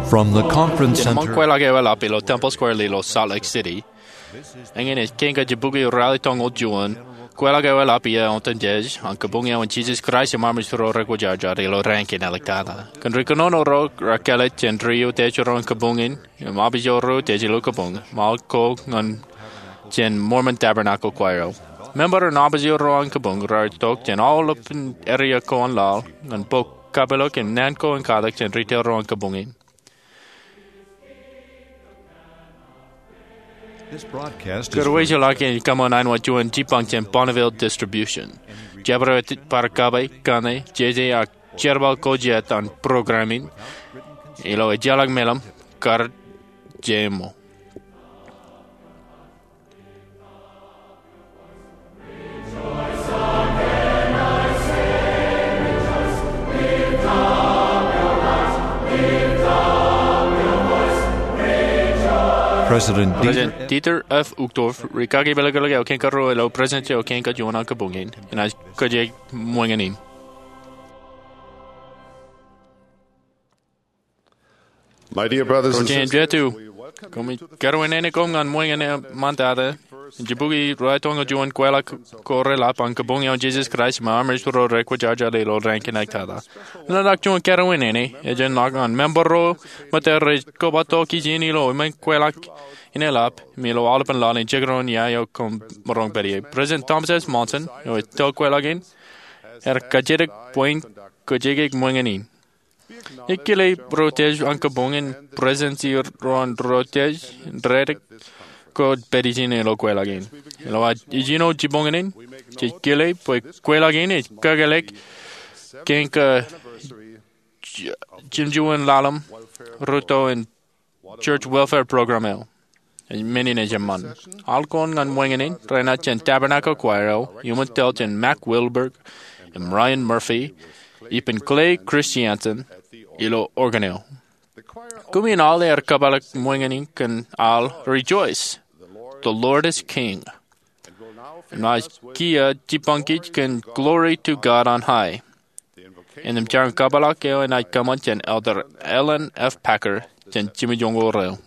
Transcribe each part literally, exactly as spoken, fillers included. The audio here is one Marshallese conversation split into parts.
From the conference center. Ṃōk kweilọk eoḷap ilo Temple Square ilo Salt Lake City. Eñin ej kein kajjitōk ilo rally tōñoul juon. Kweilọk eoḷap iiō otemjej an kabuñ eo an Jesus Christ im Armej ro Rekwōjarjar ilo raan kein āliktata. Kōn ri kōnono ro rekāālōt jān ri utiej ro an kabuñ in im apijo ro utiej ilo kabuñ, ṃaal ko ñan jān Mormon Tabernacle Choir eo. Member im apijo ro an kabuñ raar itok jān aolepān area ko an laḷ ñan bōk kapilōk im naan ko in katak jān ri tōl ro an kabuñ in. Kōrā eo ej lale ej kōṃṃan āinwōt juon jipañ jān Bonneville Distribution. Jabdewōt bar kape kaṇe jeje ak jerbal ko jet an program in ilo ejjeḷọk meḷeḷe kar jeiṃṃo. President Dieter F. Uchtdorf, ri kaki pālōklōk eo kein karuo ilo Presidential kein kajuon an kabuñ in, enaaj kōjek ṃōñā in. My dear brothers and sisters, ro jeiū, kōmij kōrā in ej kōm ñan ṃōñā in ṃōttata, ijin bōki ralitōñoul juon kweilọk ko reḷap an kabuñ eo an Jesus Christ im Armej ro Rekwōjarjar ilo raan kein āliktata. Eḷap juon kōrā in ej ejjeḷọk ñan member ro ṃōttan rej kobatok ijin ilo eṃṃan kweilọk in eḷap im ilo aolepān laḷ in jekdọọn ia eo koṃ maroñ pād ie. President Thomas S. Monson, eo ej tōl kweilọk in, ear kajjitōk bwe in kōjek ṃōñā in. Ij kile ro utiej an kabuñ in Presidency ro an ro utiej, rej kōjatdikdik ilo kweilọk in. Ilo ad ijin eo jibboñōn in, jej kile bwe kweilọk in ej kakālōk kein kajjitōk juon ḷalem rūtto in Church Welfare Program eo. Ej men in ej eṃṃan. Al ko ñan ṃōñā in renaaj jān Tabernacle Choir eo, iuṃwin tōl jān Mack Wilberg im Ryan Murphy, ippān Clay Christiansen ilo organ eo. Kumi in al ear kōpeḷḷọk ṃōñā in kōn al Rejoice, the Lord is King. Im enaaj kiiō jipañ kōn Glory to God on High. Innām jañin kōpeḷḷọk eo enaaj kōṃṃan jān Elder Ellen F. Packer jān jimjuon eo.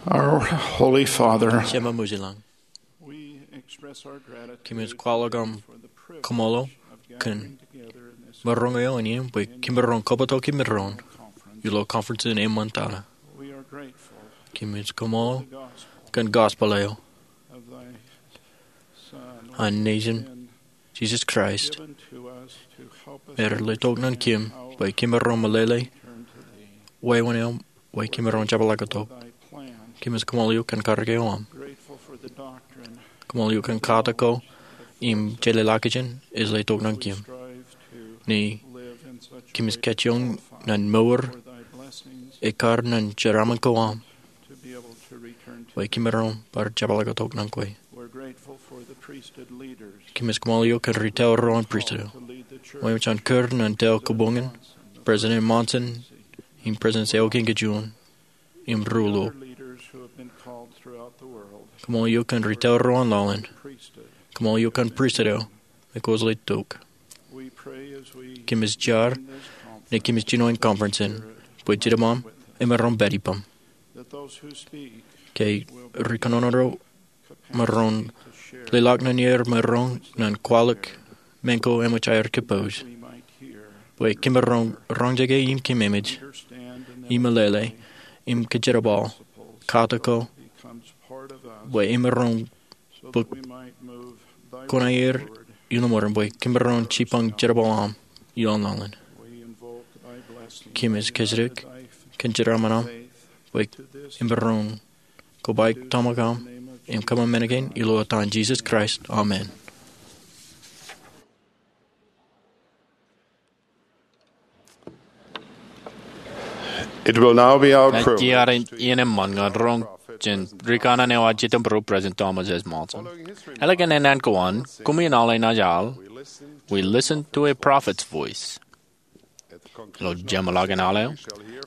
Our Holy Father, Jema Mujilañ, we express our gratitude kōmij kwaḷọk aṃ for the privilege kōṃṃool of gathering together in this kōn maroñ eo in iien bwe kōm maroñ kōpotoki maroñ ilo conference in eṃṃantata. We are grateful Kōmij kōṃṃool to the gospel kōn gospel eo of thy Son, an Nejin, Jisōs Kraist, me rej letok ñan kōm bwe kōmaroñ meḷeḷe wāween eo, bwe kōmaroñ jepḷaaktok. Kōmij koṃṃool eok kōn karōk eo aṃ. Koṃṃool eok kōn katak ko im jeḷāḷọkjeṇ ej letok ñan kōm. Ñe kōmij kajjioñ ñan mour ekkar ñan jeraaṃṃan ko aṃ, bwe kōmaroñ bar jepḷaaktok ñan kwe. Kōmij koṃṃool eok kōn ri tōl ro an pristut eo, bwe eṃōj an kūr ñan tōl kabuñ in President Monson im President Sewōj kōn kajjioñ im ri tōl. Koṃṃool eok kōn ri tōl ro an lọḷ in. Koṃṃool eok kōn pristut eo me kwōj letok. Kōmij jar ñe kōmij jino in conference in bwe Jetōb aṃ emaroñ pād ippaṃ, ke ri kōnono ro maroñ leḷọk ñan er maroñ ñan kwaḷọk men ko eṃōj aer kōpooj, bwe kōmaroñ roñjake im kōmemej im meḷeḷe im kōjerbal katak ko, bwe emaroñ bōk kuṇaer ilo mour im bwe kōmaroñ jipañ jerbal aṃ ilo lọḷ in. Kōmij kōjatdikdik kōn jeraaṃṃan aṃ bwe emaroñ kobaik tōmak aṃ im kōṃṃan men kein ilo etan Jisōs Kraist, amen. It will now be our privilege. Ej iien eṃṃan ñan roñ jān ri kanaan eo ad jitōnbōro, President Thomas S. Monson. Ālikin enana ko an, koṃi in al enaaj al, We Listen to a Prophet's Voice. Ilo jeṃḷọkin al eo,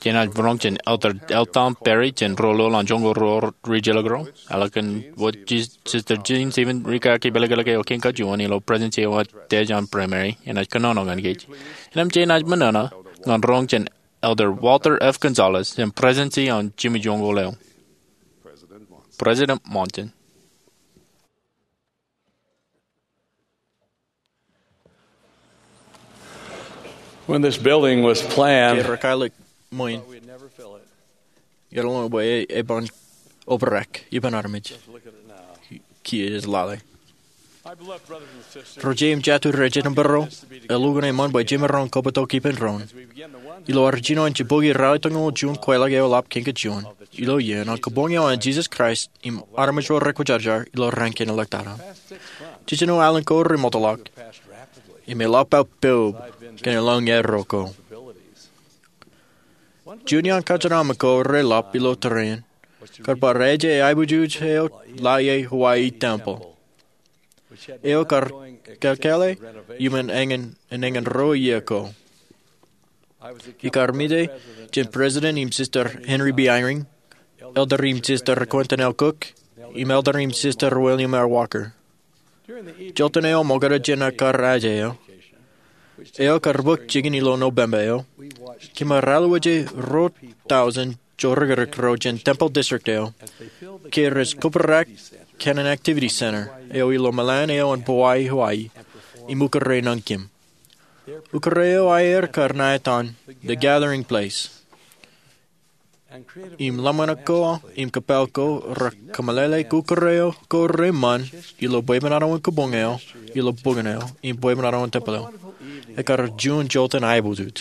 jenaaj roñ jān Elder L. Tom Perry jān Ri-Ḷoeḷ an Joñoul Ro Ri-Jilkinro. Ālikin wōt Sister Jean Stevens ri kaki pelekilek eo kein kajjien ilo Presidentsi eo ad Dej an Primary, enaaj kōnono ñan kōj. Innām jenaaj mōṇōṇō ñan roñ jān Elder Walter F. Gonzalez jān Presidentsi an Jimmy Joñoul eo. President Monson. When this building was planned, ke rej kaḷọk ṃwiin, iar ḷōmṇak bwe e, eban obrak, eban armej. Kiiō ej lale. Ro jeiū im jatū rej jitōnbōro, elukkuun eṃṃan bwe jemaroñ kōbōtok ippān doon. Ilo ad jino in jibukwi ralitōñoul juon kwaḷọk eo eḷap kein kajjien ilo iien an kabuñ eo an Jisōs Kraist im armej ro rekwōjarjar ilo raan kein eḷḷōktata. Jiljino alen ko remootḷọk, im eḷap aō poub kōn elōñ erro ko. Juon iaan kōjeraṃṃan ko reḷap ilo tōre in kar bar aje aiboojoj eo Laie Hawaii Temple, eo kar kālkale iuṃwin eñin, eñin ruo iiō ko. Ikar mejān President im Sister Henry B. Eyring, Elder im Sister Quentin L. Cook, im Elder im Sister William R. Walker. Joltin eo ṃokta jān aō kar aje eo, eo kar bōk jikin ilo Nōbemba eo, kōm ar alwōje ruo tọujin jorrakrik ro jān temple district eo, ke rej kōbrak kōn an activity center eo ilo meḷan eo an Povae Hawaii, im ukōrā ñan kōm. Ukōrā eo aer kar ṇa etan The Gathering Place. Im ḷōmṇak ko im kōppāl ko rekōmeḷeḷeik ukōrā eo ko reṃṃan ilo bwebwenato in kabuñ eo, ilo bukwōn eo, im bwebwenato in temple eo. Ekar juon joltin aiboojoj.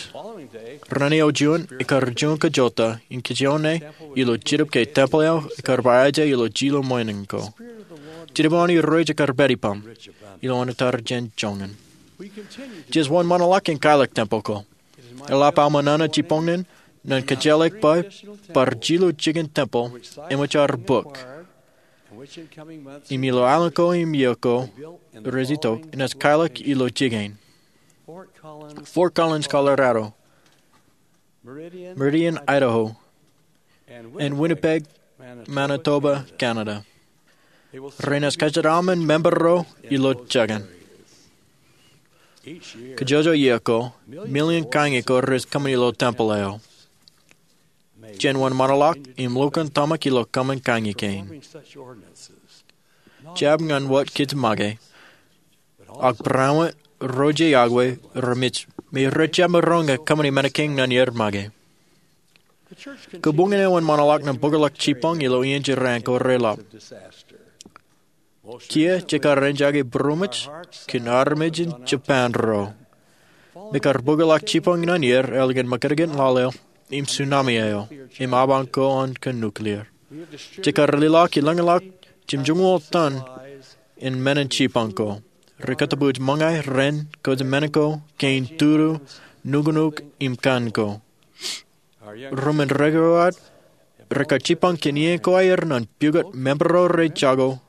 Ren eo juon, ekar juon kajjolte in kajjioñ ṇe ilo Jetōb ke temple eo ekar ba aje ilo jilu ṃōṇōṇō ko. Jetōb an Irooj ekar pād ippaṃ ilo ṇa tar jān joñan. Jej wōnṃaanḷọk in kaḷọk temple ko. Eḷap aō ṃōṇōṇō jibboñōn ñan kōjjeḷọk bwe bar jilu jikin temple eṃōj aer bōk. Im ilo alen ko im iiō ko rej itok, enaaj kaḷọk ilo jikin Fort Collins, Colorado, Meridian, Idaho, and Winnipeg, Manitoba, Canada. Renaaj kajjitōṃṃan member ro ilo jekōṇ. Kajjojo iiō ko, million kaññe ko rej kōṃṃan ilo temple eo. Jen wōnṃaanḷọk im lukkuun tōmak ilo kōṃṃan kaññe kein. Jab ñan wōt kōj make, ak barāinwōt ro jeiū ak wōt remej me rej jab maroñ in kōṃṃani men kein ñan er make. Kabuñ in eo wōnṃaanḷọk ñan bōkḷọk jibboñ ilo iien jeraan ko reḷap. Kiiō jekar enjake būroṃōj kōn armej in Japan ro me kar bōkḷọk jipañ ñan er ālikin makūtkūt ḷaleo im tsunami eo im abañ ko an kōn nuclear. Jekar lelọk ilōñḷọk jimjuonñoul tōn in men in jipañ ko. Ri kōtōpoj ṃōñā, ren, kōjmān ko, kein tudu, nuknuk im kan ko. Rumen rūkaki eo aō rekar jipañ kōn iien ko aer ñan pukot member ro rej jako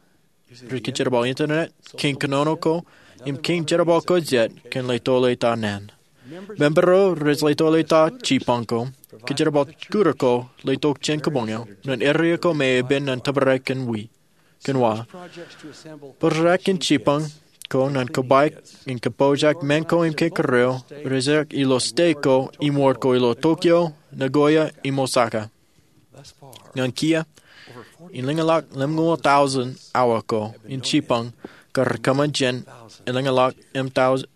rej kōjerbal internet, kein kōnono ko, im kein jerbal ko jet kōn leto leta naan. Member ro rej leto leta jipañ ko, kōjerbal kutak ko letok jān kabuñ eo ñan area ko me epen ñan tōprak kōn wa. Bōraak in jipañ ko ñan kōpaik in kōpooj men ko im kein kōrā eo rej ilo state ko im wōt ko ilo Tokyo, Nagoya im Osaka. Ñan kiiō, elōñḷọk lemñoul tọujin awa ko in jipañ kar kōṃṃan jān elōñḷọk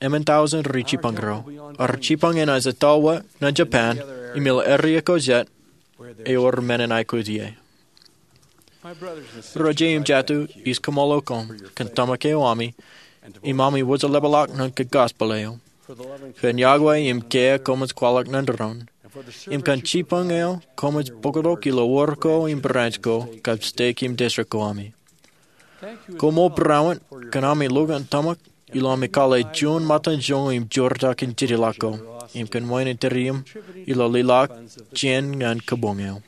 emān tọujin ri jipañ ro. Ar jipañ enaaj etto wōt ñan Japan im ilo area ko jet ewōr men in aikuj ie. Ro jet im jatū, ij kōṃṃool koṃ kōn tōmak eo ami im ami wōjleplọk ñan gospel eo. Kōn yokwe im kiiō koṃij kwaḷọk ñan doon im kōn jipañ eo koṃij bōktok ilo wōr ko im branch ko kab state im district ko ami. Koṃṃool būruon kōn ami lokan tōmak ilo ami kwaḷọk juon ṃōttan joñoul im joortak in jidilọk ko im kōn wāween in tūriaṃ ilo lelọk jān ñan kabuñ eo.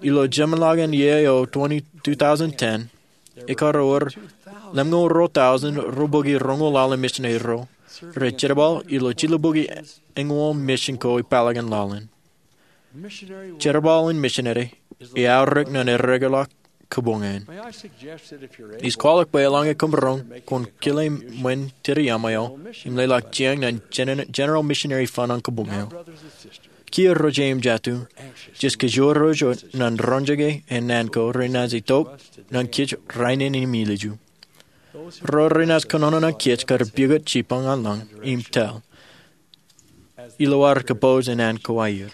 Ilo jeṃḷọkin iiō eo twenty, two thousand ten, ekar wōr lemñoul ruo tọujin ruo bōki roñoul ḷalem misineri ro rej jerbal ilo jilubukwi eñoul misin ko ipālakin laḷ in. Jerbal in misineri eaorōk ñan ereokḷọk kabuñ in. Ij kwaḷọk bwe eḷaññe koṃ roñ, kwōn kile ṃōn tūriaṃ eo im lelọk jān ñan General Missionary Fund an kabuñ eo. Kiiō ro jet im jatū, jej kōjro ro jet ñan roñjake eo naan ko renaaj itok ñan kōj rainin im ilju. Ro renaaj kōnono ñan kōj kar pukot jipañ an lañ im tōl ilo ad kōpooj naan ko aer.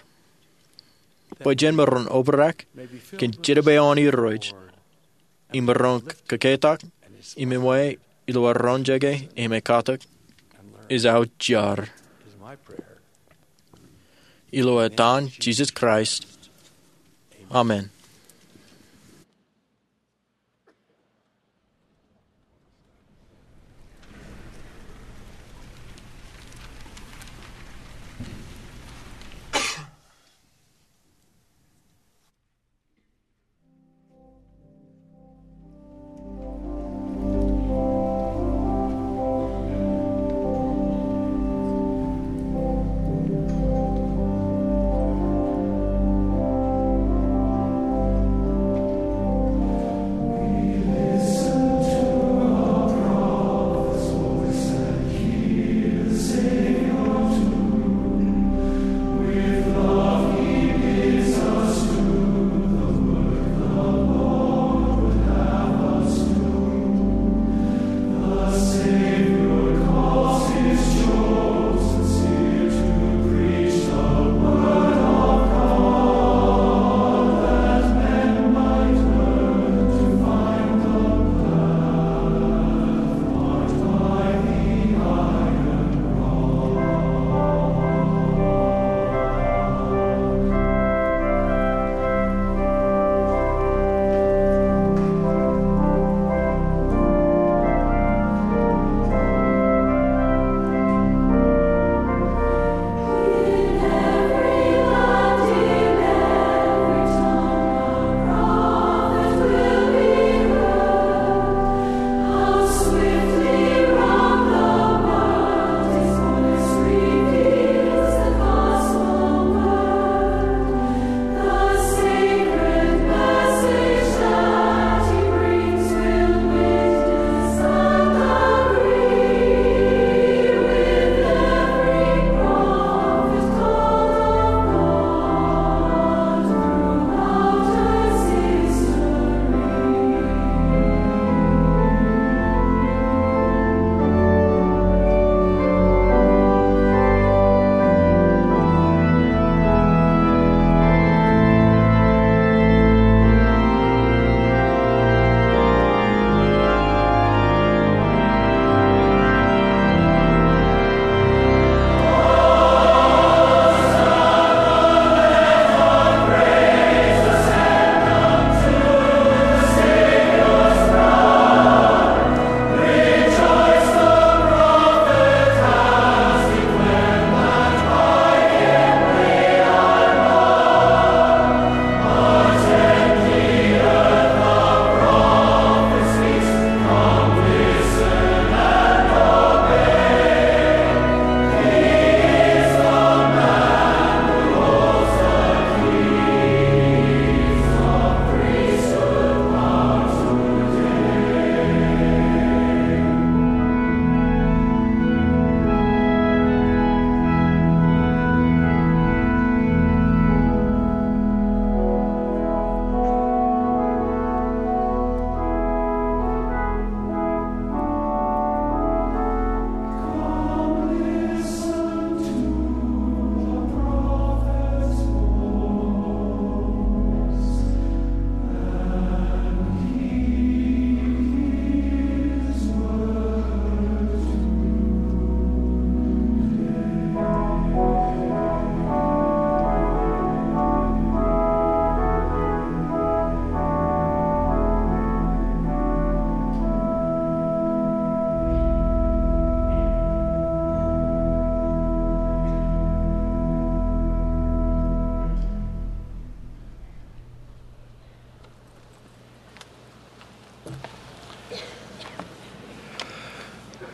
Bwe jen maroñ obrak kōn jidik eo an Irooj im maroñ kōketak im ṃōj ilo ad roñjake im ekatak, ej aō jar. Ilo etan Jisōs Kraist, amen.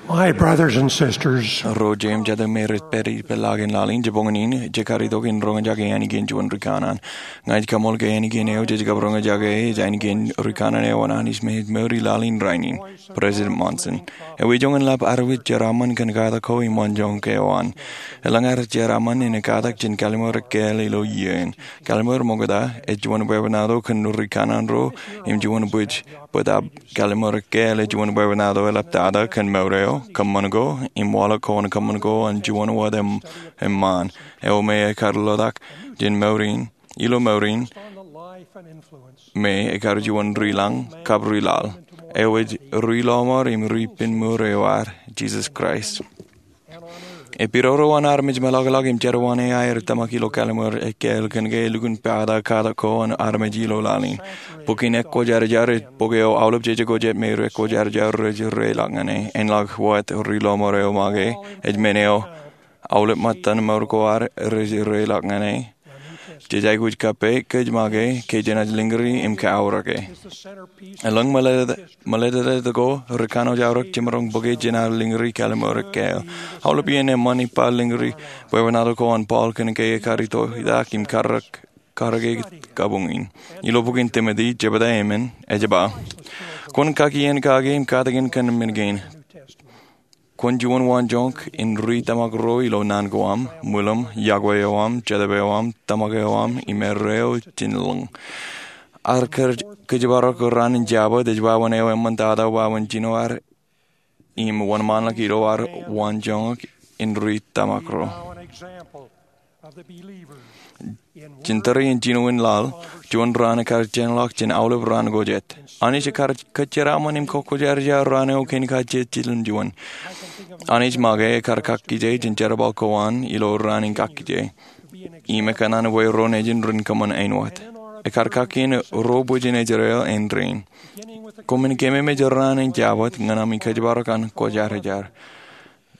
My brothers and sisters, ro jeiū im jatū me rej pād ippān laḷ in, jibboñōn in, jekar itok in roñjake ainikien juon ri kanaan. Ña ij kaṃool ke ainikien eo jej kab roñjake e ej ainikien ri kanaan eo an Anij me ej mour i laḷ in rainin, President Monson. Ewi joñan lap arwij jeraaṃṃan kōn katak ko im waanjoñak eo an. Elōñ ad jeraaṃṃan in katak jān Kallim̧ur Ekkāāl ilo iien. Kallim̧ur ṃokta ej juon bwebwenato kōn ri kanaan ro im juon bwij, bōtab Kallim̧ur Ekkāāl ej juon bwebwenato eḷaptata kōn mour eo, kōṃṃan ko, im waḷọk ko an kōṃṃan ko an juon wōt eṃṃaan eo me ekar lotak jān mour in, ilo mour in, me ekar juon ri lañ kab ri laḷ, eo ej ri lọmọọr im ri ippān mour eo ad, Jisōs Kraist. Epidodo an armej meḷọkḷọk im jerbal eo aer tōmak ilo Kallim̧ur Ekkāāl kōn ke elukkuun pata katak ko an armej ilo laḷ in. Bok in Ekwōjarjar ej bok eo aolep jeje ko jet me ri Ekwōjarjar rej reilọk ñan e, āinḷọk wōt ri lọmọọr eo make, ej men eo aolep ṃōttan mour ko ad rej reilọk ñan e. Jej aikuj kappok kōj make ke jenaaj lōñri im kaaorōk e. Elōñ ṃōletetet ko rej kanooj aorōk jemaroñ bōke jenaaj lōñri Kallim̧ur Ekkāāl. Aolep iien eṃṃan ippa lōñri bwebwenato ko an Paul kōn ke ekar itoitak im karōk, karōke kabuñ in. Ilo bok in Timote, jebta emān, ej ba, kwōn kakien kake im katakin kōn men kein. Kwōn juon waanjoñak in ri tōmak ro ilo naan ko aṃ, ṃwilaṃ, yokwe eo aṃ, jetōb eo aṃ, tōmak eo aṃ, im erreo jān lōñ. Ad kōj, kōjparok raan in Jabōt ej wāween eo eṃṃantata wāween jino ad im wōnṃaanḷọk ilo ad waanjoñak in ri tōmak ro. Jān tōre in jinoin laḷ, juon raan ekar jeorḷọk jān aolep raan ko jet. Anij ekar kōjeraaṃṃan im kwōjarjar raan eo kein kajjitōk ḷọk. Anij make ekar kakkije jān jerbal ko an ilo raan in kakkije. Im ekōṇaan bwe ro nejin ren kōṃṃan āinwōt. Ekar kakkien ro bwijin Israel āindein. Koṃwin kememej raan in Jabōt ñan ami kōjparok an kwōjarjar.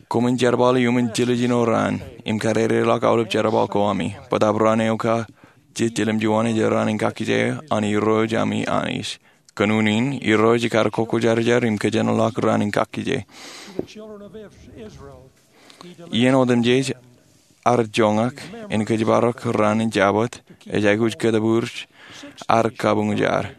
Koṃwin jerbal iuṃwin jiljino raan, im kadedeḷọk aolep jerbal ko ami. Bōtab raan eo kajjitōk ḷọk juon ej raan in kakkije an Irooj ami Anij. Kōn unin, Irooj ekar kwōjarjar im kōjenolọk raan in kakkije. Iien otemjej ad joñak in kōjparok raan in Jabōt, ej aikuj kōtbūr ad kabuñjad.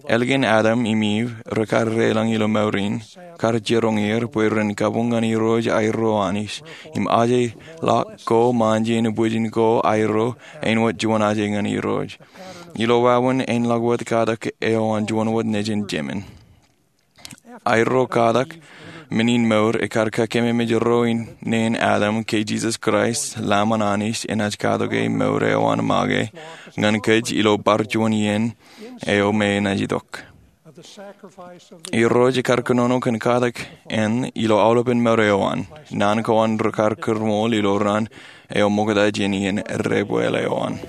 Ālikin Adam im Iv, rekar deḷọñ ilo mour in, kar jiroñ er bwe ren kabuñ ñan Irooj aerro Anij, im ajeḷọk ko ṃaanjin bwijin ko aerro āinwōt juon aje ñan Irooj. Ilo wāween āinḷọk wōt katak eo an juon wōt nejin jemān. Aerro katak, men in mour, ekar kakememej ro in neen Adam ke Jisōs Kraist, Lamb an Anij, enaaj katoke mour eo an make ñan kōj ilo bar juon iien eo me enaaj itok. Irooj ekar kōnono kōn katak eṇ ilo aolepen mour eo an. Naan ko an rekar kōrmool ilo raan eo ṃokta jān iien debwāāl eo an.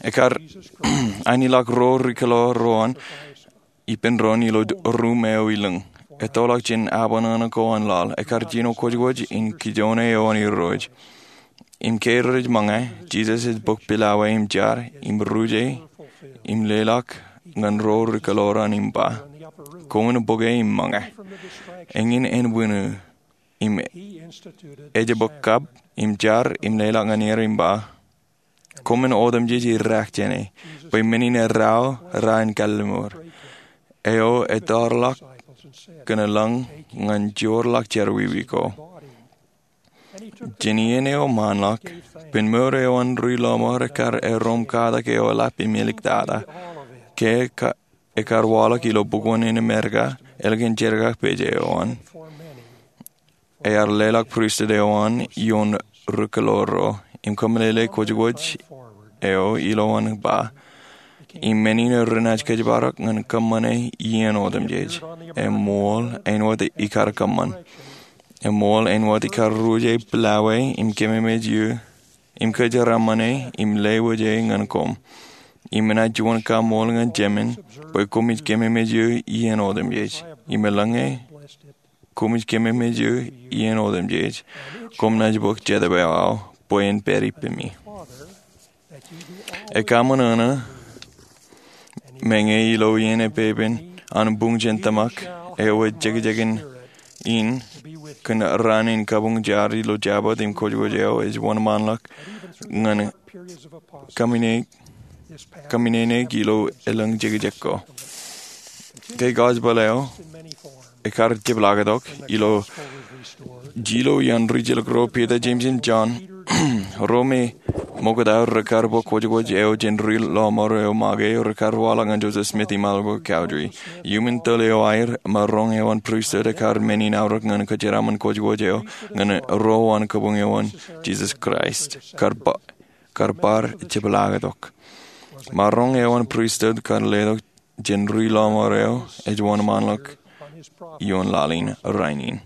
Ekar āinwōt ro ri kōḷḷā ro an ippān doon ilo ruṃ eo ilōñ. Ettoḷọk jān aō ṇaṇōṇō ko an laḷ. Ekar jino kwōjkwōj in kijoone eo an Irooj. Im ke rej ṃōñā, Jisōs ej bōk pilawā im jar, im ruje, im leḷọk ñan ro ri kōḷḷā ro an im ba, koṃwin bōke im ṃōñā. Eñin ānbwinnin, im ej bōk kab, im jar, im leḷọk ñan er im ba, koṃwin otemjej idaak jāne, bwe men in erreo raan in kalliṃur, eo ettoḷọk kōn eḷaññe ñan joorḷọk jerọwiwi ko. Jān iien eo ṃaanḷọk, ippān mour eo an ri lọmọọr ekar erom katak eo eḷap im eliktata, ke ekar waḷọk ilo bukwōn in Amerika, ālikin jerkakpeje eo an. Ear leḷọk pristut eo an ioon ri kōḷḷā ro, im kōmeḷeḷe kwōjkwōj eo ilowaan ba, im men in renaaj kōjparok ñan kōṃṃane iien otemjej, eṃṃool āinwōt ikar kōṃṃan. Eṃṃool āinwōt ikar ruje pilawā im kememej eō, im kōjeraaṃṃane, im lewōje ñan koṃ. Im enaaj juon kaṃool ñan jemān, bwe koṃij kememej eō iien otemjej. Im eḷaññe koṃij kememej eō iien otemjej, koṃ naaj bōk jetōb eo aō, bwe en pād ippemi. Ekaṃōṇōṇō, meñe ilo iien epepen an buñ jān tōmak, eo ej jekjekin in kōn raan in kabuñ jar ilo jabōt im kwōjkwōj eo ej wōnṃaanḷọk ñan kōmminene, kōmminene ilo elōñ jekjek ko. Ke gospel eo ekar jepḷaaktok ilo jilō iaan ri-jilōk ro Piter, Jemes im Jon, ro me ṃokta rekar bōk kwōjkwōj eo jān ri lọmọọr eo make rekar waḷọk ñan Joseph Smith im Oliver Cowdery. Iuṃwin tōl eo aer, maroñ eo an pristut ekar men in aorōk ñan kōjeraaṃṃan kwōjkwōj eo ñan ro an kabuñ eo an Jesus Christ kar ba-, kar bar jepḷaaktok. Maroñ eo an pristut kar letok jān ri lọmọọr eo ej wōnṃaanḷọk ioon laḷ in rainin.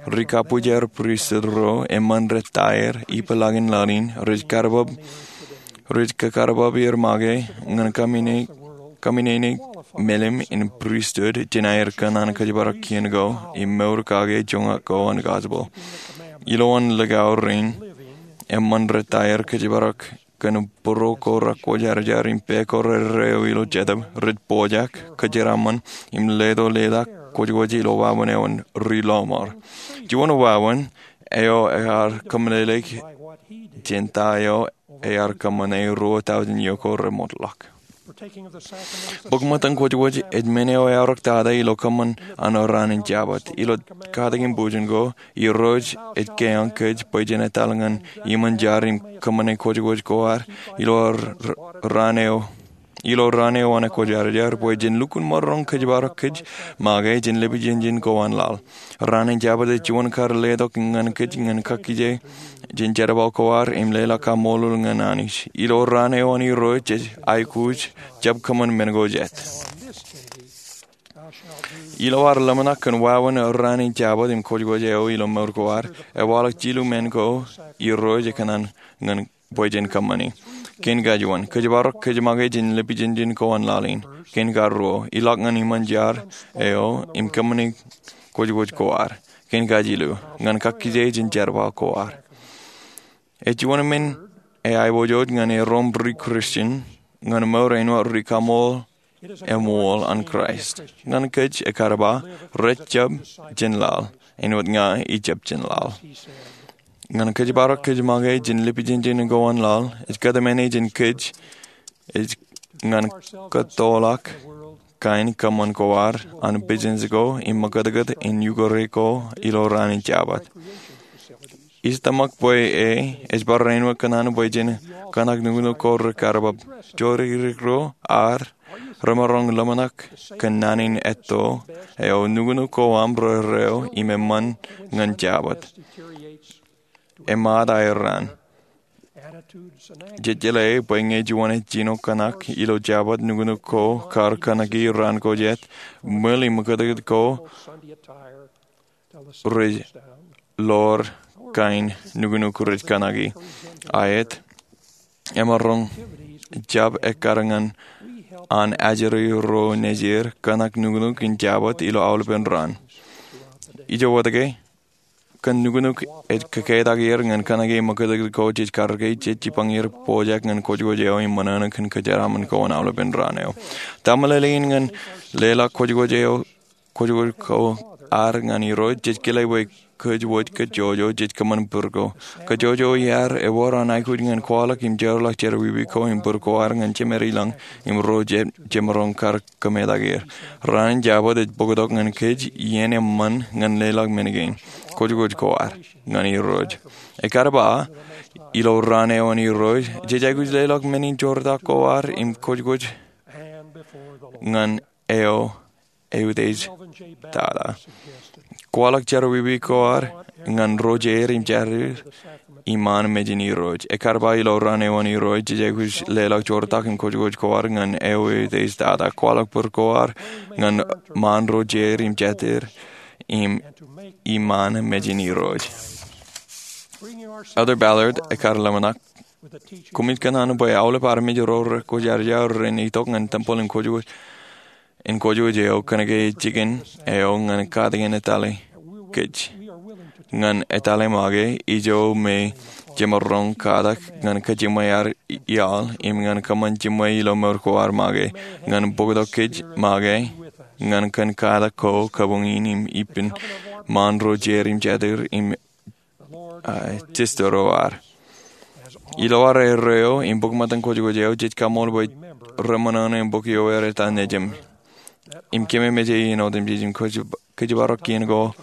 Ri-kabbwijer pristut ro eṃṃan rej ta aer ipeḷaakin laḷ in, rej karbab, rej kakarbab er make ñan kōmminene, kōmminene melim in pristut jān aer kōṇaan kōjparok kien ko im mour kake joñak ko an gospel. Ilowaan likao rein eṃṃan rej ta aer kōjparok kōn būruo ko rekwōjarjar im pā ko rerreo ilo jetōb, rej pojak, kōjeraaṃṃan, im leto leḷọk kwōjkwōj ilo wāween eo an ri lọmọọr. Juon wāween eo ear kōmeḷeḷeik jān ta eo ear kōṃṃane ruo tọujin iiō ko remootḷọk. Bōk ṃōttan kwōjkwōj ej men eo eaorōk tata ilo kōṃṃan an raan in Jabōt. Ilo katak im bujen ko, Irooj ej keañ kōj bwe jen etal ñan iṃōn jar im kōṃṃane kwōjkwōj ko ad ilo r-, r-, raan eo, ilo raan eo an ekwōjarjar bwe jen lukkuun maroñ kōjparok kōj make jān lipijenjen ko an laḷ. Raan in Jabōt ej juon kar letok ñan kōj ñan kakkije jān jerbal ko ad im leḷọk kaṃṃoolol ñan Anij. Ilo raan eo an Irooj jej aikuj jab kōṃṃan men ko jet. Ilo ad ḷōmṇak kōn wāween raan in Jabōt im kwōjkwōj eo ilo mour ko ad, ewaḷọk jilu men ko Irooj ekōṇaan ñan bwe jen kōṃṃani. Kein kajuon, kōjparok kōj make jān lipijenjen ko an laḷ in. Kein karuo, ilọk ñan iṃōn jar eo im kōṃṃani kwōjkwōj ko ad. Kein kajilu, ñan kakkije jān jerbal ko ad. Ej juon men eaiboojoj ñan erom ri-Christian ñan mour āinwōt ri-kaṃool eṃool an Kraist. Ñan kōj ekar ba, rej jab jān laḷ, āinwōt ña ij jab jān laḷ. Ñan kōjparok kōj make jān lipijenjen ko an laḷ, ej kōtmāne jān kōj, ej ñan kōttoḷọk kain kōṃṃan ko ad an pijens ko im ṃakūtkūt in ukōrā ko ilo raan in Jabōt. Ij tōmak bwe e, ej bar āinwōt kōṇaan bwe jen kōṇak nuknuk ko rekarbab. Jorikrōk ro ad remaroñ ḷōmṇak kōn naan in etto eo, nuknuk ko aṃ rerreo im eṃṃan ñan Jabōt. Emaat aer raan. Jej jeḷā bwe ñe juon ej jino kōṇak ilo Jabōt, nuknuk ko kar kōṇaki raan ko jet, ṃwil im ṃakūtkūt ko rej ḷoor kain nuknuk rej kōṇaki. Aet, emaroñ jab ekkar ñan an ajri ro nejier kōṇak nuknuk in Jabōt ilo aolepen raan. Ijo wōt ke, kōn nuknuk ej kōketak er ñan kōṇaki ṃakūtkūt ko jej karōke, jej jipañ er pojak ñan kwōjkwōj eo im ṃōṇōṇō kōn kōjeraaṃṃan ko an aolepen raan eo. Ta meḷeḷein ñan leḷọk kwōjkwōj eo kwōjkwōj ko ad ñan Irooj? Jej kile bwe kōjwōj kōjjojo jej kōṃṃan bōd ko. Kōjjojo iaad ewōr an aikuj ñan kwaḷọk im jeorḷọk jerọwiwi ko im bōd ko ad ñan Jemād ilañ im ro je-, jemaroñ kar kōmetak er. Raan in Jabōt ej bōktok ñan kōj iien eṃṃan ñan leḷọk men kein, kwōjkwōj ko ad ñan Irooj. Ekar ba, ilo raan eo an Irooj, jej aikuj leḷọk men in joortak ko ad im kwōjkwōj ñan eo eutiej tata. Kwaḷọk jerọwiwi ko ad ñan ro jeir im jatid iṃaan mejān Irooj. Ekar ba, ilo raan eo an Irooj, jej aikuj leḷọk joortak im kwōjkwōj ko ad ñan eo eutiej tata. Kwaḷọk bōd ko ad ñan ṃaan ro jeir im jatid im iṃaan mejān Irooj. Elder Ballard ekar ḷōmṇak, koṃij kōṇaan bwe aolep armej ro rekwōjarjar ren itok ñan tempel in kwōjkwōj, in kwōjkwōj eo kōnke ej jikin eo ñan katakin etale kōj. Ñan etale make, ijo me jemaroñ katak ñan kajiṃwe ad iaḷ im ñan kōṃṃan jiṃwe ilo mour ko ad make, ñan bōktok kōj make, ñan kōn katak ko kabuñ in im ippān ṃaan ro jeir im jatūr im, ah, jistōro ad. Ilo ad erreo im bōk ṃōttan kwōjkwōj eo, jej kaṃṃool bwe reṃōṇōṇō im bōk ioer eta nejūṃ. Im kememej e iien otemjej im kōj, kōjparok kien ko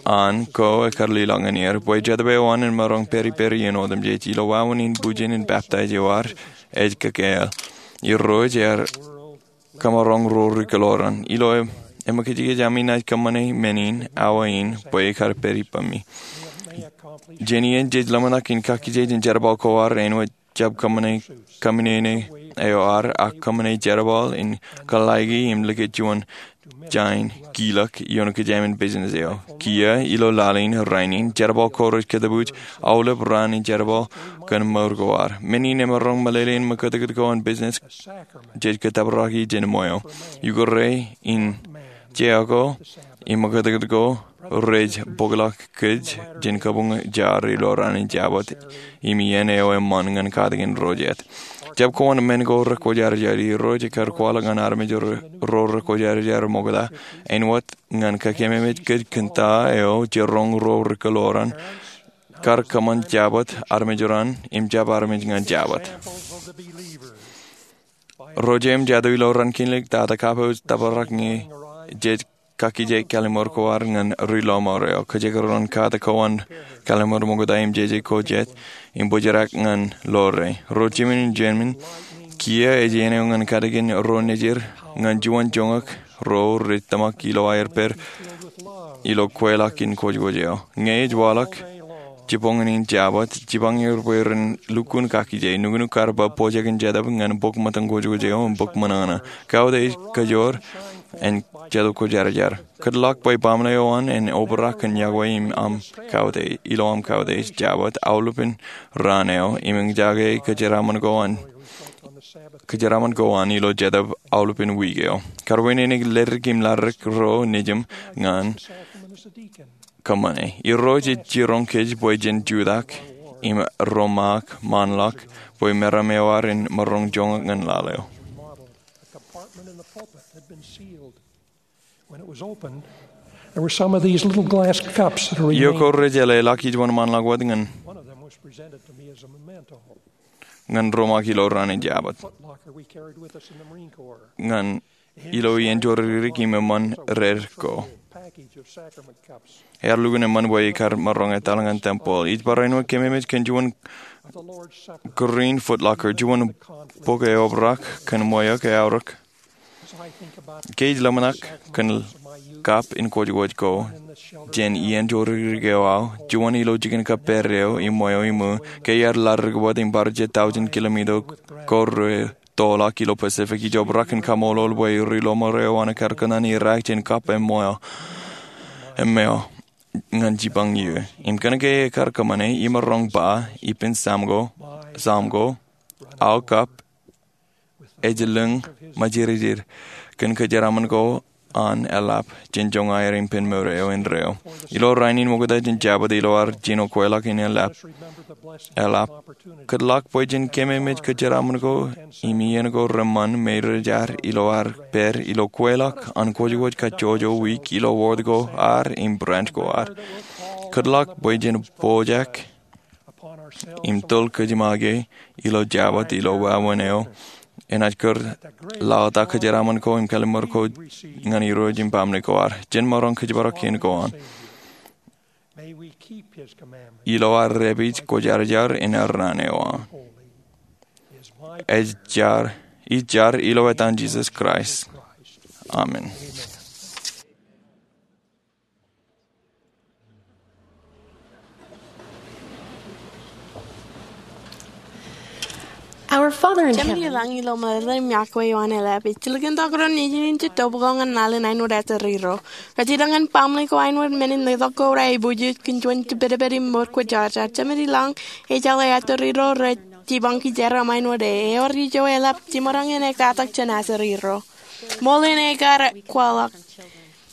an ko ekar lelọk ñan er. Bwe Jetōb eo an en maroñ pād ippād iien otemjej. Ilo wāween in bwijin in peptaij eo ad, ej kōkāāl. Irooj ear kōmaroñ ro ri kōḷoran. Ilo e, emōkajkōj ami naaj kōṃṃane men in awa in bwe ekar pād ippemi. Jān iien jej ḷōmṇak in kakijej in jerbal ko ad, āinwōt jab kōṃṃane, kōṃṃane eo ad, ak kōṃṃane jerbal in kōḷḷāiki im likūt juon jān kilōk ioon kōjām in business eo. Kiiō ilo laḷ in rainin, jerbal ko rej kōtbuuj aolep raan in jerbal kōn mour ko ad. Men in emaroñ meḷeḷe in ṃōkūtkūt ko an business jej kōttōpar kaki jān ṃweo. Ukōrā in jea ko im ṃōkūtkūt ko rej bōkḷọk kōj jān kabuñ jar ilo raan in Jabōt im iien eo eṃṃan ñan katakin ro jet. Jab kōṃṃan men ko rekwōjarjar. Irooj ekar kwaḷọk ñan armej ro, ro rekwōjarjar ṃokta āinwōt ñan kakememej kōj kōn ta eo jeroñ ro ri kōḷoran kar kōṃṃan Jabōt armej ro an im jab armej ñan Jabōt. Ro jeiū im jatū ilo raan kinlik, tata kapo ej tōprak ñe jej kakije kallim̧ur ko ad ñan ri lọmọọr eo. Kōjekdọọn kate ko an kallim̧ur ṃokta im jeje ko jet im bōjrak ñan ḷoore. Ro jimjuon in jemān, kiiō ej iien eo ñan katakin ro nejid ñan juon joñak ro rej tōmak ilo aer pād ilo kweilọk in kwōjkwōj eo. Ñe ej waḷọk jiboñōn in Jabōt, jipañ er bwe ren lukkuun kakije. Nuknuk kar ba pojak in Jetōb ñan bōk ṃōttan kwōjkwōj eo im bōk ṃōṇōṇō. Kautiej kōjoor en Jetōb Kwōjarjar. Kōtḷọk bwe baaṃle eo an en obrak kōn iọkwe im aṃ kautiej, ilo aṃ kautiej Jabōt aolepān raan eo, im eñjake kōjeraaṃṃan ko an, kōjeraaṃṃan ko an ilo Jetōb aolepān wiik eo. Kar wāween in ledik im ladik ro nejūṃ ñan kōṃṃane. Irooj ej jiroñ kōj bwe jen jutak im romaak ṃaanḷọk bwe meram eo ad en maroñ joñak ñan laḷ eo. When it was opened, there were some of these little glass cups that are remaining. Iọkwe rej jeḷā ḷọk ij wōnṃaanḷọk wōt ñan, one of them was presented to me as a memento. Ñan romaak ilo raan in Jabōt. Foot locker we carried with us in the Marine Corps. Ñan ilo iien jorikdik im eṃṃan red ko. Package of sacrament cups. Ear lukkuun eṃṃan bwe ekar maroñ etal ñan tempeḷ. Ij bar āinwōt kememej kōn juon green foot locker, juon bok eobrak kōn ṃweo ke aorōk. Ke ij ḷōmṇak kōn kap in kwōjkwōj ko jān iien jorikdik eo aō, juon ilo jikin kōppād eo im ṃweo iṃō, ke iar ladik wōt im bar jet tọujin kilomita ko rej toḷọk ilo Pacific, ij obrak in kaṃṃoolol bwe ri lọmọọr eo an ekar kōṇaan iraak jān kap im ṃweo, im ṃweo ñan jipañ iiō. Im kōnke ekar kōṃṃane, imaroñ ba ippān Sam ko, Sam ko, aō kap ej lōñ ṃajirjir kōn kōjeraaṃṃan ko an eḷap jān joñan aer im pen mour eo indeeo. Ilo rainin ṃokta jān Jabōt ilo ad jino kweilọk in eḷap, eḷap, kōtḷọk bwe jen kememej kōjeraaṃṃan ko im iien ko reṃṃan me rej ad ilo ad pād ilo kweilọk an kwōjkwōj kajjojo wiik ilo ward ko ad im branch ko ad. Kōtḷọk bwe jen pojak im toḷ kōjiṃake ilo Jabōt ilo wāween eo enaaj kūr laḷtak kōjeraaṃṃan ko im kalliṃur ko ñan Irooj im baaṃle ko ad. Jen maroñ kōjparok kien ko an ilo ad dāpij kwōjarjar in erraan eo an. Ij jar, ij jar ilo etan Jisōs Kraist. Amen. Our Father in heaven. Jemān ilañ ilo meḷeḷe im iọkwe eo an eḷap, ij jilkintok ro nejin in jitto bwe ko ñan laḷ in āinwōt aseriro. Rej itok ñan baaṃle ko āinwōt men in letok ko reibwijin kōn juon jipedped im mour kwōjarjar. Jemān ilañ, ejjeḷọk aseriro rej jipañ kijeraaṃṃan āinwōt e. Ewōr ijo eḷap jiṃor ñan ektatak jān aseriro. Ṃool in ekar kwaḷọk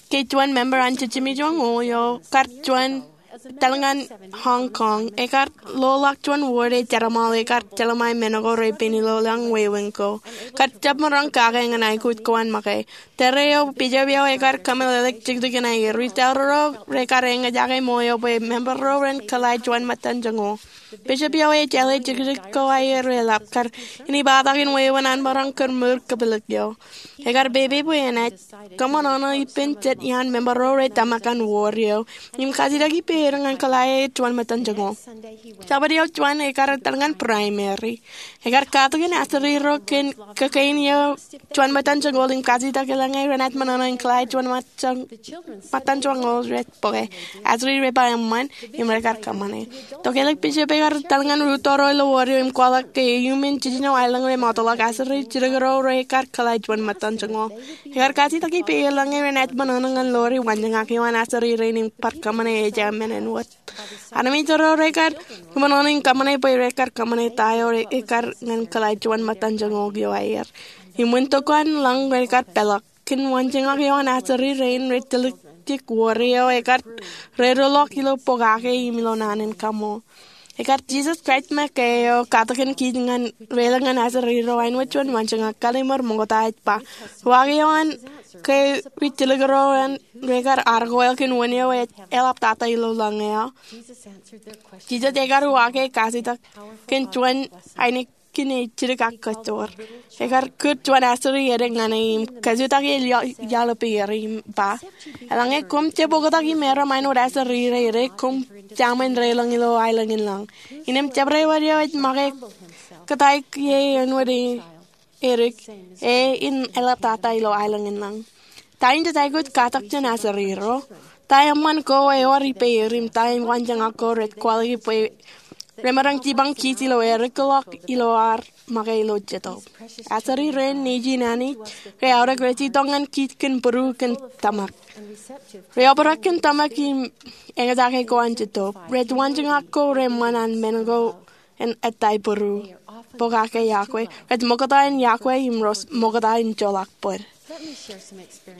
ke juon member an Jemān Ilañ eo kar juon etal ñan Hong Kong. Ekar loḷọk juon ward eo jerbal ekar jelṃae men ko repein ilo lañ wāween ko. Kar jab maroñ kake ñan aikuj ko an make. Tōre eo bishop eo ekar kōmeḷeḷeik jikjik in aier. Retail ro rekar eñjake ṃool eo bwe member ro ren kōḷae juon ṃōttan joñoul. Bishop eo ej jeḷā jikjik ko aier eḷap kar inepatakin wāween an maroñ kōrmour kōpeḷḷọk eo. Ekar pepe bwe enaaj kōṃṃan ṇa ippān jet iaan member ro rej tōmak ñan ward eo im kajjitōk ippāer ñan kōḷae juon ṃōttan joñoul. Jabōt eo juon ekar etal ñan primary. Ekar katakin aseri ro kōn kōkain eo juon ṃōttan joñoul im kajjitōk eḷaññe renaaj ṃōṇōṇō in kōḷae juon ṃōttan joñoul rej bōke. Aseri rej ba eṃṃan im rekar kōṃṃane. Tokālik bishop ekar etal ñan ri-tōro ilo ward eo im kwaḷọk ke iuṃwin jiljino aelōñ rej mootḷọk aseri jidik ro rekar kōḷae juon ṃōttan joñoul. Ekar kajjitōk ippāer eḷaññe renaaj ṃōṇōṇō ñan lori waanjoñak eo an aseri rein im bar kōṃṃane ejja men āinwōt. Armej ro rekar ṃōṇōṇō in kōṃṃane bwe rekar kōṃṃane ta eo ekar ñan kōḷae juon ṃōttan joñoul eo aier. Im wūnin tokwan lañ rekar peḷḷọk kōn waanjoñak eo an aseri rein rej tiljek ward eo ekar rerooḷọk ilo pokake im ilo naan in kaṃool. Ekar Jisōs Kraist make eo katakin kij ñan reiḷọk ñan aseri ro āinwōt juon waanjoñak. Kallim̧ur Ṃokta ej ba, uwaak eo an ke ri-tiljek ro an rekar arkoel kōn wūn eo ej eḷaptata ilo lañ eo. Jisōs ekar uwaake kajjitōk kōn juon ainikien ej jidik ak kōjjoor. Ekar kūr juon aseri edik ñan e im kōjutake iaḷ ippāer im ba, eḷaññe koṃ jab oktak im erom āinwōt aseri ro edik, koṃ jaṃin reiḷọk ilo aelōñ in lañ. Innām jabdewōt eo ej make kōtaik ie āinwōt edik, e en eḷaptata ilo aelōñ in lañ. Ta in jej aikuj katak jān aseri ro? Ta eṃṃan ko ewōr ippāer im ta in waanjoñak ko rej kwaḷọk bwe remaroñ jipañ kij ilo erikḷọk ilo ad make ilo jetōb? Aseri rein Nejiin Anij, rej aorōk rej itok ñan kij kōn būruo kōn tōmak. Rej obrak kōn tōmak im eñjake ko an jetōb. Rej waanjoñak ko reṃṃan an men ko en ettā būruo, pokake iọkwe. Rej ṃokta in iọkwe im rej ṃokta in joḷọk bōd.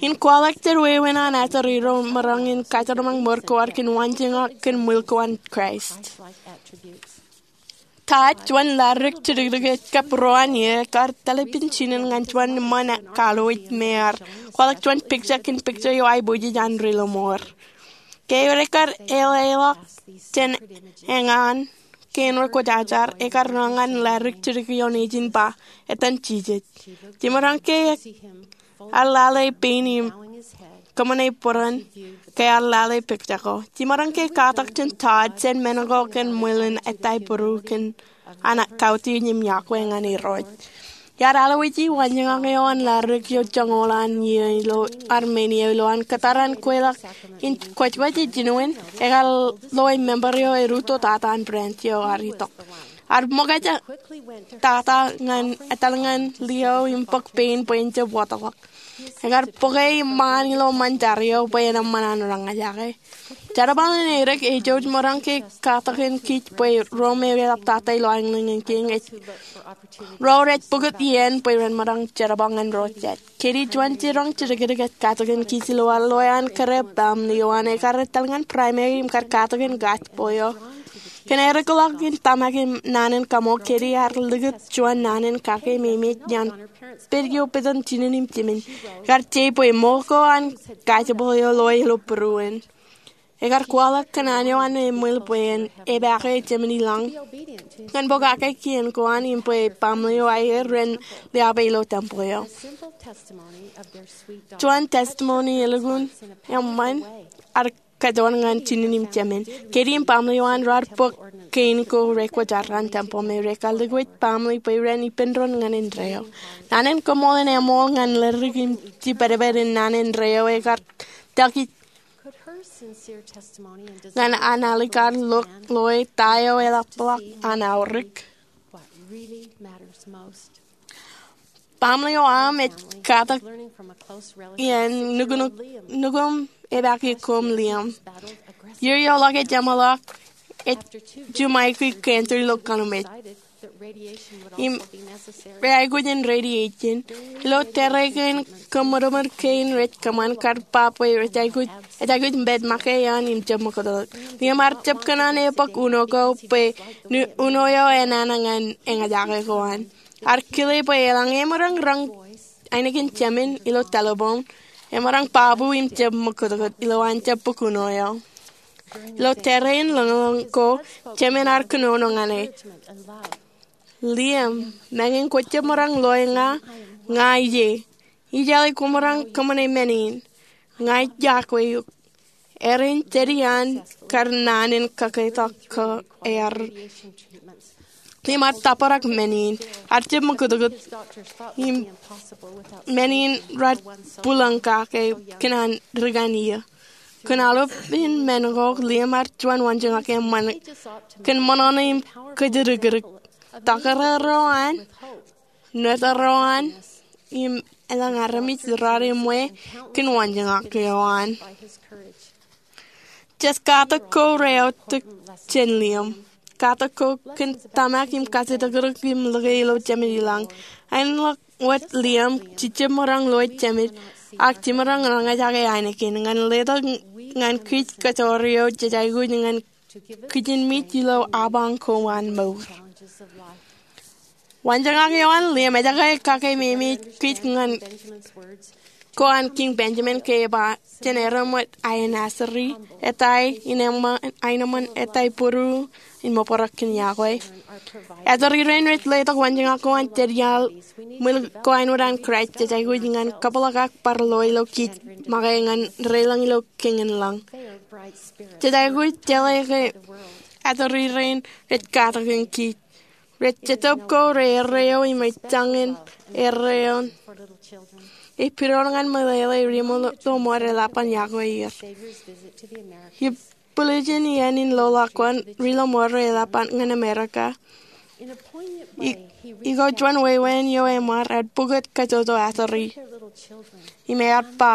In kwaḷọk jet wāween an aseri ro maroñ in kajjitōk ṃōr ko ad kōn waanjoñak kōn ṃwil ko an Kraist. Ta juon ladik jidikdik ej kab ro an ie ekar tōl ippān jinen ñan juon eṃṃan kaalooj me ear kwaḷọk juon picture kōn picture eo aiboojoj an ri-lọmọọr. Ke rekar eḷeḷọk jān eñaan kein rekwōjarjar, ekar ro ñan ladik jidik eo nejin ba, etan Jisōs. Jemaroñ ke ear lale pein im kōṃṃane bōran ke ear lale picture ko. Jemaroñ ke katak jān Todd jān men ko kōn ṃwil en ettā būruo kōn an kautiej im iọkwe ñan Irooj. Iar alwōji waanjoñak eo an ladik eo joñoul an ie ilo Armenia ilo an kōttar an kweilọk in kwōjkwōj ej jinoin, ekar loe member eo erūtto tata an branch eo ear itok. Ear ṃōkaj tata ñan etal ñan lio im bōk pein bwe en jab wōtlọk. Ekar bōke iṃaan ilo ṃōn jar eo bwe en eṃṃan an roñjake. Jerbal in edik ej jouj maroñ ke katakin kij bwe ro me eḷaptata ilo aelōñ in lañ ej ro rej pukot iien bwe ren maroñ jerbal ñan ro jet. Kōnke juon jiroñ jidikdik ej katakin kij ilo ad loe an kōrā baaṃle eo an ekar etal ñan primary im kar katakin gospel eo. Kōn erikḷọk in tōmak im naan in kaṃool, kōnke ear likūt juon naan in kake meimej iaan pād eo pād jān jinen im jemān. Ekar je bwe ṃool ko an gospel eo loe ilo būruon. Ekar kwaḷọk kōn an eo an eṃwil bwe en epaake jemān i lañ ñan pokake kien ko an im bwe baaṃle eo aer ren liape ilo tempeḷ eo. Juon testimony elukkuun eṃṃan ear kōjwōj ñan jinen im jemān. Kōnke baaṃle eo an raar bōk kein ko rekwōjarjar an tempeḷ me rekar likūt baaṃle bwe ren ippān doon ñan indeeo. Naan in kaṃool in eṃool ñan ladik im jibadbad in naan indeeo ekar tōl kij ñan an alikkar lọk loe ta eo eḷapḷọk an aorōk. Baaṃle eo aṃ ej katak iaan nukunukuṃ epaake koṃ liaṃ. Iiō eo ḷọk ej eṃōḷọk ej juṃaiki cancer ilo kōnooj. im rej aikuj in radiation. Ilo tōre kein, kōṃadṃōd kein rej kōṃṃan kar ba bwe rej aikuj, ej aikuj in pād make eoon im jab ṃōkūtkūt. Liam ear jab kōṇaan e bōk uno ko bwe uno eo enana ñan eñjake ko an. Ear kile bwe eḷaññe emaroñ roñ ainikien jemān ilo telephone, emaroñ ba bwe im jab ṃōkūtkūt ilowaan jab bōk uno eo. Ilo tōre in lōñlōñ ko, jemān ear kōnono ñan e, "Liam, meñe kwōj jab maroñ loe ña, ña ie. Ij jeḷā kwōmaroñ kōṃṃane men in. Ña ij iọkwe eok." Erin jedi an kar naan in kakōḷḷe ko ear. Liam ear tōprak men in, ear jab ṃōkūtkūt, im men in raar bwilōñ kake kōn an ri-kanooj. Kōn aolep in men ko, Liam ear juon waanjoñak eṃṃan kōn ṃōṇōṇō im kōjatdikdik. Tōkaro ro an, nōtaro an, im elōñ armej raar eṃṃan kōn waanjoñak eo an. Jet katak ko reaorōk jān Liam. Katak ko kōn tōmak im kajatdikdik im lōke ilo Jemān ilañ. Āinwōt Liam, jej jab maroñ loe jemād, ak jemaroñ roñjake ainikien ñan letok ñan kōj kōjro eo jej aikuj ñan kijinmej ilo apañ ko an mour. Waanjoñak eo an Liam ej kake memeej kōj ñan ko an Kiiñ Benjamin ke eba jān erom wōt aenasri, etai aenōṃṃan, etai būruō, im obrak kōn iọkwe. Āturi rein rej letok waanjoñak ko an jān iaḷ ṃwil ko āinwōt an Kraist jej aikuj ñan kabōḷọk ak bar loe ilo kōj make ñan reiḷọñ ilo kōn lañ. Jej aikuj jeḷā ke āturi rein rej katakin kōj. Rej Jetōb ko re erreo im rej jañin erreo. Epidoon ñan meḷeḷe ri ḷōṃareḷap an iọkwe er. Im bwiljin iien in loḷọk ko an ri ḷōṃareḷap ñan Amerika, i, ilo juon wāween eo eṃṃan, ear pukot kajjojo āturi im ear ba,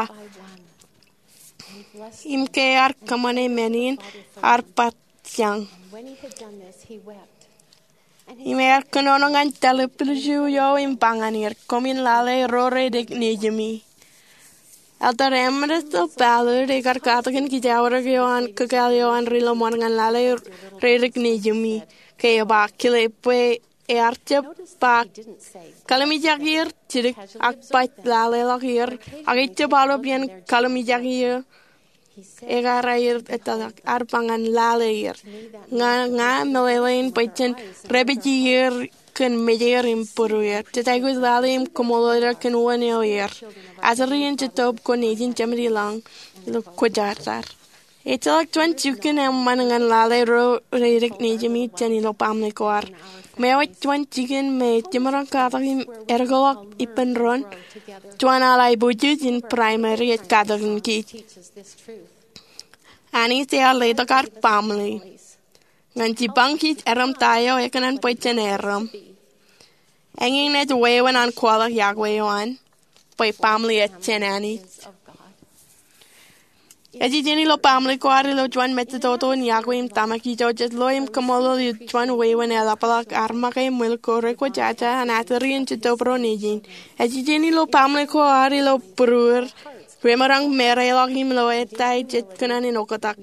im ke ear kōṃṃane men in, ear ba, "Jañ." Im ear kōnono ñan W B C eo im ba ñan er, "Koṃwin lale ro reidik nejimi." Elder Ambrose Ballard ekar katakin kōj aorōk eo an kakāāl eo an ri ḷōṃareḷap ñan lale reidik nejimi ke eba kile bwe ear jab ba, "Kalimjek er jidik ak baj laleḷọk er, ak ejab aolep iien kalimjek er." Ekar aer etōḷọk, ear ba ñan lale er. Ña, ña meḷeḷein bwe jen repeje er kōn mej er im būruer. Jej aikuj lale im kaṃṃoolol er kōn wōn eo er. Āturi in Jetōb ko nejin Jemān ilañ ilo kwōjarjar. Ejjeḷọk juon jikin eṃṃan ñan lale ro reidik nejimi jān ilo baaṃle ko ad. Ṃweo ej juon jikin me jemaroñ katak im edkōḷọk ippān doon juon aḷ aiboojoj in primary ej katakin kōj. Anij ear letok ad baaṃle ñan jipañ kōj erom ta eo ekōṇaan bwe jen erom. Eñin ej wāween an kwaḷọk iọkwe eo an bwe baaṃle ej jān Anij. Ej ijin ilo baaṃle ko ad ilo juon mejatoto in iọkwe im tōmak ijo jej loe im kaṃṃoolol ilo juon wāween eḷapḷọk ad make ṃwil ko rekwōjaja an āturi in Jetōb ro nejin. Ej ijin ilo baaṃle ko ad ilo būruer remaroñ mereḷọk im ilo ettā jej kōṇaan in oktak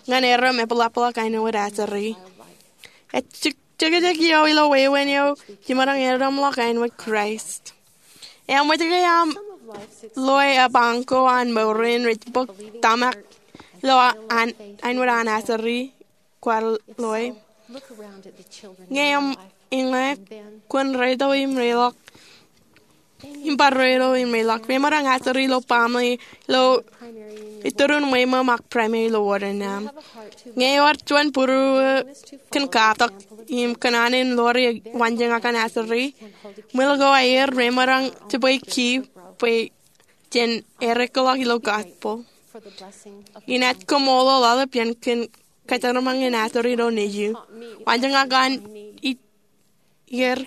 ñan erom epeḷapḷọk āinwōt āturi. Ej jekjek eo ilo wāween eo jemaroñ edomḷọk āinwōt Kraist. Eṃōj ke aṃ loe apañ ko an mour in rej bōk tōmak ilo an, āinwōt an āturi kwaar loe? Ñe eṃōj, kwōn reito im reḷọk. Im bar reito im reḷọk. Remaroñ āturi ilo baaṃle ilo itōrun ṃweo ṃōṃ ak primary ilo wōt aṃ. Ñe ewōr juon būruō kōn katak im kōṇaan in ḷoori waanjoñak an āturi, ṃwil ko aer remaroñ jibwe kiiō bwe jen eddekḷọk ilo gospel. Inaaj kaṃṃoolol aolep iien kōn kōjeraṃṃan in āturi ro nejū. Waanjoñak an ij er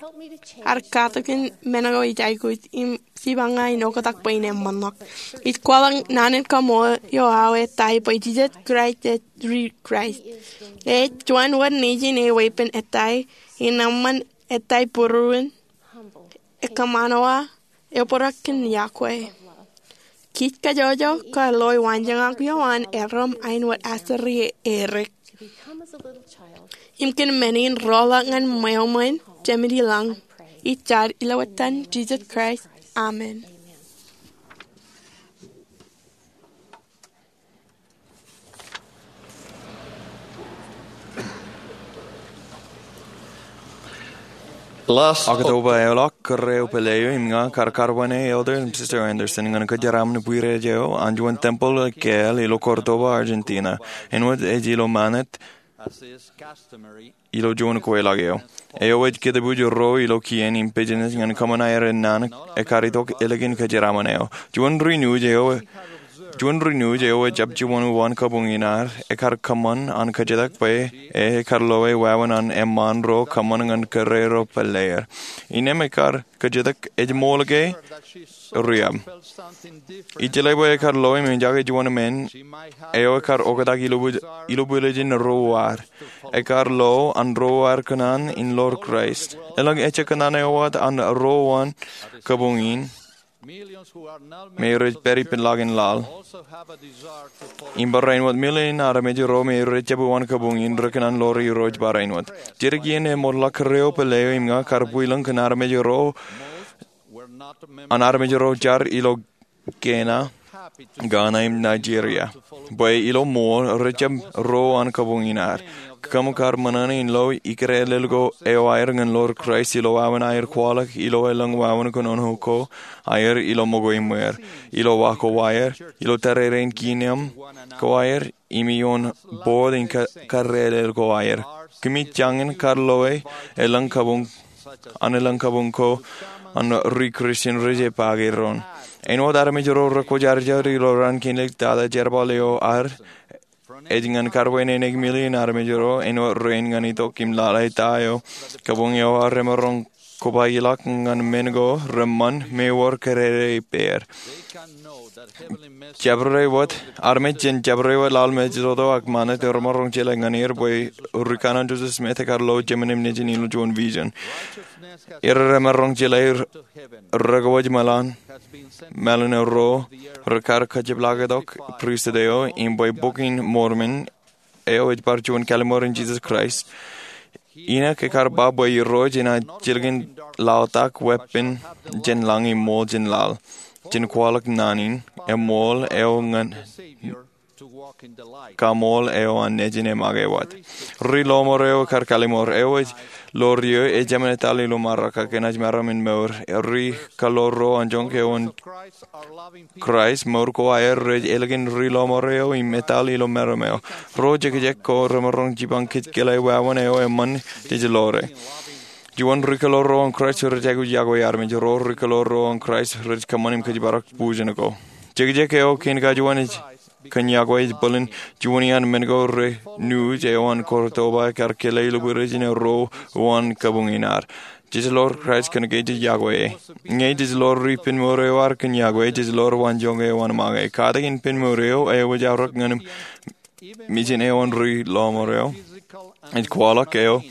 ear katakin men ko ij aikuj im jipañ ña in oktak bwe in eṃṃanḷọk. Ij kwaḷọk naan in kaṃṃoolol eo aō ettā bwe Jisōs Kraist ej ri Kraist. Ej juon wōt nejin e weeppān ettā in eṃṃan ettā būruon, ekkōṃṃanowa, ebōrọk kōn yokwe. Kij kajjojo kar loi waanjoñak eo an erom āinwōt aseri erik im kōn men in rọọlḷọk ñan ṃweo ṃōn Jemedilọñ. Ij jar ilo etan Jisōs Kraist, amen. Oktoba eoḷọk, kōrā eo pālle eo im ña kar karbane Elder im Sister Andersen ñan kōjeraaṃṃan bwirej eo an juon tempel keel ilo Córdoba, Argentina, āinwōt ej ilo ṃanit ilo juon kweilọk eo. Eo ej kōtbuuj ro ilo kien im business ñan kōṃṃan aer naan ekkar itok ālikin kōjeraaṃṃan eo. Juon ri nuuj eo, juon ri nuuj eo ejjab jiṃor uwaan kabuñ in ad, ekkar kōṃṃan an kōjatōk bwe e, ekkar loe wāween an eṃṃaan ro kōṃṃan ñan kōrā ro pālle er. Innām ekkar kōjatōk ej ṃool ke riab. Ij jeḷā bwe ekkar loe im eñjake juon men eo ekkar oktak ilo bwil-, ilo bwiljin ro uwaad. Ekkar lo an ro uwaad kōṇaan in ḷoor Kraist. Elōñ ejjab kōṇaan eo wōt an ro uwaan kabuñ in me rej pād ippān ḷakin laḷ. Im barāinwōt, million armej ro me rej jab uwaan kabuñ in rekōṇaan ḷoor Irooj barāinwōt. Jidik iien eṃootḷọk, kōrā eo pālle eo im ña kar bwilōñ kōn armej ro, an armej ro jar ilo Ghana, Ghana im Nigeria, bwe ilo ṃool rej jab ro uwaan kabuñ in ad. Kōm kar ṃōṇōṇō in lo ikōrā ḷọk eo aer ñan ḷoor Kraist ilo wāween aer kwaḷọk ilo elōñ wāween kōnono ko aer ilo ṃōko im ṃweer, ilo wa ko aer, ilo tōrerein kiiō ko aer, im ioon board in ka-, kōrā ḷọk ko aer. Kōmij jañin kar loe elōñ kabuñ, an elōñ kabuñ ko an ri Kristian rej jab pake doon. Āinwōt armej ro rekwōjarjar ilo raan kein ḷọk, tata jerbal eo ad ej ñan kar bwe en ekwe million armej ro, āinwōt rein ñan itok im lale ta eo kabuñ eo ad remaroñ kobailọk ñan men ko reṃṃan me wōr kōdede ippāer. Jabdewōt, armej jān jabdewōt laḷ me jojo ak ṃanit remaroñ jeḷā ñan er bwe ri kanaan Joseph Smith ekar lo jemān im nejin ilo juon vision. Er remaroñ jeḷā rekawōj mālōtlōt, mālōtlōt ro rekar kajepḷaaktok pristut eo, im bwe Bok in Mormon eo ej bar juon kalliṃur in Jisōs Kraist. Inōk ekar ba bwe Irooj enaaj jilkinḷọk weeppān jān lañ im ṃool jān laḷ, jān kwaḷọk naan in, eṃool eo ñan kaṃool eo an nejin eṃṃake wōt. Ri-lọmọọr eo ekar kalliṃur eo ej ḷoor iiō ej jemān etal ilo Amerika kōn aer meram in mour. Ri kaḷoor ro an joñak eo an Kraist, mour ko aer rej ālikin ri-lọmọọr eo im etal ilo meram eo. Ro jekjek ko remaroñ jipañ kōj jeḷā wāween eo eṃṃan jej ḷoore. Juon, ri kaḷoor ro an Kraist rej aikuj yokwe armej ro. Ri kaḷoor ro an Kraist rej kōṃṃan im kōjparok bujen ko. Jekjek eo kein kajuon ej kōn yokwe ej bōlen juon iaan men ko ri nuuj eo an Córdoba ekar kile ilo bwiljin ro uwaan kabuñ in ad. Jej ḷoor Kraist kōn ke jej yokwe e. Ñe jej ḷoor ri penmour eo ad kōn yokwe, jej ḷoor waanjoñak eo an ṃōñā. Katakin penmour eo, eo ej aorōk ñan mijin eo an ri-lọmọọr eo, ej kwaḷọk eo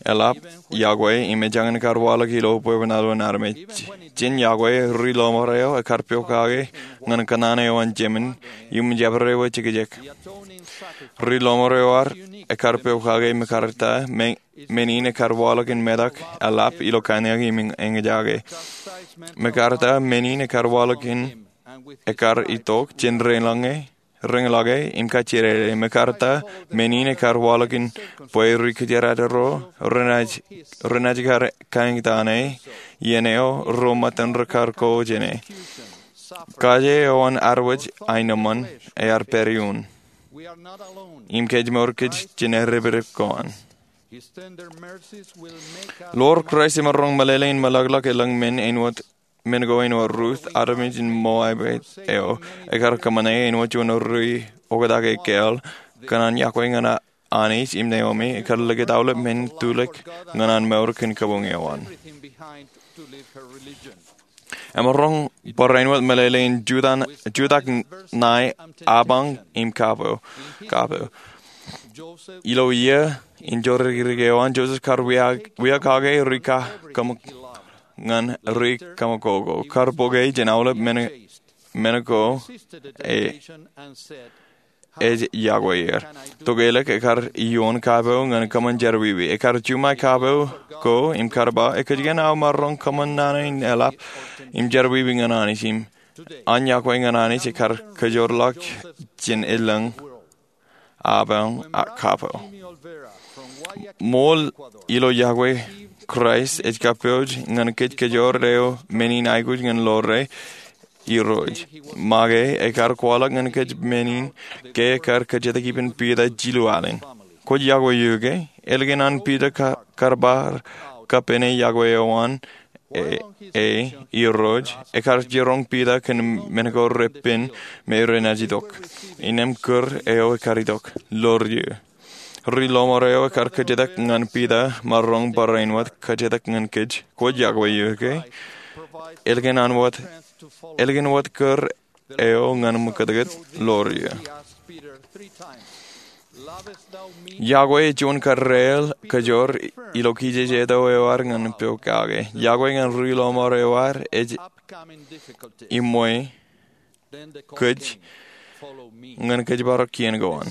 eḷap yokwe im ej jañin kar waḷọk ilo bwebwenato in armej. Jān yokwe, ri-lọmọọr eo ekar pokake ñan kōṇaan eo an jemān im jabdewōt jekjek. Ri-lọmọọr eo ad ekar pokake mekarta, me-, men in ekar waḷọk in metak eḷap ilo kanniōk im eñjake. Mekarta, men in ekar waḷọk in, ekar itok jān rein ḷọk e, rein ḷọk e im kajjidede. Mekarta, men in ekar waḷọk in bwe ri-kōjdat ro renaaj, renaaj kar kaeñtaan e, iien eo ro ṃōttan rekar ko jān e. Kaje eo an ad wōj aenōṃṃan ear pād iuun. Im kōjmour kōj jān eddepdep ko an. Ḷoor Kraist emaroñ meḷeḷe in meḷọkḷọk elōñ men āinwōt men ko āinwōt Ruth, armej in Moabite eo, ekar kōṃṃane āinwōt juon ri-oktak ekāāl, kōṇaan yokwe ñan Anij im Naomi, ekar likūt aolep men tulōk ñan an mour kōn kabuñ eo an. Emaroñ barāinwōt meḷeḷe in jutak, jutak ṇae apañ im kapo, kapo. Ilo iiō in jorrikdik eo an, Joseph kar wia, wia kake ri kaṃ-, ñan ri kaṃakoko, kar bōke jān aolep men, men ko e ej yokwe er. Tokālik ekar ioon kapo ñan kōṃṃan jerọwiwi. Ekar juṃae kapo ko im kar ba, ekōjkan aō maroñ kōṃṃan naan in eḷap im jerọwiwi ñan Anij im an yokwe ñan Anij ekar kōjoorḷọk jān elōñ apañ kapo. Ṃool ilo yokwe Kraist ej kapooje ñan kōj kōjoor eo men in aikuj ñan ḷoor e Irooj. Make ekar kwaḷọk ñan kōj men in ke ekar kōjatōk ippān Piter jilu alen. Kwōj yokwe eō ke? Ālikin an Piter ka-, kar bar kappāne yokwe eo an e, e, Irooj, ekar jiroñ Piter kōn men ko repen me renaaj itok. Innām kūr eo ekar itok, ḷoor eō. Ri-lọmọọr eo ekar kōjatōk ñan Piter maroñ barāinwōt kōjatōk ñan kōj. Kwōj yokwe eō ke? Ālikin an wōt, ālikin wōt kūr eo ñan ṃōkātkāt, ḷoor eō. Yokwe ej juon karreel kajoor ilo kijejeto eo ad ñan pokake. Yokwe ñan ri-lọmọọr eo ad ej iṃwe kōj ñan kōjparok kien ko an.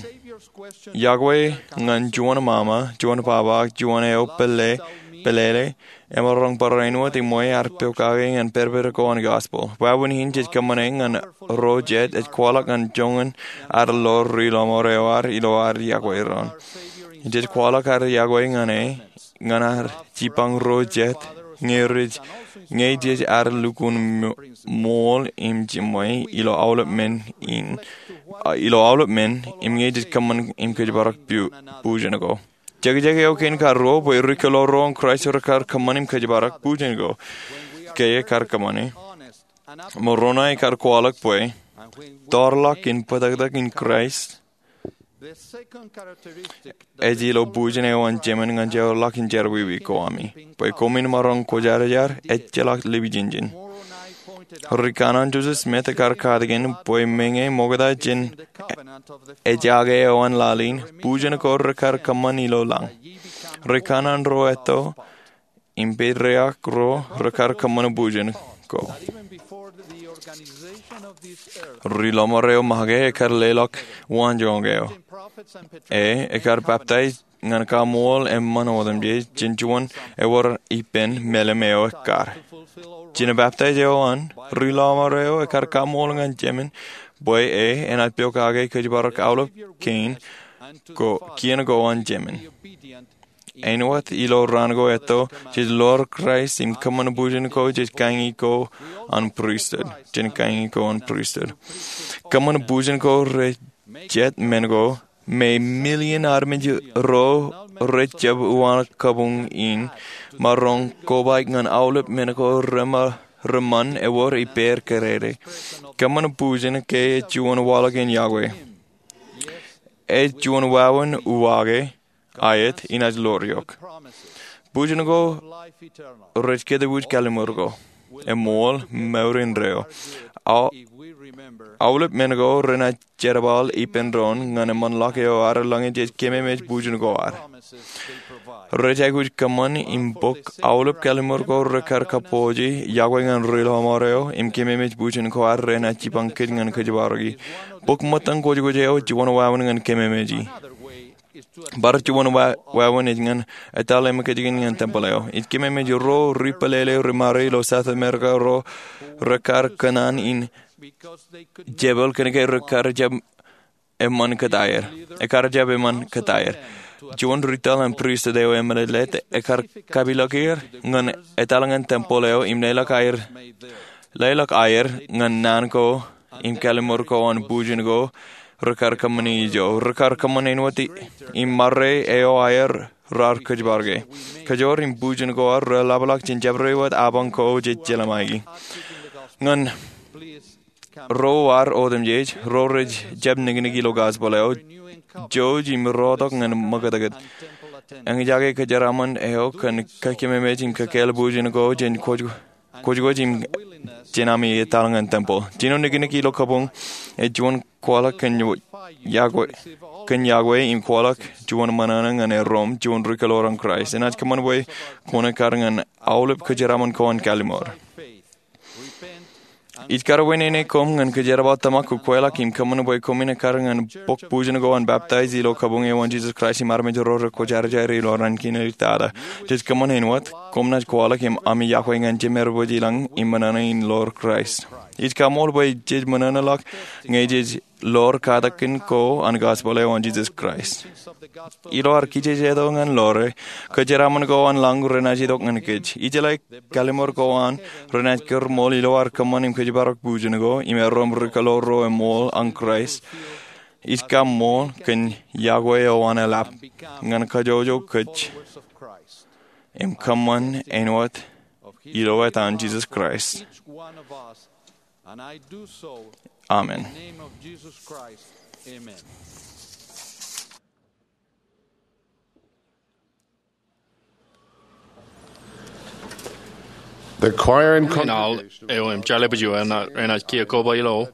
Yokwe ñan juon ṃaṃa, juon baba, ak juon eo pālle, pālele, emaroñ barāinwōt iṃwe ad pokake ñan pād pād ko an gospel. Wāween in jej kōṃṃane ñan ro jet ej kwaḷọk ñan joñan ad ḷoor ri-lọmọọr eo ad ilo ad yokwe doon. Jej kwaḷọk ad yokwe ñan e, ñan ad jipañ ro jet, ñe rej, ñe jej ad lukkuun ṃo-, ṃool im jiṃwe ilo aolep men in, a, ilo aolep men, im ñe jej kōṃṃan im kōjparok bu-, bujen ko. Jekjek eo kein karuo bwe ri-kōḷaurro in Kraist rekar kōṃṃan im kōjparok bujen ko. Ke ekar kōṃṃane, Moronai ekar kwaḷọk bwe, tōrḷọk in bōtōktōk in Kraist ej ilo bujen eo an Jemān ñan jeorḷọk in jerọwiwi ko ami, bwe koṃwin maroñ kwōjarjar, ejjeḷọk lepijinjin. Ri-kanaan Joseph Smith ekar katakin bwe meñe ṃokta jān ejake eo an laḷ in, bujen ko rekar kōṃṃan ilo lañ. Ri-kanaan ro etto im patriarch ro rekar kōṃṃan bujen ko. Ri-lọmọọr eo make ekar leḷọk waanjoñak eo. E, ekar baptize ñan kaṃool eṃṃan otemjej jān juon ewōr ippān meḷeḷe eo ekkar. Jān baptize eo an, ri-lọmọọr eo ekar kaṃool ñan Jemān bwe e enaaj pokake kōjparok aolep kien ko, kien ko an Jemān. Āinwōt ilo raan ko etto, jej ḷoor Kraist im kōṃṃan bujen ko jān kañi ko an pristut, jān kañi ko an pristut. Kōṃṃan bujen ko rej jet men ko, me million armej ro rej jab uwaak kabuñ in, maroñ kobaik ñan aolep men ko rema-, reṃṃan ewōr ippāer kōrā. Kōṃṃan bujen ke ej juon waḷọk in yokwe. Ej juon wāween uwaake, aet, inaaj ḷoor eok. Bujen ko rej kōtbuuj kalliṃur ko. Eṃool, mour indeeo. Aolep men ko renaaj jerbal ippān doon ñan eṃṃanḷọk eo ad eḷaññe jej kememej bujen ko ad. Rej aikuj kōṃṃan im bōk aolep kalliṃur ko rekar kappooje, yokwe ñan ri-lọmọọr eo, im kememej bujen ko ad renaaj jipañ kōj ñan kōjparoki. Bok ṃōttañ kwōjkwōj eo ej juon wāween ñan kememeji. Bar juon wa-, wāween ej ñan etal eṃōkajkōn ñan tempōḷ eo. Ij kememej ro ri-pālele ri-mare ilo South America ro rekar kōṇaan in jepel kōnke rekar jab eṃṃan kōtaer. Ekar jab eṃṃan kōtaer. Juon ri-taḷ in pristut eo emālōtlōt ekar kapeḷḷọk er ñan etal ñan tempōḷ eo im leḷọk aer, leḷọk aer ñan naan ko im kalliṃur ko an bujen ko rekar kōṃṃani ijo. Rekar kōṃṃan āinwōt i-, im ṃare eo aer raar kōjparok e. Kajoor im bujen ko ad reḷapḷọk jān jabdewōt apañ ko jej jeḷā ṃae. Ñan ro ad otemjej, ro rej jab niknik ilo gospel eo, jouj im rotok ñan ṃōkātkāt. Eñjake kōjeraaṃṃan eo kōn kōkememej im kōkāāl bujen ko jān kwōj, kwōjkwōj im jān ami etal ñan tempōḷ. Jino niknik ilo kabuñ ej juon kwaḷọk kōn yokwe. kōn yokwe im kwaḷọk juon ṃōṇōṇō ñan erom juon ri kōloor an Kraist. Enaaj kōṃṃan bwe kwōn ekkar ñan aolep kōjeraṃṃan ko an kallimur. Ij karuwaineneik koṃ ñan kōjerbal tōmak kukweḷọk im kōṃṃan bwe koṃwin ekkar ñan bok bujen ko an baptaij ilo kabuñ eo an Jesus Christ im armej ro rekwōjarjar ilo raan kein āliktata. Jej kōṃṃan āinwōt, koṃ naaj kwaḷọk im ami yokwe ñan Jemerbōj ilañ im ṃōṇōṇō in ḷoor Kraist. Ij kaṃool bwe jej ṃōṇōṇōḷọk ñe jej ḷoor katakin ko an gospel eo an Jesus Christ. Ilo ad kijejeto ñan ḷoore, kōjeraṃṃan ko an lañ renaaj itok ñan kōj. Ijeḷā kallimur ko an renaaj kōrṃool ilo ad kōṃṃan im kōjparok bujen ko im erom ri kōloor ro eṃool an Kraist. Ij kaṃool kōn yokwe eo an eḷap ñan kajjojo kōj im kōṃṃan āinwōt ilo etan Jesus Christ. Amen. The choir and congregation eo im jeḷā bwe juon renaaj kiiō koba ilo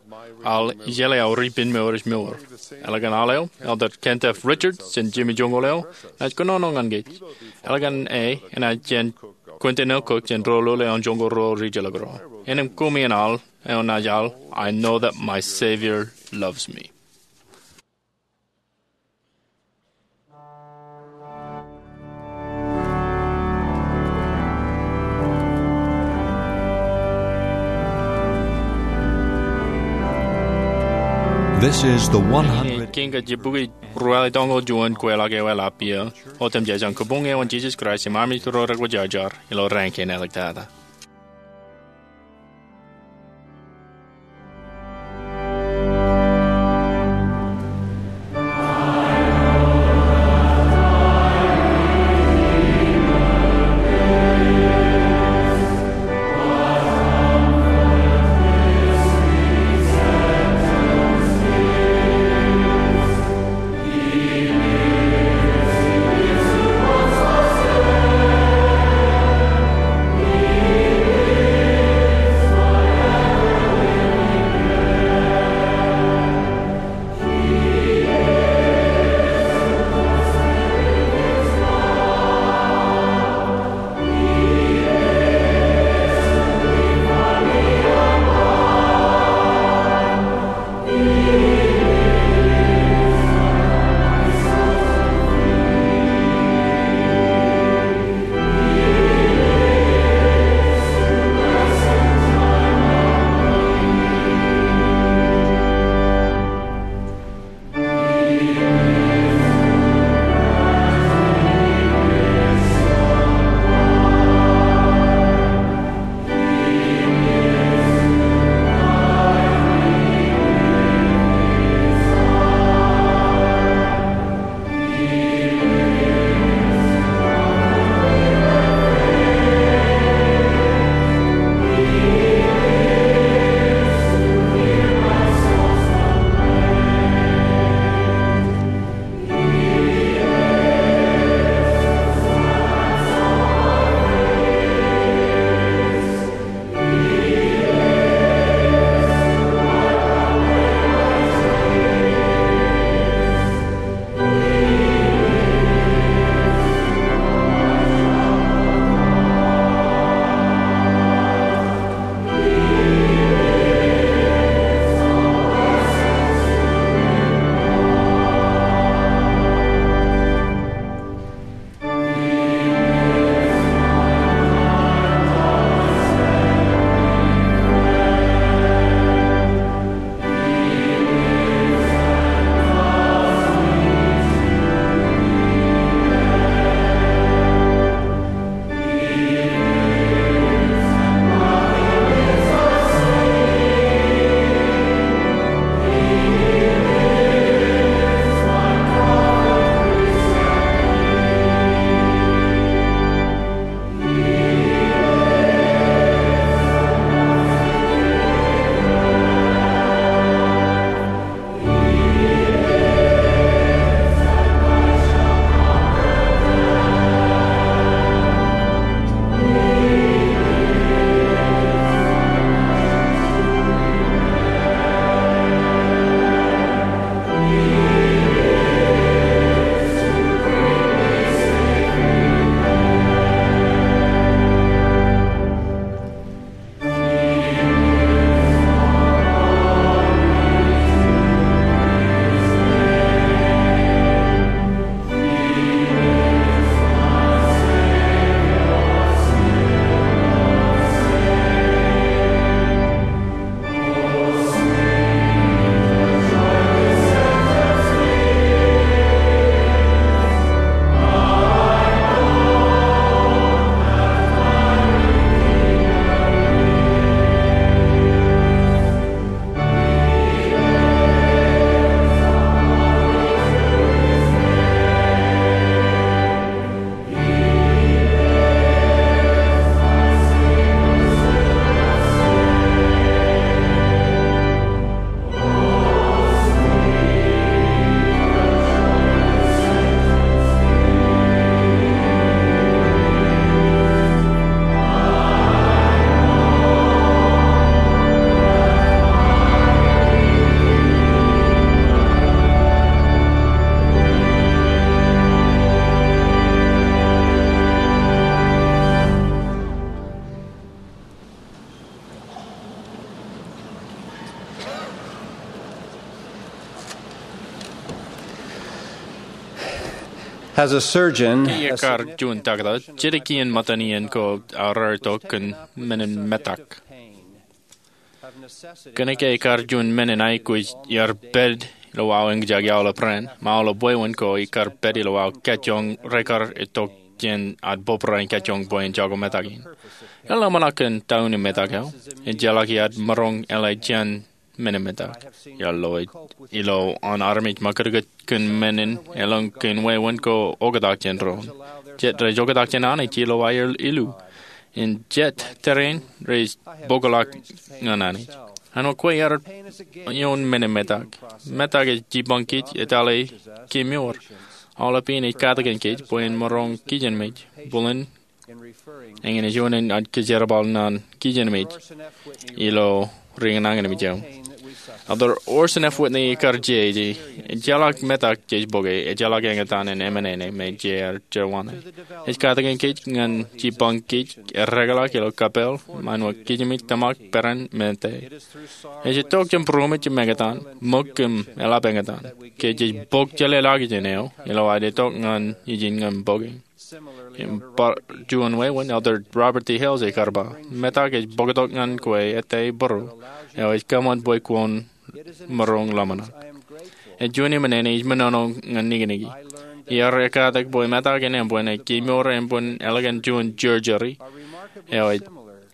al ijeḷā aō ri penmour ej mour. Eḷaññe al eo, Elder Kent F. Richards jān jiṃwe joñoul eo, enaaj kōnono ñan kōj. Eḷaññe e, enaaj jān Quentin L. Cook jān Doulul eo an Joñoul Ruo Ri-Jilkinrot. Innem koṃi in al eo enaaj al, I Know That My Savior Loves Me. This is the one hundred. Kiiō ke jibukwi ruwaḷe toñoul juon kweḷap eo eḷap iiō, otemjej an kabuñ eo an Jesus Christ im armej ro rekwōjarjar ilo raan kein āliktata. As a surgeon, ke ekar juon taktō, jedik iien ṃōttan iien ko aō raar itok kōn menin metak. Kōnke ekar juon menin aikuj iar pād ilo aō eñjake aolep raan, im aolep wāween ko ekar pād ilo aō kajjoñ rekar itok jān ad bōbrae in kajjoñ bwe en jako metak in. Eḷaññe ḷōmṇak kōn ta unin metak eo, ejjeḷọk iar maroñ eḷe jān menin metak. Iar lo ilo an armej ṃakūtkūt kōn menin elōñ kein wāween ko oktak jān doon. Jet rej oktak jān Anij ilo aer ilu. Im jet tōre in rej bōkḷọk ñan Anij. Āinwōt kwe ear ioon menin metak. Metak ej jipañ kōj etale kemour. Aolep iien ej katakin kōj bwe en maroñ kijenmej. Bōlen eñin ej juon in ad kōjerbal ñan kijenmej ilo ri nañinmej eo. Elder Orson F. Whitney ekar jeje, ejjeḷọk metak jej bōke, ejjeḷọk eñtaan in emān ṇe me jejeḷā. Ej katakin kōj ñan jipañ kōj erreḷọk ilo kapeel, ṃaanwōj kijenmej tōmak peran men eo. Ej itok jān būroṃōj im eñtaan, ṃōk im eḷap eñtaan. Ke jej bōk jeḷāḷọkjeṇ eo, ilo ad itok ñan ijin ñan bōke. Im bar juon wāween, Elder Robert D. Hales ekar ba, metak ej bōktok ñan kwe ettā būruō, eo ej kōṃṃan bwe kwōn maroñ ḷōmṇak. Ej juon emān ṇe ej menono ñan nikiniki. Iar ekatak bwe metak in embwen ej kemour embwen ālikin juon jerjeri, eo ej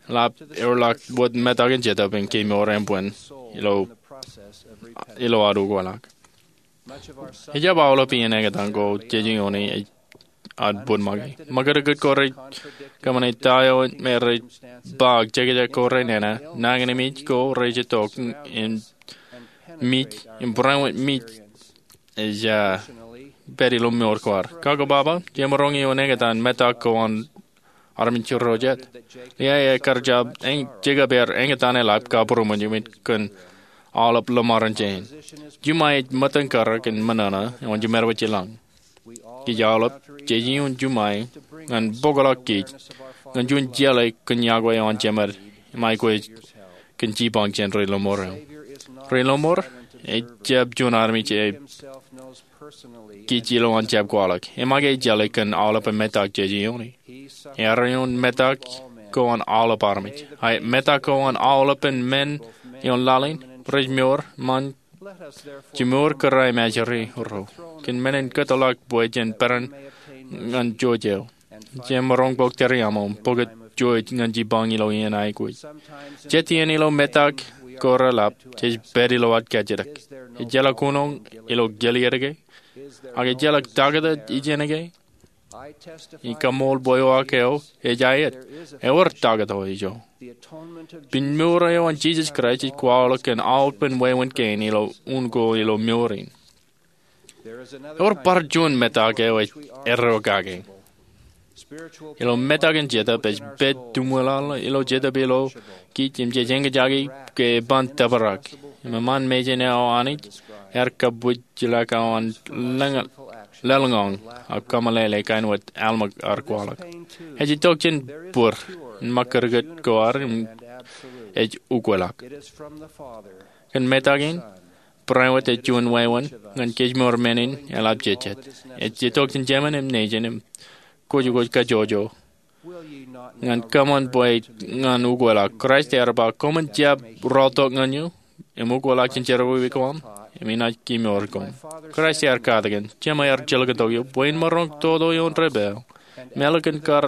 ḷap eorḷọk wōt metak in Jetōb im kemour embwen ilo, ilo ad ukweḷọk. Ejjab aolep iien eñtaan ko jej ioone ej ad bōd make. Ṃakūtkūt ko rej kōṃṃane ta eo me rej ba jekjek ko renana, nañinmej ko rej itok im mij, im barāinwōt mij ej, ah, pād ilo mour ko ad. Kakobaba, jemaroñ ioon eñtaan metak ko an armej ro jet. Lehi ekar jab, Jekōb ear eñtaan eḷap kabūroṃōj im kōn aolep ḷōṃarein jān. Juṃae ej ṃōttan karōk in ṃōṇōṇō eo an jiṃor wōt jilañ. Kōj aolep jej ioon juṃae ñan bōkḷọk kōj ñan juon jeḷā kōn yokwe eo an Jemed im aikuj kōn jipañ jān ri lọmọọr eo. Ri lọmọọr ejjab juon armej eo kōj ilo an jab kwaḷọk. Im ak ej jeḷā kōn aolepen metak jej ioone. Ear ioon metak ko an aolep armej. Ak metak ko an aolepen men ioon laḷ in, rej mour, ṃaan jimour kōrā im ajri ro. Kōn menin kōtḷọk bwe jen peran ñan jouj eo. Jemaroñ bōk tōre aṃ im bōk jouj ñan jipañ ilo iien aikuj. Jet iien ilo metak ko reḷap, jej pād ilo ad kajjitōk. Ejjeḷọk kuṇoñ ilo kōliet ke? Ak ejjeḷọk taktō ijeṇ ke? Ij kaṃool bwe uwaak eo ej aet. Ewōr taktō ijo. Piñ mour eo an Jisōs Kraist ej kwaḷọk kōn aolepen wāween kein ilo un ko ilo mour in. Ewōr bar juon metak eo ej erro kake. Ilo metak in Jetōb ej pād tūṃweḷaḷ ilo Jetōb ilo kōj im jej eñjake ke eban tōprak. Im eṃṃan mejān eo Anij ear kabwijḷọk eo an lōñ, lōḷñọñ ak kōmeḷeḷe kain wōt Alma ear kwaḷọk. Ej itok jān bōd in ṃakūtkūt ko ad im ej ukweḷọk. Kōn metak in, barāinwōt ej juon wāween ñan kōjmour men in eḷapjejjet. Ej itok jān Jemān im Nejin im kwōjkwōj kajjojo ñan kōṃṃan bwe ñan ukweḷọk. Kraist ear ba, koṃwin jab rọọltok ñan eō im ukweḷọk jān jerọwiwi ko aṃ im inaaj kemour koṃ. Kraist ear katakin, Jema ear jilkintok eō bwe in maroñ toto ioon debwāāl im ālikin kar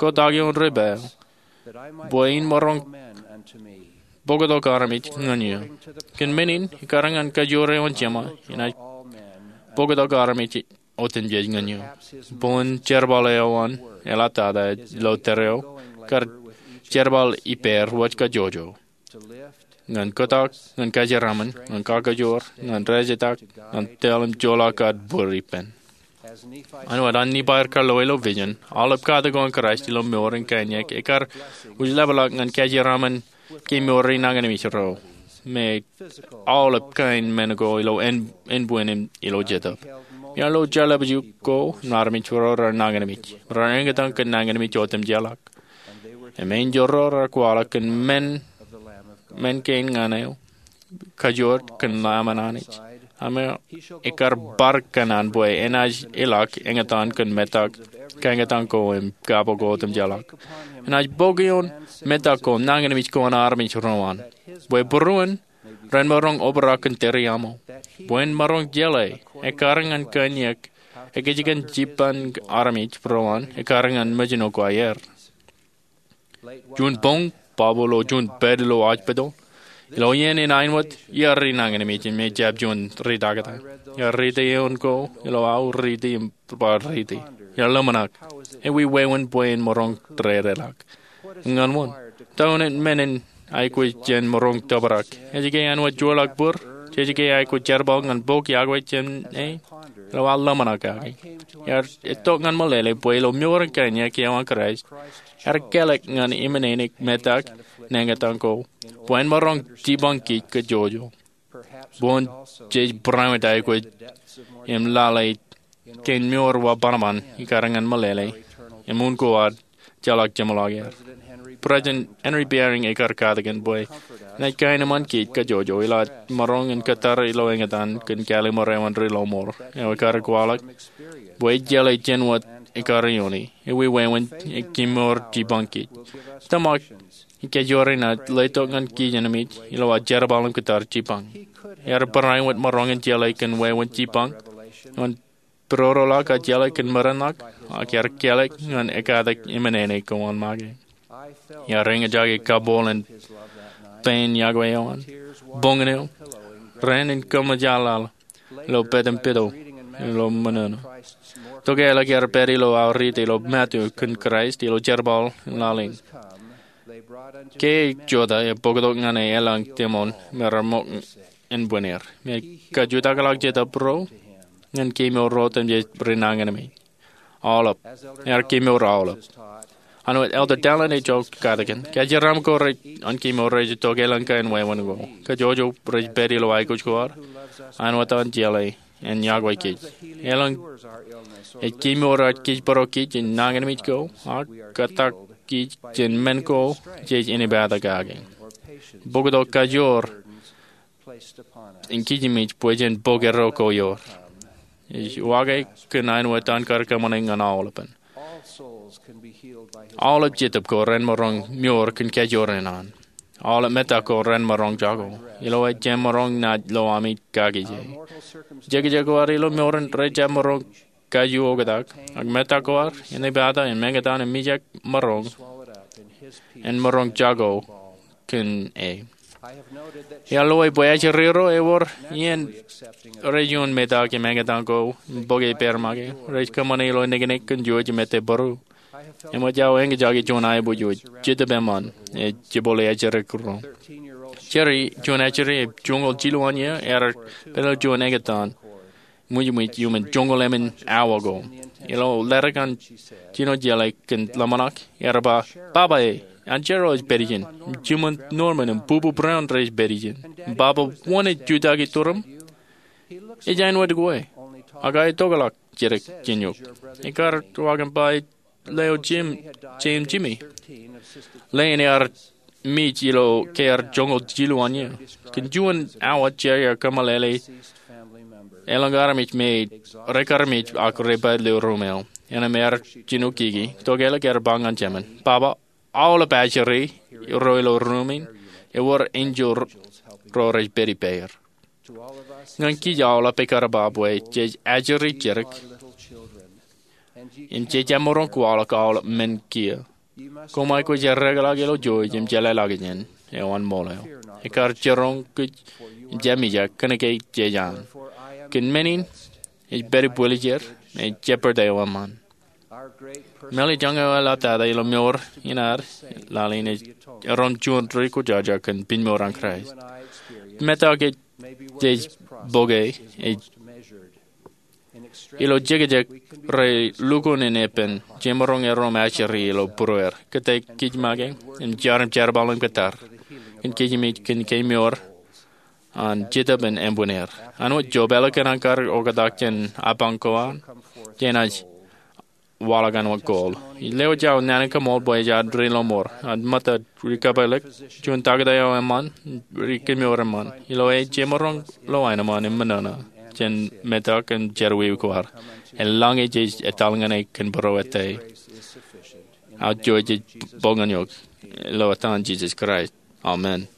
kotak ioon debwāāl, bwe in maroñ bōktok armej ñan eō. Kōn men in, ekkar ñan kajoor eo an Jema, inaaj bōktok armej otemjej ñan eō. Bōlen jerbal eo an eḷap tata ilo tōre eo kar jerbal ippāer wōj kajjojo. Ñan kotak, ñan kajeraṃṃan, ñan kakajoor, ñan rajetak, ñan tōl im joḷọk ad bōd ippān. Āinwōt an Nifai ear kaḷoe ilo vision, aolep katak ko an Kraist ilo mour in kain iọk ekkar wūjlepḷọk ñan kajeraṃṃan kemour ri nañinmej ro me aolep kain men ko ilo ānbwin im ilo Jetōb. Im ear lo jeḷā bajjek ko im armej ro raar nañinmej, raar eñtaan kōn nañinmej otemjeḷọk. Im enjeḷ ro raar kwaḷọk kōn men, men kein ñan eo, kajoor kōn Lamb an Anij. Im ekar bar kōṇaan bwe enaaj ilọk eñtaan kōn metak, kaeñtaan ko im kaabok ko otemjeḷọk. Enaaj bōk ioon metak ko nañinmej ko an armej ro an, bwe būruon ren maroñ obrak kōn tōre aṃ. Bwe en maroñ jeḷā ekkar ñan kōn iiōk ekōjkan jipañ armej ro an ekkar ñan mejino ko aer. Juon boñ, Pabu ilo juon pād ilo hospital, ilo iien in āinwōt iar ri nañinmej im ejjab juon ri taktō. Iar riiti eoon ko ilo aō riiti im bar riiti. Iar ḷōmṇak, ewi wāween bwe en maroñ dedeḷọk. Ñan wōn? Ta āinwōt men in aikuj jān maroñ tōprak? Ej ke āinwōt joorḷọk būr? Jej ke aikuj jerbal ñan bok iọkwe jān e? Ilo aō ḷōmṇak kake, iar itok ñan meḷeḷe bwe ilo mour in kain iiōk eo an Kraist, ear kālọk ñan emān metak in eñtaan ko bwe en maroñ jipañ kij kajjojo. Boñ jej barāinwōt aikuj im lale kein mour wōt bōnbōn ekkar ñan meḷeḷe im un ko ad jeḷak jeṃḷọk er. President Henry Eyring ekar katakin bwe enaaj kaenōṃṃan kij kajjojo ilo ad maroñ in kōttar ilo eñtaan kōn kālōmor eo an Ri Lọmọọr, eo ekar kwaḷọk bwe ej jeḷā jān wōt ekar ioone, ewi wāween, im kemour jipañ kij. Tōmak ej kajjojo renaaj letok ñan kij emān ilo ad jerbal im kōttar jipañ. Ear barāinwōt maroñ in jeḷā kōn wāween jipañ eo an pidodoḷọk ak jeḷā kōn merenḷọk, ak ear kālọk ñan ekkatak emān ko an make. Iar eñjake kabooḷ in pein iọkwe eo an, boñin eo, raan in kōṃōjḷọk ilo pād im pidodo ilo menono. Tokālik ear pād ilo aō riiti ilo Matu kōn Kraist ilo jerbal in laḷ in. Ke ej jota, ebōktok ñan e elōñ teṃoon me reṃōk ānbwinnier. Im ej kajutakḷọk Jetōb ro ñan kemour ro otemjej ri nañinmej. Aolep. Ear kemour aolep. Āinwōt Elder Dallin H. Oaks katakin, kōjeraaṃṃan ko rej, an kemour rej itok elōñ kain wāween ko. Kajjojo rej pād ilo aikuj ko ad, āinwōt an jeḷā en iọkwe kij. Elōñ ej kemour ej kōjparok kij in nañinmej ko, ak kōttar kij jān men ko jej inepata kake. Bōktok kajoor in kijmej bwe jen bōk erro ko ioer. Ej wake kōn āinwōt an kar kōṃṃane ñan aolepen. Aolep jetōb ko ren maroñ mour kōn kajoor in an. Aolep metak ko ren maroñ jako. Ilo e jemaroñ naaj lo ami kakije. Jekjek ko ad ilo mour in rejjab maroñ kaju oktak, ak metak ko ad inepata im eñtaan im mijak maroñ, en maroñ jako kōn e. Iar lowā bwe ajri ro ewōr iien rej ioon metak im eñtaan ko im bōk e pād make, rej kōṃṃane ilo niknik kōn jouj im ettā būru. Eṃōj aō eñjake juon aiboojoj, jetōb eṃṃan, ej jibboḷe ajri ro. Jerry, juon ajri joñoul jilu an iiō, ear pād ilo juon eñtaan mwijmwij iuṃwin joñoul emān awa ko. Ilo ledik an jino jeḷā kōn ḷōmṇak, ear ba, "Baba e, an Cheryl ej pād ijin, im jiṃṃan Norman im Bubu Brown rej pād ijin. Im Baba, wōn ej jutaki tūrūṃ? Ej āinwōt kwe, ak aetokḷọk jidik jān eok." Ekar waḷọk im ba, "Ej lewōj Jim, Jim, Jimmy." Leen ear mej ilo ke ear joñoul jilu an iiō. Kōn juon awa Jerry ear kōmeḷeḷe elōñ armej me rekarmej ak repaid ilo ruum eo. Innām ear jino kiki, tokālik ear ba ñan Jimmy, "Baba, aolep ajri ro ilo ruum in, ewōr enjeḷ ro rej pād ippāer." Ñan kij aolep ekar ba bwe jej ajri jidik im jej jab maroñ kwaḷọk aolep men kiiō. Koṃ aikuj eddekḷọk ilo jouj im jeḷāḷọkjeṇ eo an ṃool eo. Ekar jiroñ kōj im jab mijak, kōnke jej an. Kōn men in, ej pād ibwiljer, ej jeppeḷ eo eṃṃan. Mālōtlōt eo eḷaptata ilo mour in ad laḷ in ej erom juon ri kwōjarjar kōn piñmour an Kraist. Metak ej jej bōke ej ilo jekjek rej lukkuun in epen jemaroñ erom ajri ilo būrueir. Kōttāik kij make im jar im jerbal im kōttar kōn kijmej kōn kemour an jetōb in ānbwinnier. Āinwōt Job, ālikin an kar oktak jān apañ ko an, jenaaj waḷọk an wōt gold. Ij lewōj aō naan in kaṃool bwe ej ad ri lọmọọr, ad mōttad, ri kōpeḷḷọk, juon taktō eo eṃṃan, ri kōmour eṃṃan. Ilo e jemaroñ lo aenōṃṃan im ṃōṇōṇō jān metak im jerọwiwi ko ad. Eḷaññe jej etal ñan e kōn būruō ettā, aō jouj ej boñōn eok. Ilo etan Jisōs Kraist, amen.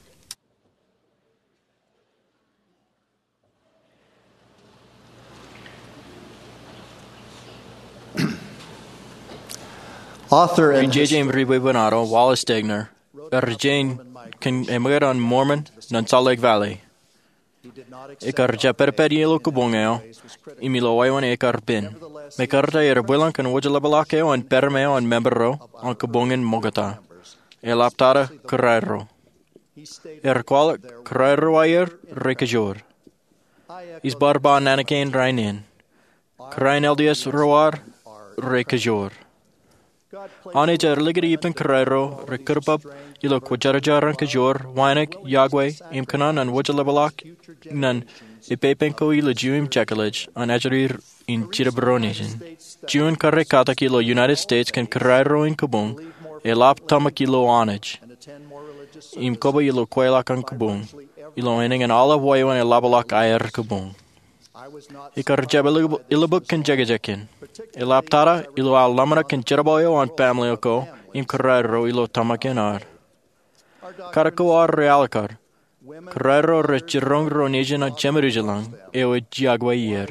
Author and Ri jeje im ri bwebwenato Wallace Stegner ear jen kōn eṃōkaj an Mormon ñan Salt Lake Valley. Ekar jab pedped ilo kabuñ eo im ilo wāween ekar pen. Mekarta ear bwilōñ kōn wōjḷapḷọk eo an pād eo an member ro an kabuñ in ṃoktata. Eḷap tata kōrā ro. Ear kwaḷọk kōrā ro aer rej kōjoor. Ij bar ba naan kein rainin. Kōrā in L D S ro ad rej kōjoor. Anij ear likūt ippān kōrā ro rej kūrbab ilo kwōjarjar an kōjoor, wānōk, yokwe, im kōṇaan an wōjḷapḷọk ñan ippān ko ilju im jekḷaj an ajri in Jetōb Ro Nejin. Juon kōrā katak ilo United States kōn kōrā ro in kabuñ, eḷap tōmak ilo Anij im koba ilo kweilọk an kabuñ, ilo enōñ an aolep wāween eḷapḷọk aer kabuñ. Ekar jab ilubuk kōn jekjek kein. Eḷap tata ilo aō ḷōmṇak kōn jerbal eo an family ko im kōrā ro ilo tōmak in ad. Katak ko ad rej alikkar. Kōrā ro rej jiroñ ro nejin jemedujḷọk eo ej yokwe er.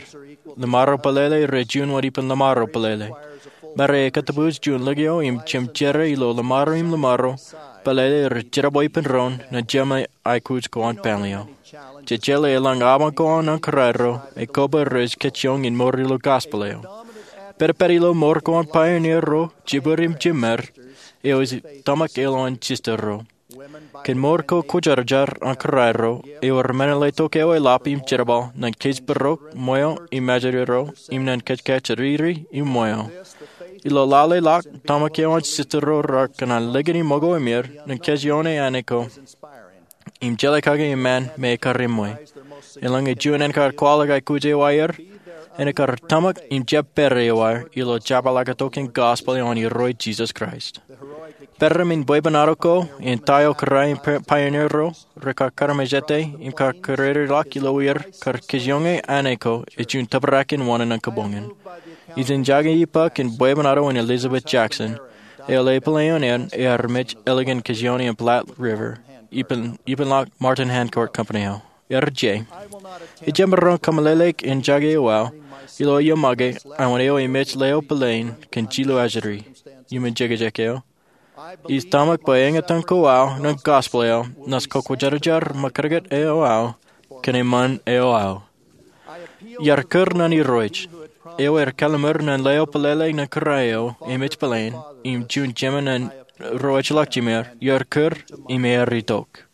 Ḷōṃaro pelele rej juon wōt ippān ḷōṃaro pelele. Mare ekkā tōpūs juon likio im jemjerā ilo ḷōṃaro im ḷōṃaro pelele rej jerbal ippān doon ñan jema aikuj ko an family eo. Jejeḷā eḷaññe apañ ko an kōrā ro, ekōba rej kajjioñ in mour ilo gospel eo. Pedped ilo mour ko an pioneer ro, jibwid im jiṃṃad, eo ej tōmak elōñ an sister ro. Kōn mour ko kwōjarjar an kōrā ro, ewōr men in letok eo eḷap im jerbal ñan kōjparok, ṃweo, im ajri ro, im ñan kōjkajriri im ṃweo. Ilo lale ḷọk, tōmak eo an sister ro rekōṇaan likūt im ṃōko emier ñan kōjioñ āne ko im jeḷā kake eṃṃan me ekar eṃṃan. Eḷaññe juon ānkar kwaḷọk aikuj eo aer, ānkar tōmak im jab pād eo aer ilo jepḷaaktok in gospel eo an Irooj Jisōs Kraist. Peran in bwebwenato ko im ta eo kōrā in pioneer ro rekar kaarmejete im kar kōrā ḷọk ilo er kar kōjioñ āne ko ej juon tōprak in wōṇāān an kabuñ in. Ij jake ippa kōn bwebwenato in Elizabeth Jackson, eo ḷe pālle eo an ear mej ālikin kōjioñ in Platte River, ippān ḷọk Martin Harcourt Company eo. Ear je. Ij jemaroñ kōmeḷeḷeik in jake eo aō ilo iiō make, āinwōt eo emej ḷeo pālle in kōn jilu ajri. Iuṃwin jekjek eo, ij tōmak bwe eñtaan ko aō ñan gospel eo, ñan kwōjarjar ṃōkajkot eo aō kōn eṃṃan eo aō. Iar kūr ñan Irooj, eo ear kallimur ñan ḷeo pālle in kōrā eo emej pālle in, im juon jemān ro ejjeḷọk jimeer, iar kūr im ear itok.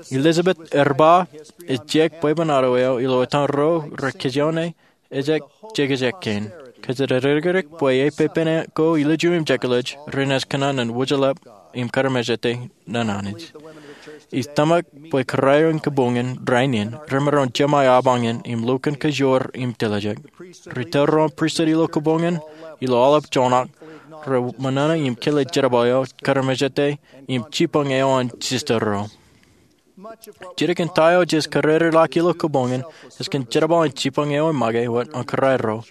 Elizabeth ear ba, ejjab bwebwenato eo ilo etan ro rekajjioñ ejjab jekjek kein. Kōjatdikdik bwe epepen ko ilju im jekḷaj renaaj kōṇaan wōjḷap im kaarmejete ñan Anij. Ij tōmak bwe kōrā ro in kabuñ in rainin remaroñ jemāe apañ in im lukkuun kajoor im tiljek. Ri tōl ro in pristut ilo kabuñ in, ilo aolep joñak, reṃōṇōṇō im kile jerbal eo kaarmejete im jibboñ eo an sister ro. Jidik in ta eo jej kōrā ḷọk ilo kabuñ in ej kōn jerbal in jibboñ eo emake wōt an kōrā ro,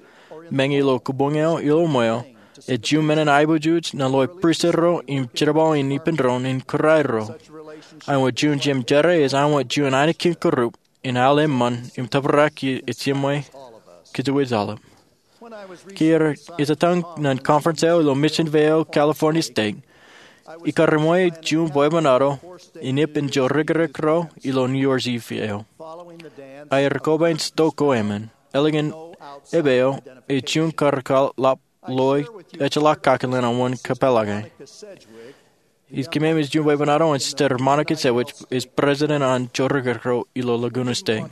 meñe ilo kabuñ eo ilo ṃweo, ej juon men in aiboojoj ñan ḷeo pristut ro im jerbal in ippān doon in kōrā ro. Āinwōt juon jemjerā ej āinwōt juon ainikien kūrup in al eṃṃan im tōprak ej jiṃwe kōjwōj aolep. Ke ij etaṃ ñan conference eo ilo mission veo California State, ikar eṃṃan juon bwebwenato in ippān jorrākrak ro ilo New Year's Eve eo. Aer koba in stok ko emān, ālikin epeo ej juon karkaḷap ḷọk ejjeḷọk kakōḷḷe an wōn kōpeḷḷọke. Ij kememej juon bwebwenato an Sister Monica Sewicz, ej president an jorrākrak ro ilo Laguna State.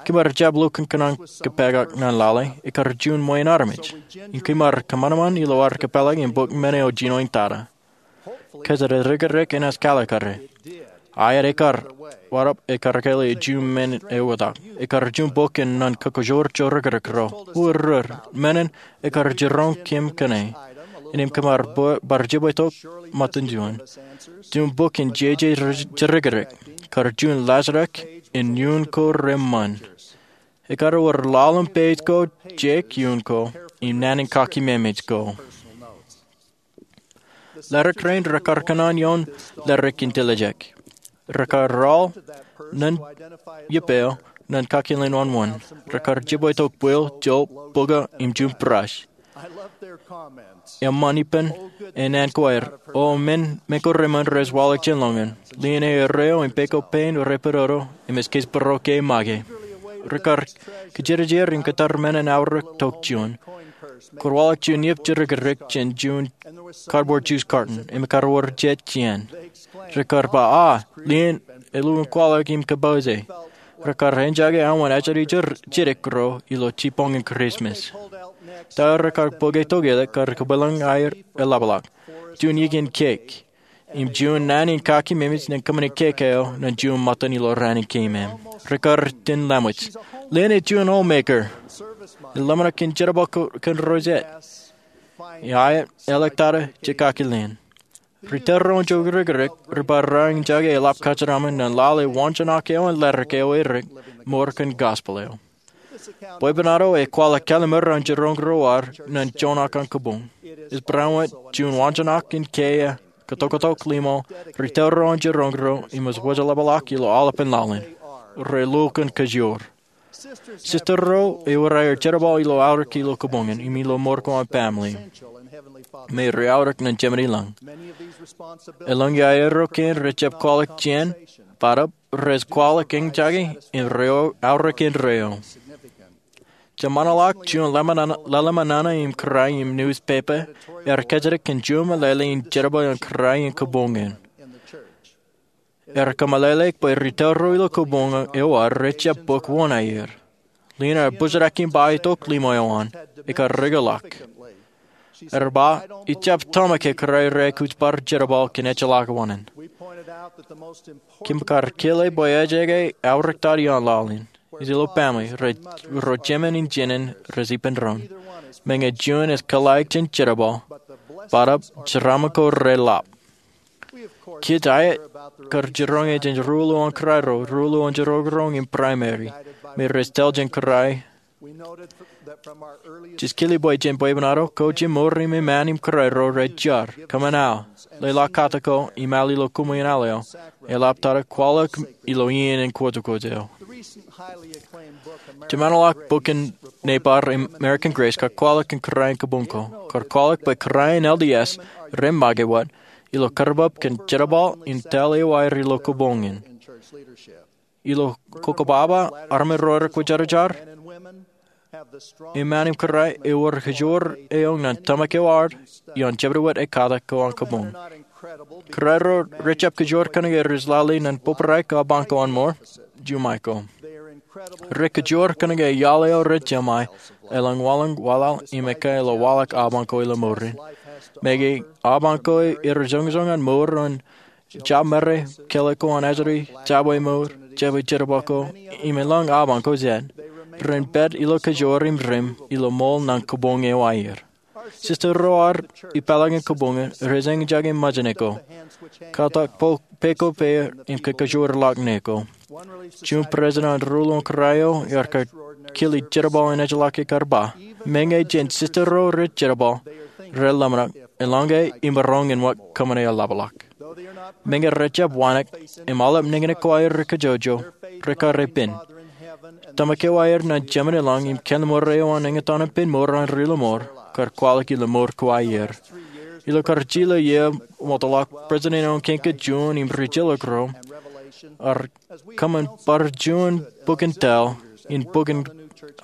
Kōm ar jab lukkuun kōṇaan kōpeḷḷọk ñan lale, ekar juon ṃweeṇ armej. Im kōm ar kōṃanṃan ilo ad kōpeḷḷọk im bōk men eo jinoin tata. Kōjatdikdik enaaj kaḷakare. Aet ekar, waḷọk ekar kōḷḷā juon men eo etak. Ekar juon bok in ñan kōkōjor jorikrek ro. Ureor, men in ekar jiroñ kōm kōn e. Innām kōm ar bar jibwe tok ṃōttan juon. Juon bok in jeje jorikrek. Kar juon laajrak in iuun ko reṃṃan. Ekar wōr ḷalem page ko, jek iuun ko, im naan in kakememej ko. Ledik rein rekar kōṇaan ioon ledik in tiljek. Rekar raoḷ ñan ippān eo ñan kakilin wōnwōn. Rekar jibwe tok bwil, job, buka, im juon brush. Eṃṃan ippān, e naan ko aer. O men, men ko reṃṃan rej waḷọk jān ḷọk in. Lien e erreo im peko pein repododo im ej kōjparok e make. Rekar kōjerajer im kōttar men in aorōk tok juon. Kwōn waḷọk juon iep jorikrek jān juon cardboard juice carton im ekar wōr jet jān. Rekar ba, a, lien e lukkuun kwaḷọk im kōpooj e. Rekar enjake aṃ wōn ajri jidik ro ilo jibboñin Christmas. Ta rekar bōke tok ilo kar kōpeḷḷọk aer eḷapḷọk. Juon iien cake. Im juon naan in kakememej ñan kōṃṃane cake eo ñan juon ṃōttan ilo raan in keemem. Rekar itōn laṃōj. Lien e juon homemaker. Eḷap ñan kōn jerbal kōn ro jet. Ia, eḷak tata je kakilin. Ri tōl ro in jorikrek, ri bar raan enjake eḷap kōjeraṃṃan ñan lale waanjoñak eo an ledik eo edik, mour kōn gospel eo. Bwebwenato ekwaḷọk kallimur an jiroñ ro ad ñan joñak an kōbuñ. Ej barāinwōt juon waanjoñak in kiiō kōtoktok limo, ri tōl ro an jiroñ ro im ej wōjḷapḷọk ilo aolepān laḷ in. Re lukkuun kōjor. Sister ro ewōr aer jerbal ilo aorōk ilo kōbuñ in im ilo mour ko an family. Me re aorōk ñan Jemān i lañ. Eḷaññe aerro kein rejjab kwaḷọk jān, bōtab rej kwaḷọk eñjake im re aorōk indeeo. Jemaanḷọk juon lale ṃōṇōṇō im kōrā im newspaper ear kajjitōk kōn juon meḷeḷe in jerbal in kōrā in kōbuñ in. Ear kōmeḷeḷeik bwe ri tōl ro ilo kōbuñ eo ad rejjab bōk wōṇāer. Lien ear bōjrak im ba itok limo eo an, ekar rūkōḷọk. Ear ba, ijjab tōmak ke kōrā rej aikuj bar jerbal kōn ejjeḷọk wōṇāān. Kōm kar kile bwe ejjeḷọk aorōk tata ioon laḷ in. Ilo family, ro jemān in jinen rej ippān doon. Meñe juon ej kōḷḷāik jān jerbal, bōtab jeraaṃṃan ko reḷap. Kōj aet kar jiroñ jān ruo ḷọk an kōrā ro, ruo ḷọk an jiroñ ro im primary, me rej tōl jān kōrā. Jej kile bwe jān bwebwenato ko jimor im eṃṃan im kōrā ro rej jar, kōṃṃan al, leḷọk katak ko im al ilo kōṃṃan eo, eḷap tata kwaḷọk ilo iien in kwōjkwōj eo. Jemaanḷọk bok in nebar American Grace kar kwaḷọk kōn kōrā in kōbuñ ko, kar kwaḷọk bwe kōrā in L D S rej make wōt ilo karabab kōn jerbal in tōl eo aer ilo kōbuñ in. Ilo kokobaba armej ro rekwōjarjar eṃṃan im kōrā, ewōr kōjor eo ñan tōmak eo ad ioon jebdewōt ekkatak ko an kōbuñ. Kōrā ro rejjab kōjor kōnke rej lale ñan bōbrae ko abañ ko an mour, juṃae ko. Rej kōjor kōnke iaḷ eo rej jeṃae, elōñ waḷọk waḷọk im ekkā ilo waḷọk abañ ko ilo mour in. Meñe abañ ko rej joñjoñ an mour an jabmāre, kōḷḷe ko an ajri, jabwe mour, jabwe jerbal ko, im elōñ abañ ko jet, ren pād ilo kōjor im rim ilo ṃool ñan kōbuñ eo aer. Sister ro ad ippaḷọk in kōbuñ in rej eñjake ṃōjṇe ko, katak peko peier im kōkōjorḷọk ṇe ko. Juon president an ruo ḷọk an kōrā eo ear kile jerbal in ejjeḷọk ekar ba, meñe jān sister ro rej jerbal, rej ḷōmṇak, eḷaññe imaroñ in wōt kōṃṃane eḷapḷọk. Meñe rejjab wānōk im aolep niñniñ ko aer rej kōjwōjwōj, rekar pen. Tōmak eo aer ñan Jemān i lañ im kalliṃur eo an eñtaan in pen mour an ri lọmọọr, kar kwaḷọk ilo mour ko aer. Ilo kar jilō iiō ṃoktaḷọk, president eo an Kañka Juon im ri jilōk ro, ear kōṃṃan bar juon bok in tōl, in bok in,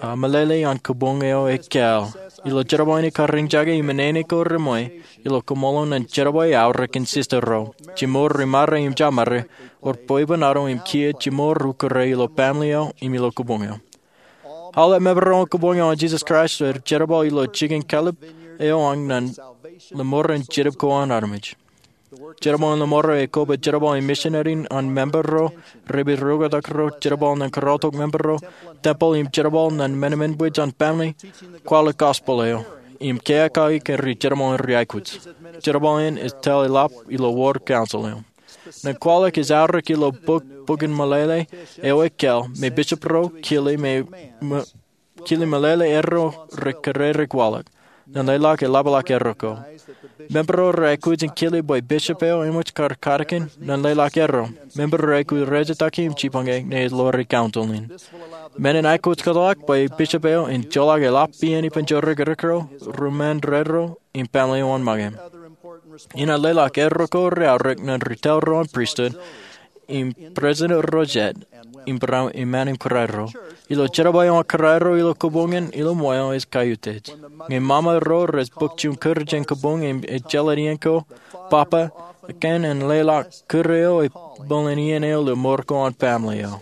ah, meḷeḷe an kōbuñ eo ekkā. Ilo jerbal in ekar eñjake im menin ko reṃṃan, ilo kōṃṃoolol ñan jerbal aorōk in sister ro, jimor ri mare im jabmāre, ewōr bwebwenato im kiiō jimor ukōre ilo family eo im ilo kōbuñ eo. Aolep member ro an kōbuñ eo an Jesus Christ rej jerbal ilo jikin kallib eo an ñan lọmọọren jetōb ko an armej. Jerbal in ḷōṃaro ej kobwe jerbal in misineri an member ro, rej pād ro, jerbal ñan kōrọọltok member ro, tempel im jerbal ñan men eṃṃan bwe jen family, kwaḷọk gospel eo, im keakaki kōn ri jerbal in ri aikuj. Jerbal in ej tōl eḷap ilo ward council eo. Ñan kwaḷọk ej aorōk ilo bok, bok in meḷeḷe eo ej kōḷ, me bishop ro kile me, me kile meḷeḷe erro rej kōrā rej kwaḷọk. Ñan leḷọk eḷapḷọk erro ko. Member ro rej aikuj in kile bwe bishop eo eṃōj kar katakin ñan leḷọk erro. Member ro rej aikuj rej jitōñḷọk im jipañe ñe ej ḷoor council in. Men in aikuj kōtḷọk bwe bishop eo en joḷọk eḷap iien ippān jorrāān ro, ri-member ro, im family eo an ṃōñā. Inaaj leḷọk erro ko rej aorōk ñan ri tōl ro an pristut, im president ro jet, im barāinwōt eṃṃan im kōrā ro. Ilo jerbal eo an kōrā ro ilo kōboñ in ilo ṃweo ej kaiutiej. Ñe ṃaṃa ro rej bōk juon kūr jān kōboñ im ejjeḷọk iien ko, papa, ekōn en leḷọk kūr eo ej bōlen iien eo ilo mour ko an family eo.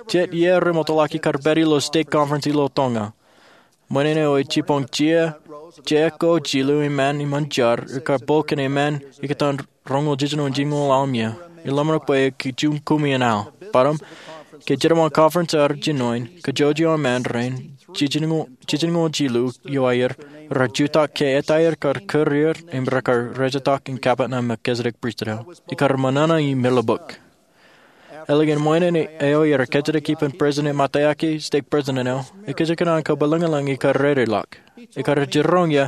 Jet iiō remootḷọk ikar pād ilo stake conference ilo Tonga. Ṃōṇōṇō eo ej jibboñ jea, jea ko jilu eṃṃan iṃōn jar, ekar bōk kōn eṃṃan ikōtaan roñoul jiljino jiljino aḷ im iiō. Eḷap bwe ej juon kumi in aḷ. Bōtaab, ke jerbal conference ear jinoin, kajjojo an eṃṃan rein, jiljino, jiljino jilu eo aer, rej jutak ke etaer kar kūr er, im rekar rejetak in kappok ñan Melchizedek pristut eo. Ikar ṃōṇōṇō im meḷọkḷọk. Eḷaññe ṃōṇōṇō eo ej kajjitōk ippān president im atake stake president eo, ekōjkan an kabwilōñlōñ ikar rereḷọk. Ekar jiroñ ie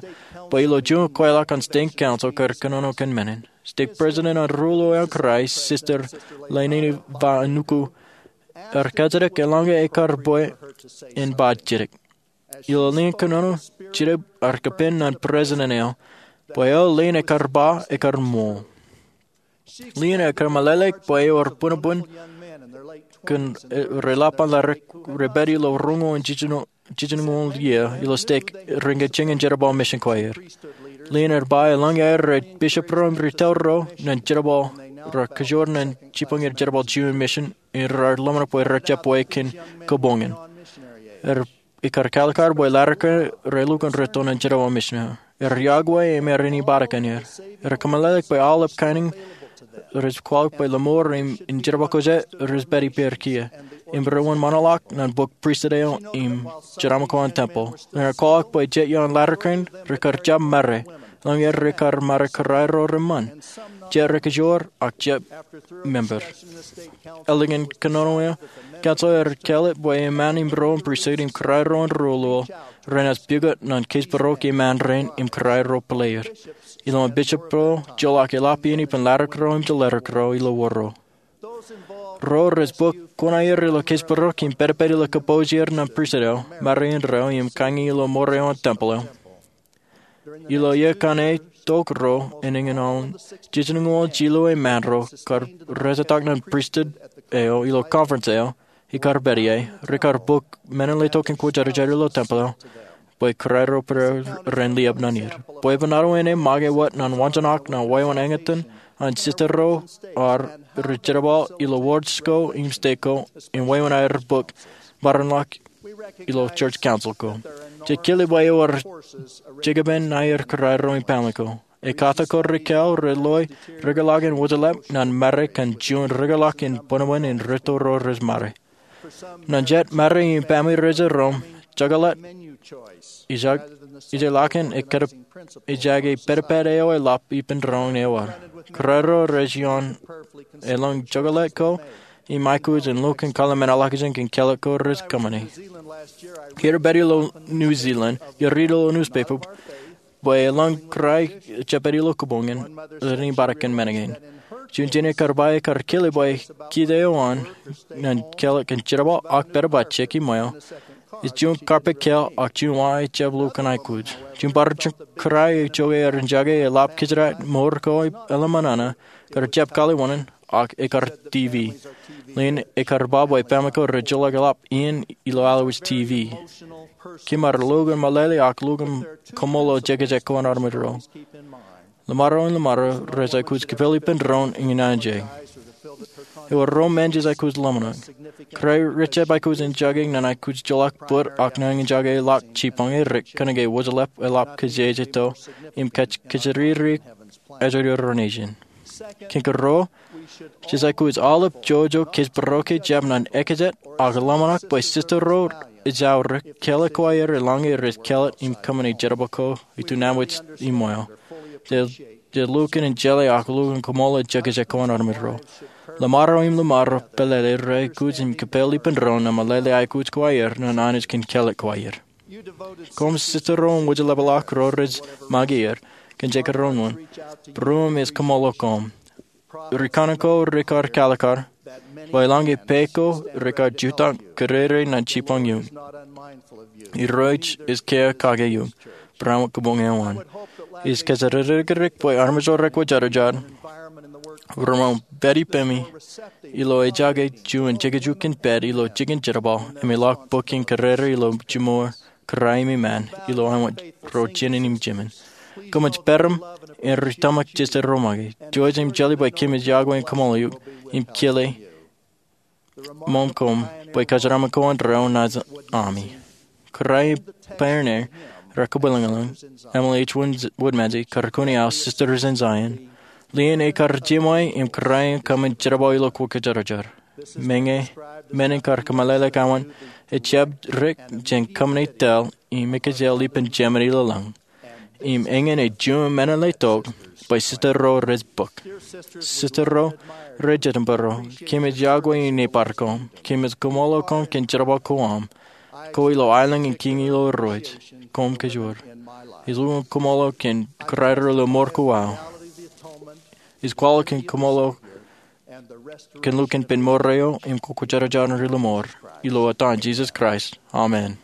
bwe ilo juon kweilọk an stake council kar kōnono kōn men in. Stake president an Ruo Loeoḷ an Kraist, Sister Leilani Vanuku, ear kajjitōk eḷaññe ekar bwe en ba jidik. Ilo lien kōnono, jidik ear kapen ñan president eo bwe eo lien ekar ba ekar ṃool. Lien eo ekar meḷeḷeik bwe ewōr buñbuñ kōn, eh, reḷap an laḷ rej pād ilo roñoul jiljino, jiljino iiō ilo stake rein kajjien jerbal mission ko aer. Lien eo ej ba eḷaññe aer rej bishop ro im ri tōl ro ñan jerbal, rej kajjoor ñan jipañ er jerbal juon mission, im raar ḷōmṇak bwe rej jab wāween kōboñ in. Ej ikar kalikar bwe laḷ eo rej lukkuun rej to ñan jerbal mission eo. Ej yokwe im ej inepata kōn er. Ej kōmeḷeḷeik bwe aolep kain in rej kwaḷọk bwe lọmọọr im in jerbal ko jet rej pād ippāer kiiō. Im rej wōnṃaanḷọk ñan bok pristut eo im jeraaṃṃan ko an tempel. Im rej kwaḷọk bwe jet iaan laḷ eo rej kar jab mare. Eḷaññe rej kar mare kōrā ro reṃṃan. Jet rej kajjoor ak jab member. Eḷaññe kōnono eo, council ej kālet bwe eṃṃan in ro pristut im kōrā ro an Ruo Loeoḷ renaaj pukot ñan keij bōro ke eṃṃan rein im kōrā ro pālle er. Ilo an bishop ro joḷọk eḷap iien ippān laḷ ro im jeḷā ro ilo wōr ro. Ro rej bōk kuṇaer ilo keij bōro im pedped ilo kōpooj er ñan pristut eo, mare indeeo im kañi ilo ṃōrā eo an tempel eo. Ilo iiō kaṇe tok ro, āinwōt jiljino jilu eṃṃan ro kar rejetak ñan pristut eo ilo conference eo, ikar pād ie, rekar bōk men in letok in kwōjarjar ilo tempel eo, bwe kōrā ro pālle ren liab ñan er. Bwebwenato in ṃōñā wōt ñan wañjaṇak ñan wāween eñtaan an sister ro ar rej jerbal ilo wards ko im stake ko, im wāween aer bōk maroñḷọk ilo church council ko. Jej kile bwe ewōr jekpen aer kōrā ro im family ko. Ekata ko rej kāāl rej loi rūkūtḷọk in wōjḷap ñan mare kōn juon rūkūtḷọk in buñbuñ in ri tōl ro rej mare. Ñan jet mare im family rej jiroñ, jokḷọk, ijak, ijellọkin ekkar, ijake pedped eo eḷap ippān doon eo ad. Kōrā ro rej iaan eḷap jokḷọk ko im aikuj in lukkuun kōḷmānḷọkjeṇ kōn kālọk ko rej kōṃṃane. Iar pād ilo New Zealand, iar riit ilo newspaper bwe eḷap kōrā ro rej pād ilo kōboñ in, ren inepata kōn men in. Juon jenaaj kar ba ekar kile bwe kōtḷọk eo an ñan kālọk kōn jerbal ak pād ba jekki ṃweo. Ej juon carpet kāāl ak juon wa ejjab lukkuun aikuj. Juon bar juon kōrā eo ej jokwe ear jake eḷap kōjdat mour ko eḷap ṃōṇōṇō, kar jab kaliwōṇōṇō, ak ekar TV. Lien ekar ba bwe family ko rej joḷọk eḷap iien ilo allowaj TV. Kōmar lukkuun meḷeḷe ak lukkuun kaṃṃoolol jekjek ko an armej ro. Lọmọọr im lọmọọr rej aikuj kipel ippān doon in ñan je. Ewōr ro men jej aikuj ḷōmṇak. Kōrā rej jab aikuj enjake ñan aikuj joḷọk bōd ak nañinjake ḷọk jipañ erik kōnke wōjḷap eḷap kōjeje to im kōj kōjatdikdik ajri ro nejin. Kōn ke ro, jej aikuj aolep jojo kōjparok ke jab ñan ekajet ak ḷōmṇak bwe sista ro ejjaurek, kāālōt ko aer eḷaññe rej kāālōt im kōṃṃane jerbal ko ituṇ amwōj im ṃweo. Jej lukkuun jeḷā ak lukkuun kōṃṃool jekjek ko an armej ro. Ḷōṃaro im ḷōṃaro pālele rej aikuj im kōpeḷ ippān doon im meḷeḷe aikuj ko aer ñan Anij kōn kāālōt ko aer. Koṃ sista ro im wōjḷap ḷọk ro rej make er, kōn jekdọọn wōn, būruōm ej kōṃṃool koṃ. Ri kaṇe ko rekar kalōkar bwe eḷaññe pā ko rekar jutak kōrere ñan jipañ eok. Irooj ej kiiō kake eok, barāinwōt kōbuñ eo an. Ij kōjatdikdik bwe armej ro rekwōjarjar, remaroñ pād ippemi ilo ejake juon jekjek kōn pād ilo jikin jerbal im eḷak bōk kōn kōrere ilo jiṃor kōrā im iṃaan ilo āinwōt ro jinen im jemān. Kōmij peram en ri tōmak jete ro make. Jouj im jeḷā bwe kōmij yokwe in kōṃṃool eok im kile ṃōm koṃ bwe kōjeraaṃṃan ko an ro naaj ami. Kōrā im pioneer rekabwilōñlōñ, Emily H. Woodmansee, Karakuni House, Sisters in Zion, lein ekar jiṃwe im kōrā in kōṃṃan jerbal ilo kwōjarjar. Meñe men in kar kōmeḷeḷe kōṃṃan, ejjab dik jān kōṃṃane tōl im ekjel ippān jemān ilōḷḷañ. Im eñin ej juon meḷeḷe tok bwe sista ro rej bōk. Sista ro rej jitōnbōro, kōmij yokwe im nōbar koṃ, kōmij kōṃṃool koṃ kōn jerbal ko aṃ, ko ilo aelōñ in kiiñ ilo Irooj, koṃ kōjwōr. Ij lukkuun kōṃṃool kōn kōrā ro ilo mour ko aō. Ij kwaḷọk kōn kōṃṃool kōn lukkuun ippān mour eo im kwōjarjar ri lōṃor. Ilo etan Jisōs Kraist, amen.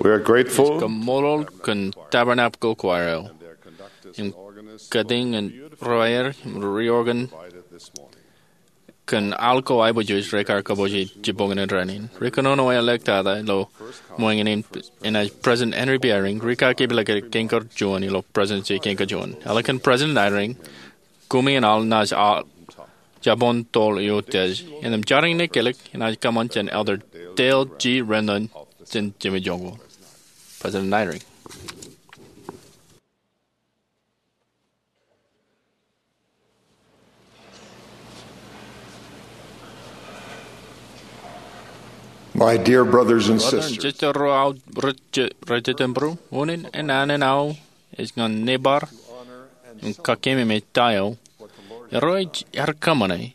We are grateful. Kaṃṃoolol kōn Tabernacle Choir eo im kōtien ro aer im ri organ kōn al ko aiboojoj rekar kabbokbok jibboñōn rainin. Ri kōnono eo eḷḷọk tata ilo ṃōñā in, enaaj President Henry B. Eyring, ri kaki ḷọk kein kar juon ilo Presidency kein kar juon. Eḷak kōn President Eyring, koṃi in al naaj jabōn toḷ eo tiej. Innām jar in ekilōk enaaj kōṃṃan jān Elder Dale G. Renlund jān jemedwōj ko. President Eyring. My dear brothers and sisters, sister ro aō rej jitōnbōro, unin an an aō ej ñan nebar im kakememej ta eo Irooj ear kōṃṃane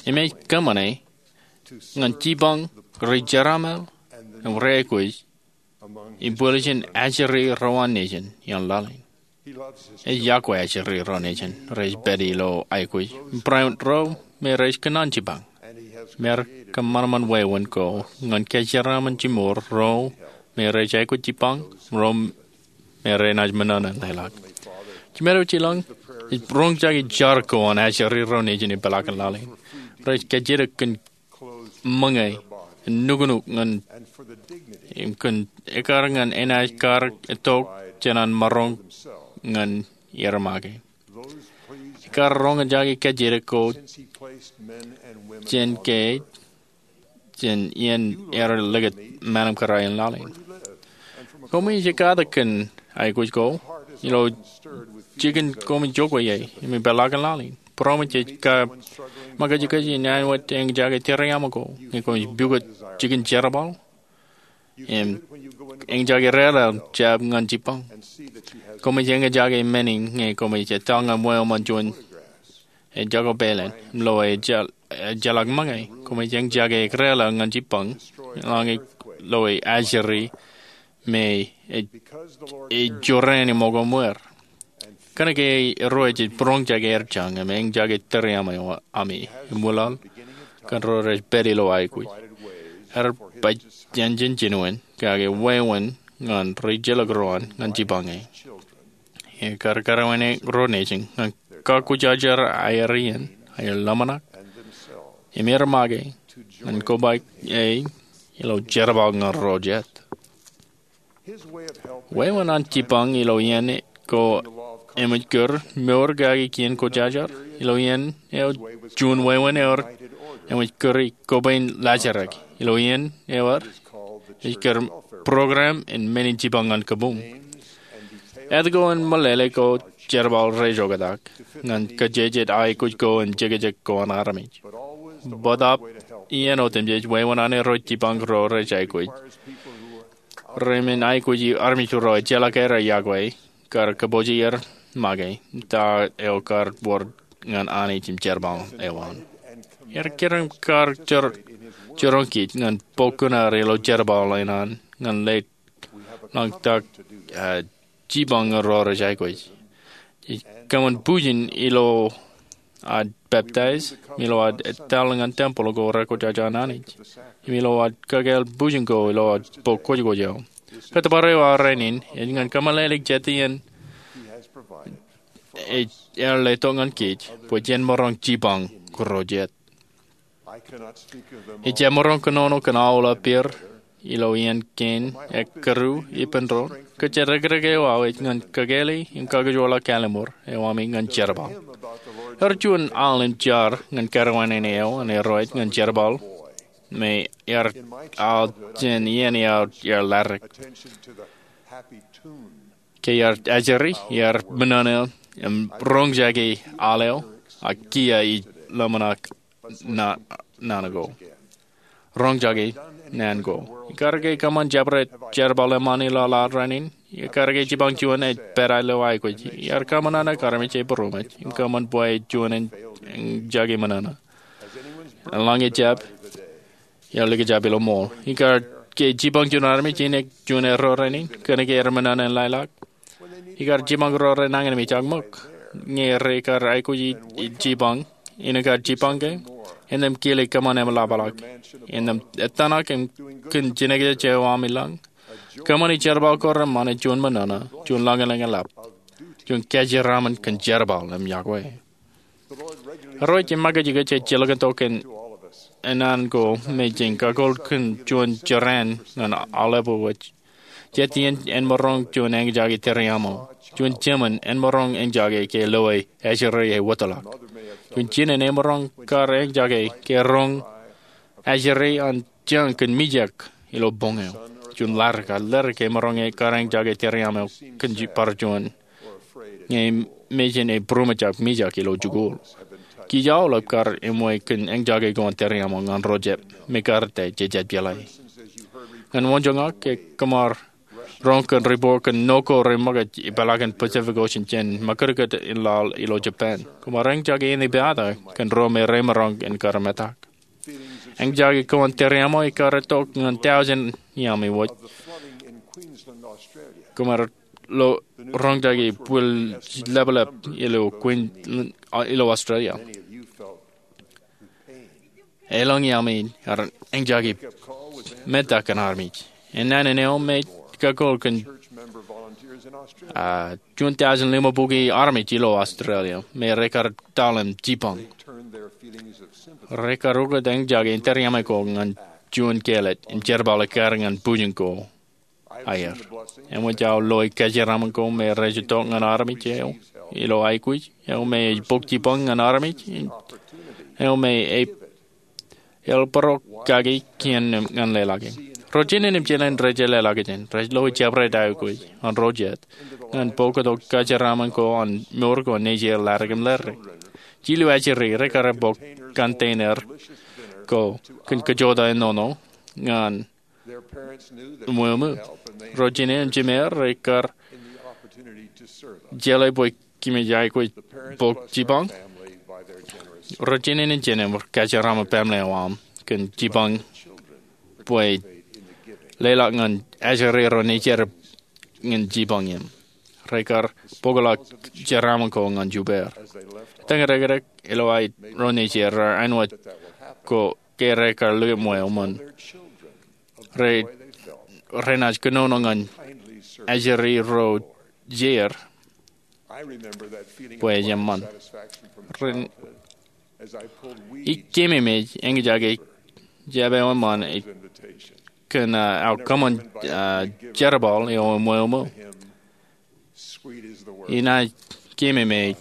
im ej kōṃṃane ñan jipañ ri-jeraaṃṃan im ri-aikuj im bōlen ajri ro an nejin ioon laḷ in. Ej yokwe ajri ro nejin rej pād ilo aikuj, barāinwōt ro me rej kōṇaan jipañ. Im ear kōṃanṃan wāween ko ñan kōjeraaṃṃan jimor ro me rej aikuj jipañ, ro me renaaj ṃōṇōṇō in leḷọk. Jimedo Jilọñ ej roñjake jar ko an ajri ro nejin ippaḷọk in laḷ in. Rej kajjitōk kōn ṃōñā, nuknuk ñan, im kōn ekkar ñan enaaj kar itok jān an maroñ ñan er make. Ekar roñjake kajjitōk ko jān ke jān iien er likūt ṃanam kōrā in laḷ in. Koṃij ekatak kōn aikuj ko ilo jikin koṃij jokwe ie im ippaḷọk in laḷ in. Būroṃōj ej kab ṃōkajkōj in āinwōt eñjake tūriaṃo ko ñe koṃij pukot jikin jerbal im eñjake rālō jab ñan jipañ. Koṃij eñjake men in ñe koṃij etal ñan wāween juon ejako pāleen im lo ejjeḷọk ṃōñā. Koṃij eñjake rālō ñan jipañ eḷaññe lo ajri me ej jorrāān ṃōko ṃweer. Kōnke Irooj ej būroñjake aer jañ im eñjake tūriaṃo eo ami im wūlaḷ kōn ro rej pād ilo aikuj. Ear baj jān jinuin kake wāween ñan ri-jelōk ro an ñan jipañ e. Ekar kōrā wāween ro nejin ñan kakwōjarjar aer iien, aer ḷōmṇak, im er make ñan kobaik e ilo jerbal ñan ro jet. Wāween an jipañ ilo iien ko eṃōj kūr mour kaki kien kwōjarjar. Ilo iien eo juon wāween eo eṃōj kūr e kōpein laajrak. Ilo iien eo ej kūr program in men in jipañ ñan kabuñ. Etke en meḷeḷe ko jerbal rej oktak ñan kōjejjet aikuj ko im jekjek ko an armej. Bōtaab iien otemjej wāween an Irooj jipañ ro rej aikuj. Ri men aikuj armej ro ejjeḷọk aer yokwe kar kōpooje er make ta eo kar wōr ñan Anij im jerbal eo an. Ear kōrā im kar jiroñ kōj ñan bok kuṇaer ilo jerbal eo an ñan lale ḷọk ta jipañ ro rej aikuj. Jej kōṃṃan bujen ilo ad peptaij, im ilo ad etal ñan tempel ko rekwōjarjar an Anij, im ilo ad kakāāl bujen ko ilo ad bok kwōjkwōj eo. Kōttōpar eo aō rainin ej ñan kōmeḷeḷeik jet iien ej ear letok ñan kōj bwe jen maroñ jipañ ro jet. Ij jab maroñ kōnono kōn aolep er ilo iien kein ekkeru ippān doon. Kōjatdikdik eo aō ej ñan kakāāle im kakkōjparok kallim̧ur eo ami ñan jerbal. Ear juon al im jar ñan kōrā wāween eo an Irooj ñan jerbal me ear al jān iien eo ear ladik. Ke ear ajri, ear ṃōṇōṇō im roñjake al eo, ak kiiō ij ḷōmṇak naan ko. Roñjake naan ko. Ekar ke kōṃṃan jabdewōt jerbal eṃṃan ilo laḷ rainin? Ekar ke jipañ juon ej pād ilo aikuj? Ear kōṃṃan naan eo armej ej būroṃōj im kōṃṃan bwe juon eñjake ṃōṇōṇō. Eḷaññe ejjab, ear likjab ilo ṃool. Ekar ke jipañ juon armej in juon erro rainin, kōnke ear ṃōṇōṇō in laiḷọk? Ekar jipañ ro renañin im ejjab ṃōk? Ñe ekar aikuj jipañ, innām ekar jipañ ke? Innām kile kōṃṃan eṃ ḷapḷọk? Innām etan ak kōn jinōkjeje eo ami lañ? Kōṃṃani jerbal ko reṃṃan ej juon ṃōṇōṇō, juon lañlōñ eḷap, juon kōjeraaṃṃan kōn jerbal im yokwe. Irooj ej make kōj ejjeḷọk tok kōn naan ko me jen kakoḷ kōn juon jorrāān ñan aolepān wōj. Jet iien en maroñ juon eñjake tōre aṃo. Juon jemān en maroñ eñjake ke loe ajri eo wōtlọk. Juon jinen en maroñ kar eñjake ke roñ ajri an jañ kōn mijak ilo boñ eo. Juon ḷadik, ḷadik emaroñ kar eñjake tōre aṃo kōn bar juon ñe mejān ej būroṃōjak mijak ilo jikuuḷ. Kij aolep kar eṃṃan kōn eñjake ko an tōre aṃo ñan ro jab me kar ta jej jab jeḷā. Ñan wōnjoñak, ke kōṃṃan roñ kōn riport kōn nokwe ro rej make ippaḷọk in Pacific Ocean jān makūtkūt in laḷ ilo Japan. Kōṃṃan eñjake in ippaṃ kōn ro me remaroñ in kar metak. Eñjake ko an tōre aṃo ej kar itok ñan tọujin iaami wōj. Kōṃṃan roñjake bwil ḷapḷap ilo Queensland, ilo Australia. Elōñ iaami ear eñjake metak kōn armej. Enana eo me ej kakoḷ kōn juon tọujin ḷimabukwi armej ilo Australia me rekar taḷ im jipañ. Rekar ukōt eñjake in tōre aṃo ko ñan juon kāālōt im jerbal ekkar ñan bujen ko aer. Eṃōj aō loe kōjeraaṃṃan ko me rej itok ñan armej eo ilo aikuj eo me ej bōk jipañ ñan armej eo me ej el bōro kaki kien ñan leḷọk e. Ro jinen im jinen rej leḷọk jān rej loe jabdewōt aikuj an ro jet ñan bōktok kōjeraaṃṃan ko an mour ko nejier ḷadik im ḷadik. Jilu ajri rekar bōk container ko kōn kajjojo ennọnọ ñan ṃweo ṃōo. Ro jinen im jimeer rekar jeḷā bwe kōmij aikuj bōk jipañ. Ro jinen im jimeer kōjeraaṃṃan baaṃle eo aṃ kōn jipañ bwe leḷọk ñan ajri ro nejier ñan jipañ im rekar bōkḷọk jeraaṃṃan ko ñan jupeer. Etañ dekdek ilo aer ro nejier raar āinwōt ko ke rekar likūt ṃweo ṃōn renaaj kōnono ñan ajri ro jeir bwe ej eṃṃan. Ij keememej eñjake jab eo eṃṃan kōn aō kōṃṃan jerbal eo im ṃweo ṃōo. Inaaj keememej.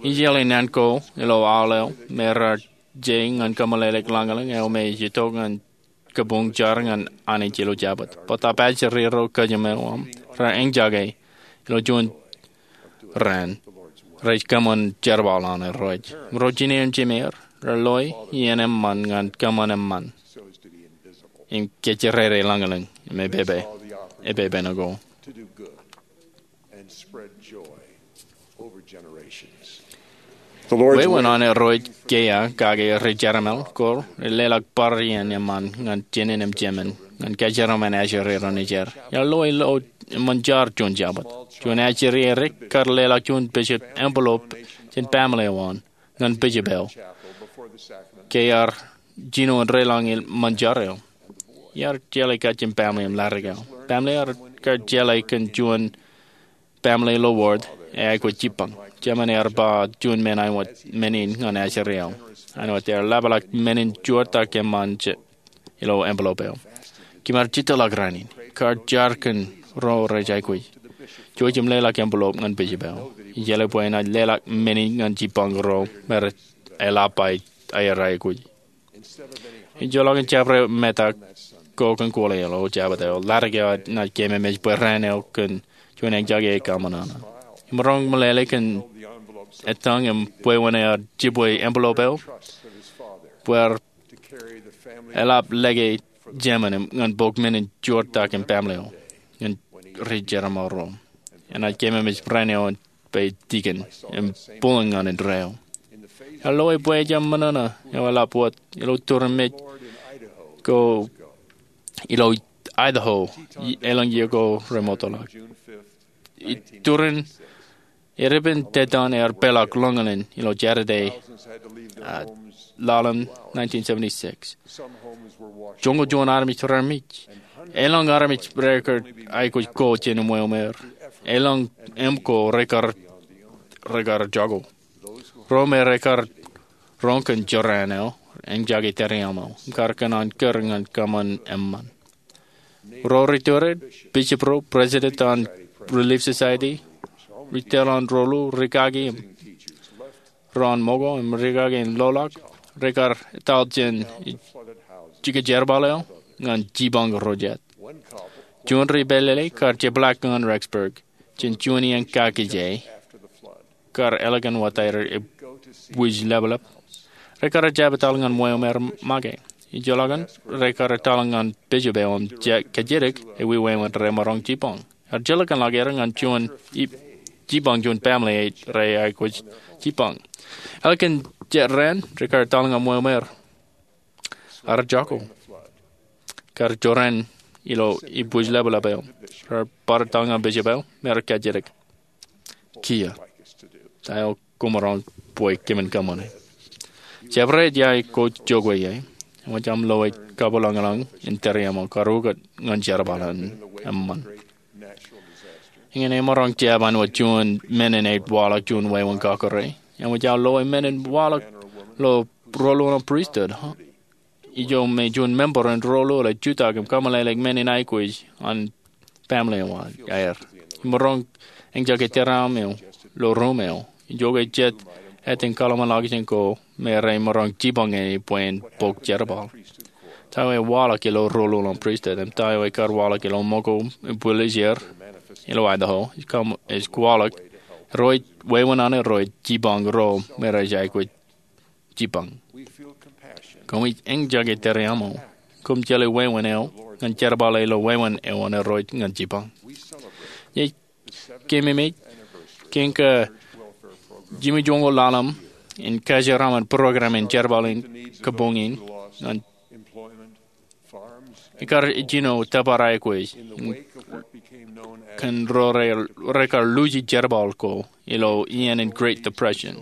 Ij jeḷā naan ko ilo aolep me raar je ñan kōmeḷeḷeik lañlōñ eo me ej itok ñan kabuñ jar ñan Anij ilo Jabōt. Bōtab ajri ro kōjām eo aṃ raar eñjake ilo juon raan rej kōṃṃan jerbal an Irooj. Ro jinen im jimeer raar loe iien eṃṃan ñan kōṃṃan eṃṃan im kōjjirere lañlōñ im epepe, epepen ko. Wewen an Irooj kiiō kake ri-jeraṃōl ko rej leḷọk bar iien eṃṃan ñan jinen im jemān ñan kōjeraaṃṃan ajri ro nejier. Iar loe ilo eṃṃan jar juon Jabōt. Juon ajri eo rekar leḷọk juon bishop envelope jān baaṃle eo an ñan bishop eo ke ear jino in deḷọñ eṃṃan jar eo. Iar jeḷā kajjien baaṃle im ḷadik eo. Baaṃle eo kar jeḷā kōn juon baaṃle ilo ward eaikuj jipañ. Jemān ear ba juon men āinwōt men in ñan ajri eo, āinwōt ear ḷapḷọk men in juortak eṃṃan ilo envelope eo. Kōm ar jitōḷọk raan in. Kar jar kōn ro rej aikuj. Jouj im leḷọk envelope ñan bishop eo. Ijeḷā bwe enaaj leḷọk men in ñan jipañ ro me rej eḷap aer aikuj. Ejjeḷọk in jabdewōt metak ko kōn kwōlo eo ilo Jabōt eo, ḷadik eo enaaj keememej bwe raan eo kōn juon eñjake ej kaṃōṇōṇō. Im maroñ meḷeḷe kōn etañ im bwebwenato jibwe envelope eo bwe ear eḷap lōke jemān ñan bōk men in juortak im baaṃle eo ñan ri-jeraṃōl ro. Enaaj keememej raan eo bwe deacon im pulōn ñan indeeo. Ear loe bwe ejjab ṃōṇōṇō eo eḷap wōt ilo turin mej ko ilo Idaho elōñ iiō ko remootḷọk. Iturin Erepen tetōn ear peḷḷọk lōñḷọk ilo Jādede, a, ḷalem nineteen seventy-six. Joñoul juon armej rear mej. Elōñ armej rekar aikuj ko jān umeaer. Elōñ im ko rekar, rekar jako. Ro me rekar roñ kōn jorrāān eo, eñjake tōre aṃ eo, im kar kōṇaan kūr ñan kōṃṃan eṃṃan. Ro ri tōre, bishop ro, president an Relief Society, ri tōl an rolu, rikaki im ro an ṃōko im rikaki in loḷọk, rekar etal jān jikin jerbal eo ñan jipañ ro jet. Juon ri pālele kar jepḷaak ñan Rexburg jān juon iien kakije kar ālikin wōt aer ebwij ḷapḷap. Rekar jab etal ñan umeaer make. Ijolọkin rekar etal ñan bishop eo im kajjitōk ewi wāween remaroñ jipañ. Ear jilkinḷọk er ñan juon jipañ juon family ej rej aikuj jipañ. Ālikin jet raan rekar etal ñan umeaer. Ear jako. Kar jorrāān ilo ebwij ḷapḷap eo. Rear bar etal ñan bishop eo im ear kajjitōk. Kiiō. Ta eo koṃ maroñ bwe kōmin kōṃṃane? Jabdewōt ia ij ko jokwe ie. Eṃōj aṃ loe kabwilōñlōñ in tōre aṃ eo kar ukōt ñan jerbal in eṃṃan. Eñin emaroñ jab āinwōt juon men in ej waḷọk juon wāween kakōrā. Eṃōj aō loe men in waḷọk ilo rōlul in pristut. Ijo me juon member in rōlul ej jutak im kōmeḷeḷeik men in aikuj an family eo aer. Imaroñ eñjake tōre aṃ eo ilo ruum eo. Ijoke jet āinwōt kōḷmānḷọkjeṇ ko me remaroñ jipañ ñan e bwe en bok jerbal. Ta eo ewaḷọk ilo rōlul in pristut im ta eo ekar waḷọk ilo ṃōko im bwilōñ er ilo Idaho, ej kwaḷọk Irooj, wāween an Irooj jipañ ro me rej aikuj jipañ. Koṃij eñjake tōre aṃ eo. Koṃ jeḷā wāween eo ñan jerbal eo ilo wāween eo an Irooj ñan jipañ. Ij keememej kōn ke jimjuonñoul ḷalem in kajeraaṃṃan program in jerbal in kabuñ in ñan ekar jino tōpar aikuj kōn ro rekar luuji jerbal ko ilo iien in Great Depression.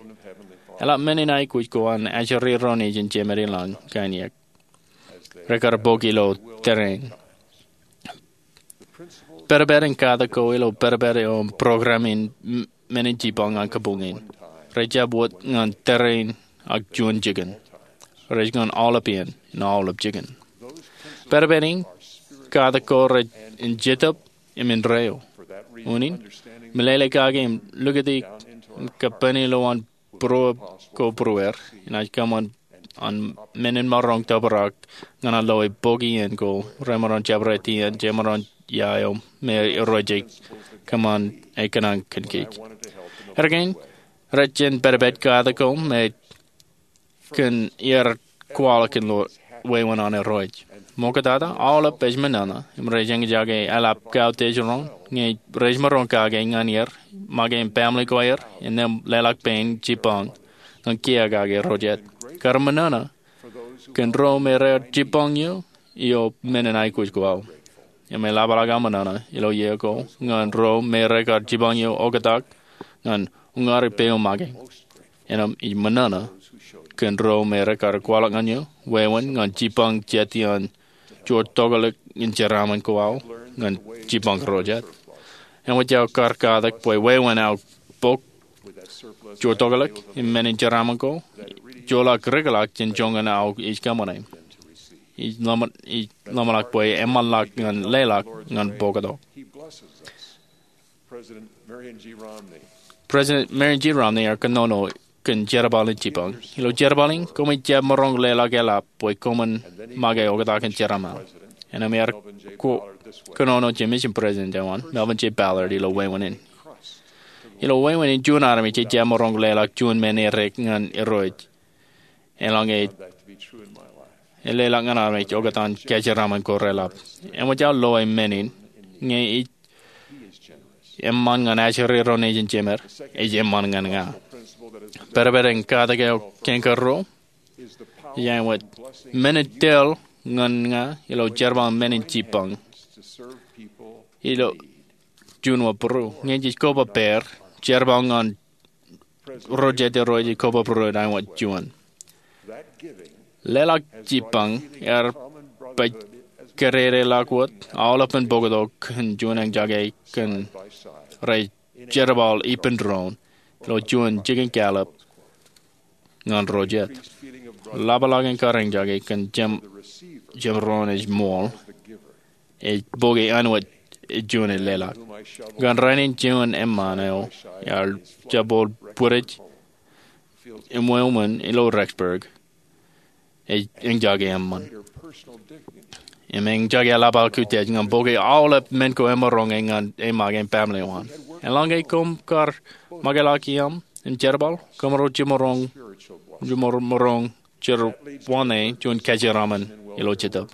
Eḷap men in aikuj ko an ajri ro nejin jemed ilañ kain iiōk rekar bok ilo tōre in. Pād pād in katak ko ilo pād pād eo im program in men in jipañ an kabuñ in rej jab wōt ñan tōre in ak juon jikin. Rej ñan aolep iien in aolep jikin. Pād pād in katak ko rej in jetōb im indeeo. Unin, meḷeḷe kake im likūti im kappani ilo an būruōb ko būrueir, inaaj kōṃṃan an men in maroñ tōprak ñan an loe bok iien ko remaroñ jabdewōt iien jemaroñ ia eo me Irooj ej kōṃṃan e kōṇaan kōn kōj. Erkein, rej jān pād pād katak ko me kōn er kwaḷọk ilo wāween an Irooj. Ṃoktata, aolep ej ṃōṇōṇō im rej eñjake eḷap kautiej roñ ñe rej maroñ kake ñan er make im family ko aer innām leḷọk pein jipañ ñan kiiō kake ro jet. Kar ṃōṇōṇō kōn ro me rej jipañ eo ilo men in aikuj ko aō. Im eḷapḷọk aō ṃōṇōṇō ilo iiō ko ñan ro me rekar jipañ eo oktak ñan uññāri peiṃ make. Innām ij ṃōṇōṇō kōn ro me rekar kwaḷọk ñan eō wāween ñan jipañ jet iaan juon tokālik in jeraaṃṃan ko aō ñan jipañ ro jet. Eṃōj aō kar katak bwe wāween aō bok juon tokālik in men in jeraaṃṃan ko, joḷọk rikḷọk jān joñan aō ej kōṃṃane. Ij ḷōmṇak bwe eṃṃanḷọk ñan leḷọk ñan bōktok. President Marion G. Romney ear kōnono kōn jerbal in jipañ. Ilo jerbal in, koṃij jab maroñ leḷọk eḷap bwe koṃwin make oktak in jeraaṃṃan. Innām ear kōnono jān mission president eo an, Melvin J. Ballard, ilo wāween in. Ilo wāween in juon armej ej jab maroñ leḷọk juon men edik ñan Irooj. Eḷaññe ej leḷọk ñan armej oktak in kajeraaṃṃan ko reḷap. Eṃōj aō loe men in, ñe ij eṃṃan ñan ajri ro nejin jemed, ej eṃṃan ñan ña. Pād pād in katak eo kein karuo, ej āinwōt men in tōl ñan ña ilo jerbal in men in jipañ ilo juon wōt būruō. Ñe jej koba pāer jerbal ñan ro jet irooj ej kobabdewōt āinwōt juon. Leḷọk jipañ ear pād kōdōdōḷọk wōt aolepān bōktok kōn juon eñjake kōn rej jerbal ippān doon ilo juon jikin kāālōt ñan ro jet. Ḷapḷọk in kar eñjake kōn jemdoon ej ṃool ej bōke āinwōt juon ej leḷọk. Kōn rainin juon eṃṃan eo ear jabdewōt bwidej im wāween ilo Rexburg ej eñjake eṃṃan. Im eñjake eḷapḷọk utiej ñan bōke aolep men ko emaroñ ñan eṃṃan im baaṃle eo an. Eḷaññe koṃ kar makḷọk iaam im jerbal, koṃro jiṃor maroñ jerọwiwi juon kōjeraaṃṃan ilo jetōb.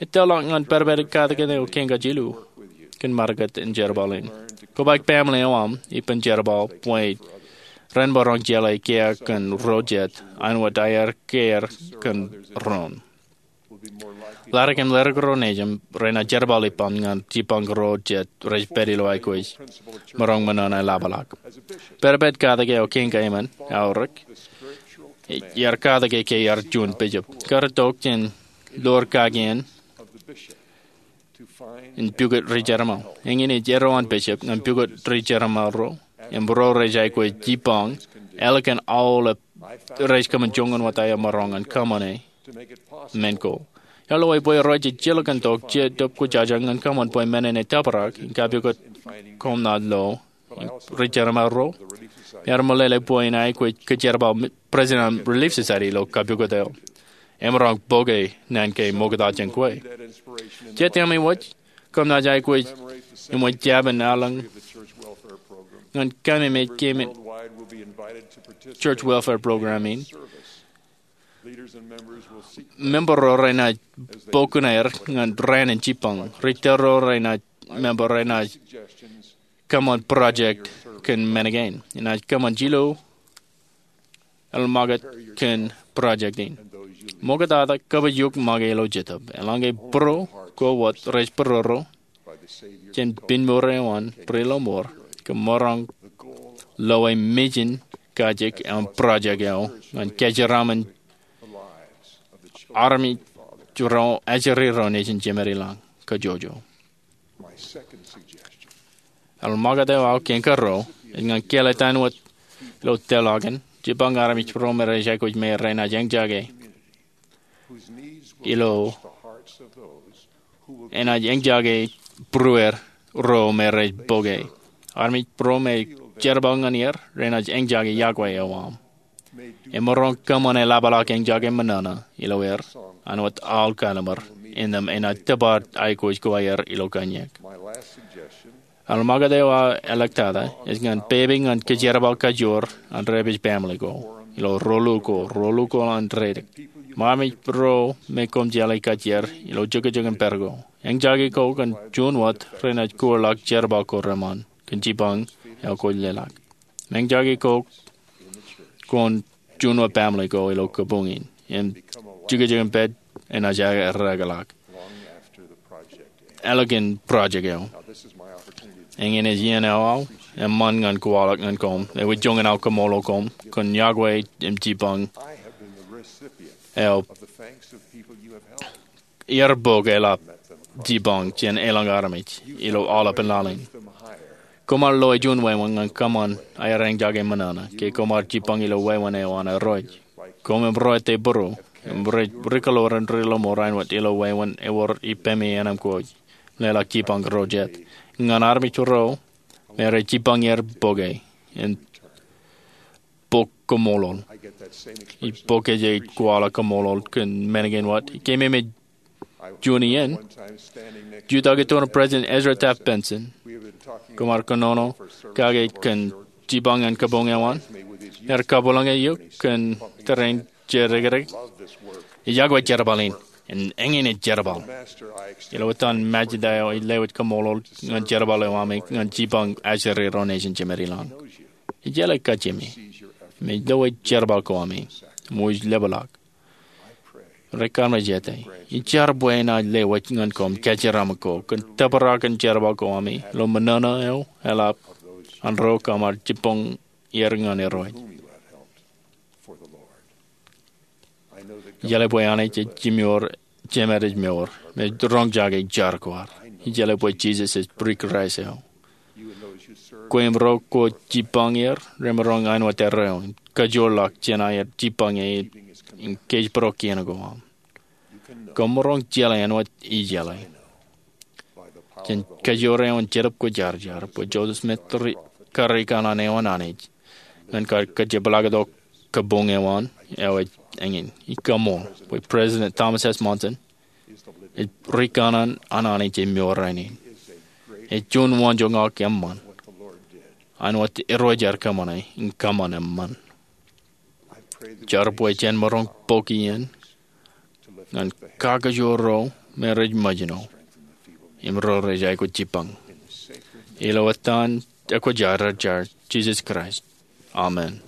Ettoḷọk ñan pedped katak eo kein kōj jilu kōn market in jerbal in. Kobaik baaṃle eo aṃ ippān jerbal bwe ren maroñ jeḷā kiiō kōn ro jet āinwōt aer kiiō kōn doon. Ḷadik im ḷadik ro nejūṃ renaaj jerbal ippaṃ ñan jipañ ro jet rej pād ilo aikuj maroñ ṃōṇōṇō eḷapḷọk. Pedped katak eo kein kōj eṃṃan, aorōk, iar katak e ke iar juon bishop. Kar itok jān ḷoor kakien in pukot ri-jerbal. Eñin ej erro an bishop ñan pukot ri-jerbal ro im ro rej aikuj jipañ ālikin aolep rej kōṃṃan joñan wōt aer maroñ ñan kōṃṃane men ko. Iar lewōj bwe rej jilkintok Jetōb Kwōjarjar ñan kōṃṃan bwe men in etōprak in kapukot koṃ naaj lo ri-jerbal ro. Iar meḷeḷe bwe in aikuj kōjerbal president an Relief Society ilo kapukot eo. Emaroñ bōke naan ke ṃokta jān kwe. Jet ami wōj, koṃ naaj aikuj im wōj jabōn aolep ñan kōmemej kōmij Church Welfare Program in. Member ro renaaj bōk kuṇaer ñan raan in jipañ. Ri-tōl ro renaaj member renaaj kōṃṃan project kōn men kein. Enaaj kōṃṃan jilu eḷmaket kōn project in. Ṃoktata kōpoojuk make ilo jetōb. Eḷaññe būruo ko wōt rej būruo jān piñmour eo an ri-lọmọọr, kōm maroñ loe mejān kajjik im project eo ñan kōjeraaṃṃan armej ro ajri ro nejin Jemedilọñ kajjojo. Eḷmaket eo aō kein karuo ej ñan kāālōt āinwōt ilo tōl eo an jipañ armej ro me rej aikuj me renaaj eñjake ilo enaaj eñjake būrueer ro me rej bōke. Armej ro me jerbal ñan er renaaj eñjake yokwe eo aṃ. Emaroñ kōṃṃan eḷapḷọk eñjake ṃōṇōṇō ilo er āinwōt aolep kalliṃur innām enaaj tōpar aikuj ko aer ilo kōnyak. Eḷmaket eo aō āliktata ej ñan pepe ñan kōjerbal kajoor an dāpij baaṃle ko ilo rōlu ko, rōlu ko an dāpij. Ṃaṃa ro me koṃ jeḷā kajjier ilo jokjok in pād ko. Eñjake ko kōn juon wōt renaaj kūrḷọk jerbal ko reṃṃan kōn jipañ eo kwōj leḷọk. Im eñjake ko kōn juon wōt baaṃle ko ilo kabuñ in im jokjok in pād enaaj eḷḷọk ālikin project eo. Eñin ej iien eo aō eṃṃan ñan kwaḷọk ñan koṃ, ewi joñan aō kaṃṃoolol koṃ kōn yokwe im jipañ eo iar bōk eḷap jipañ jān elōñ armej ilo aolepān laḷ in. Koṃ ar loe juon wāween ñan kōṃṃan aer eñjake ṃōṇōṇō ke koṃ ar jipañ ilo wāween eo an Irooj. Koṃ im ro ettā būruo im ri-kōḷoor in ri-lọmọọr āinwōt ilo wāween ewōr ippemi ānām ko ej leḷọk jipañ ro jet ñan armej ro me rej jipañ er bōke in bōk kaṃṃoolol. Ij bōk kōj kwaḷọk kaṃṃoolol kōn men kein wōt. Ikememej juon iien, jutak iturin President Ezra Taft Benson. Koṃ ar kōnono kake kōn jipañ ñan kabuñ eo an. Ear kabwilōñ eok kōn tōre in jidikdik. Ij yokwe jerbal in. Im eñin ej jerbal. Ilo etan Majda eo ij lewōj kaṃṃoolol ñan jerbal eo ami ñan jipañ ajri ro nejin Jemedilọñ. Ij jeḷā kajjime im ej loe jerbal ko ami im wōj lepḷọk. Ri-kōmij jete, ij jar bwe enaaj lewōj ñan koṃ kōjeraaṃṃan ko kōn tōprak in jerbal ko ami ilo ṃōṇōṇō eo eḷap ñan ro koṃ ar jibboñ er ñan Irooj. Ijeḷā bwe Anij ej jimjuon, jemād ej mour, im ej roñjake jar ko ad. Ijeḷā bwe Jisōs ej Pre-Kraist eo. Kwe im ro kwōj jibboñ er remaroñ āinwōt arro eo, kajoor ḷọk jān aer jibboñ e im kōjparok kien ko aṃ. Koṃ maroñ jeḷā āinwōt ijeḷā jān kajoor eo an Jetōb Kwōjarjar bwe Joseph Smith ri-, kar rikōṇaan eo an Anij ñan kar kajepḷaaktok kabuñ eo an, eo ej eñin. Ij kaṃool bwe President Thomas S. Monson ej rikōṇaan an Anij e mour rainin. Ej juon waanjoñak eṃṃan āinwōt Irooj ear kōṃṃane im kōṃṃan eṃṃan. Jar bwe jen maroñ bōk iien ñan kakajoor ro me rej ṃōjṇọ im ro rej aikuj jibboñ. Ilo etan ekwōjarjar Jisōs Kraist, amen.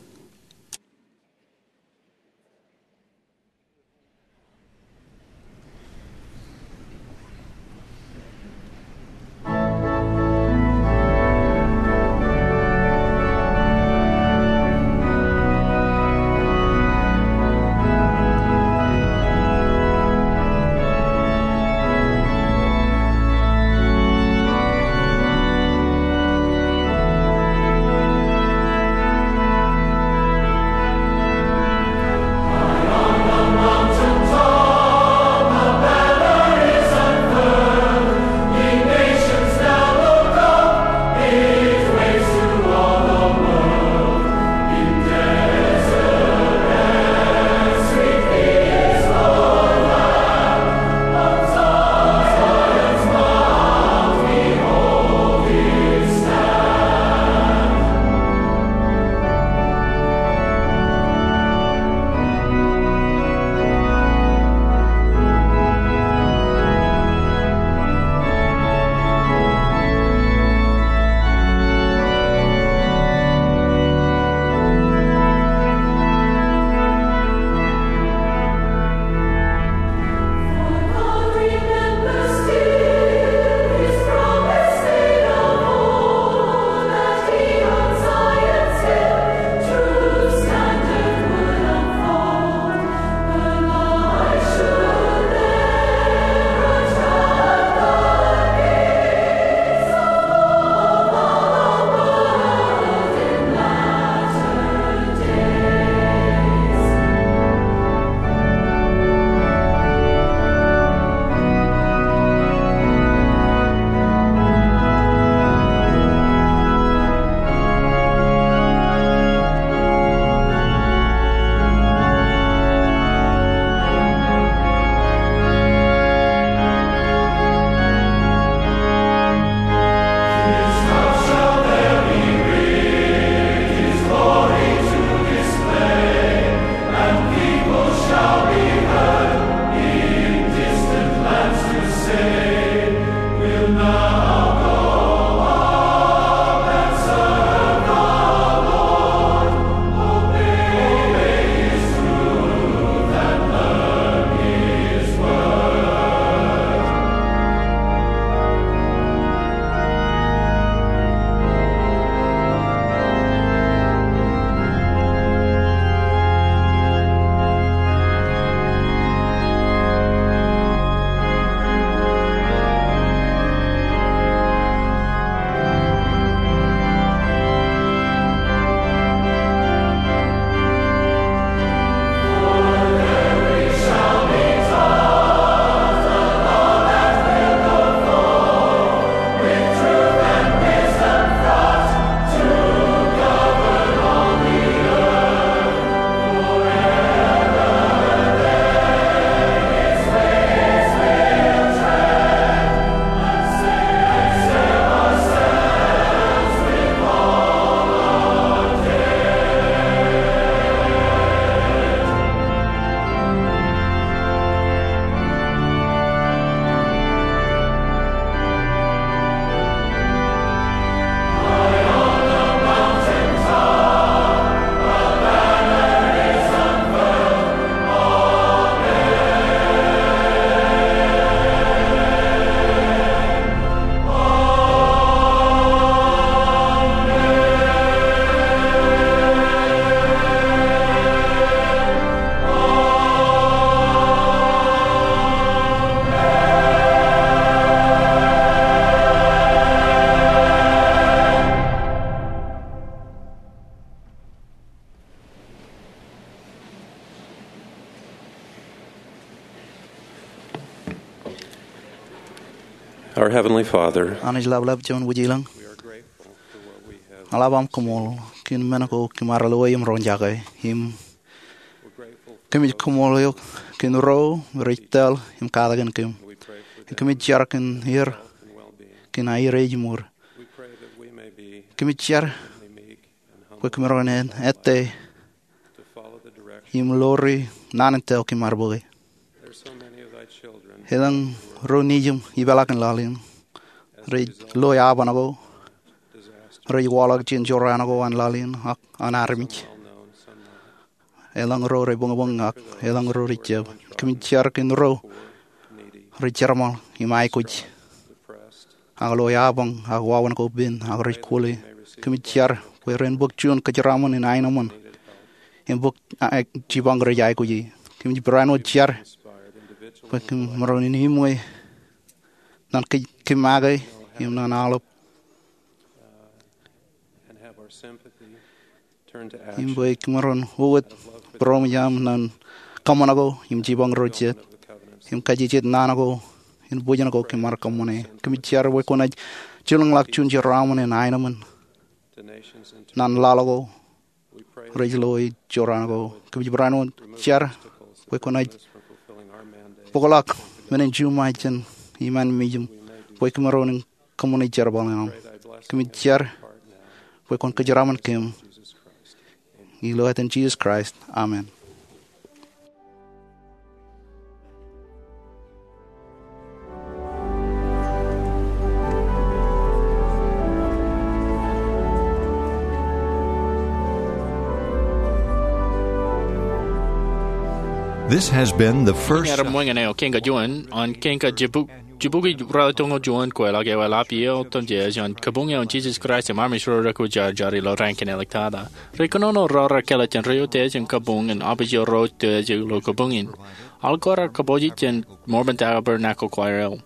Our Heavenly Father, Anij Laplap Juon Wūjilōñ, we are grateful for what we have. Eḷap aṃ koṃṃool kōn men ko kōm ar lo im roñjake im we're grateful for kōmij koṃṃool eok kōn ro rej tōl im katakin kōm. We pray for them. Im kōmij jar kōn er health and well-being. Kōn aer ej ṃur. We pray that we may be Kōmij jar meek and humble bwe kōm maroñ in ettā to follow the direction. Im ḷoori naan in tōl kōm ar bōke. There's so many of thy children. Elōñ ro nejiṃ ipeḷaakin laḷ in rej lo iaban ko, rej waḷọk jān jorrāān ko an laḷ in ak an armej. Some well known, some not. Elōñ ro rej buñbuñ ak elōñ ro rej jab. Kōmij jar kōn ro rej jerbal im aikuj ak lo iabañ ak wāween ko pen ak rej kwōle. Kōmij jar bwe ren bōk juon kōjeraṃōn in aenōṃōn im bōk, a, jipañ rej aikuji. Kōmij barāinwōt jar bwe kōm maroñ in iṃwe ñan kōj, kōm make im ñan aolep. And have our sympathy turn to action. Im bwe kōm maroñ wōt būroṃōj aṃ ñan kōṃṃan ko im jipañ ro jet im kajejjet naan ko in bwijin ko kōm ar kōṃṃane. Kōmij jar bwe kwōnaaj jilkinḷọk juon jeraaṃṃan in aenōṃōn ñan laḷ ko rej lo e jorrāān ko. Kōmij barāinwōt jar bwe kwōnaaj bōkḷọk men in juṃae jān iṃaan mej im bwe kōm maroñ in kōṃṃane jerbal in aṃ. Kōmij jar bwe kwōn kōjeraṃōn kōm. Ilo etan Jisōs Kraist, amen. This has been the first. Ear ṃōñā eo Kiiñ ko juon an Kiiñ ko Jibukwi ruatimjuon kweilọk eo eḷap iiō otemjej an Kabuñ eo an Jisōs Kraist im Armej ro Rekwōjarjar ilo Rankin āliktata. Ri kōnono ro rekāālōt jān ri utiej im kabuñ in abwij ro utiej ilo kabuñ in. Al kōrā kōpooj jān Mormon Tabernacle Choir eo.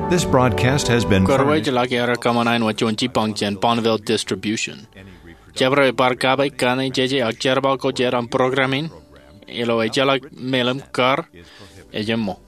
This broadcast has been furnished. Kōrā eo ej ḷak aer kōṃṃan wōt juon jipañ jān Bonneville Distribution. Jabdewōt bar kape, kaṇe, jeje ak jerbal ko jet an program in ilo ejjeḷọk meḷeḷe kar ej eṃṃool.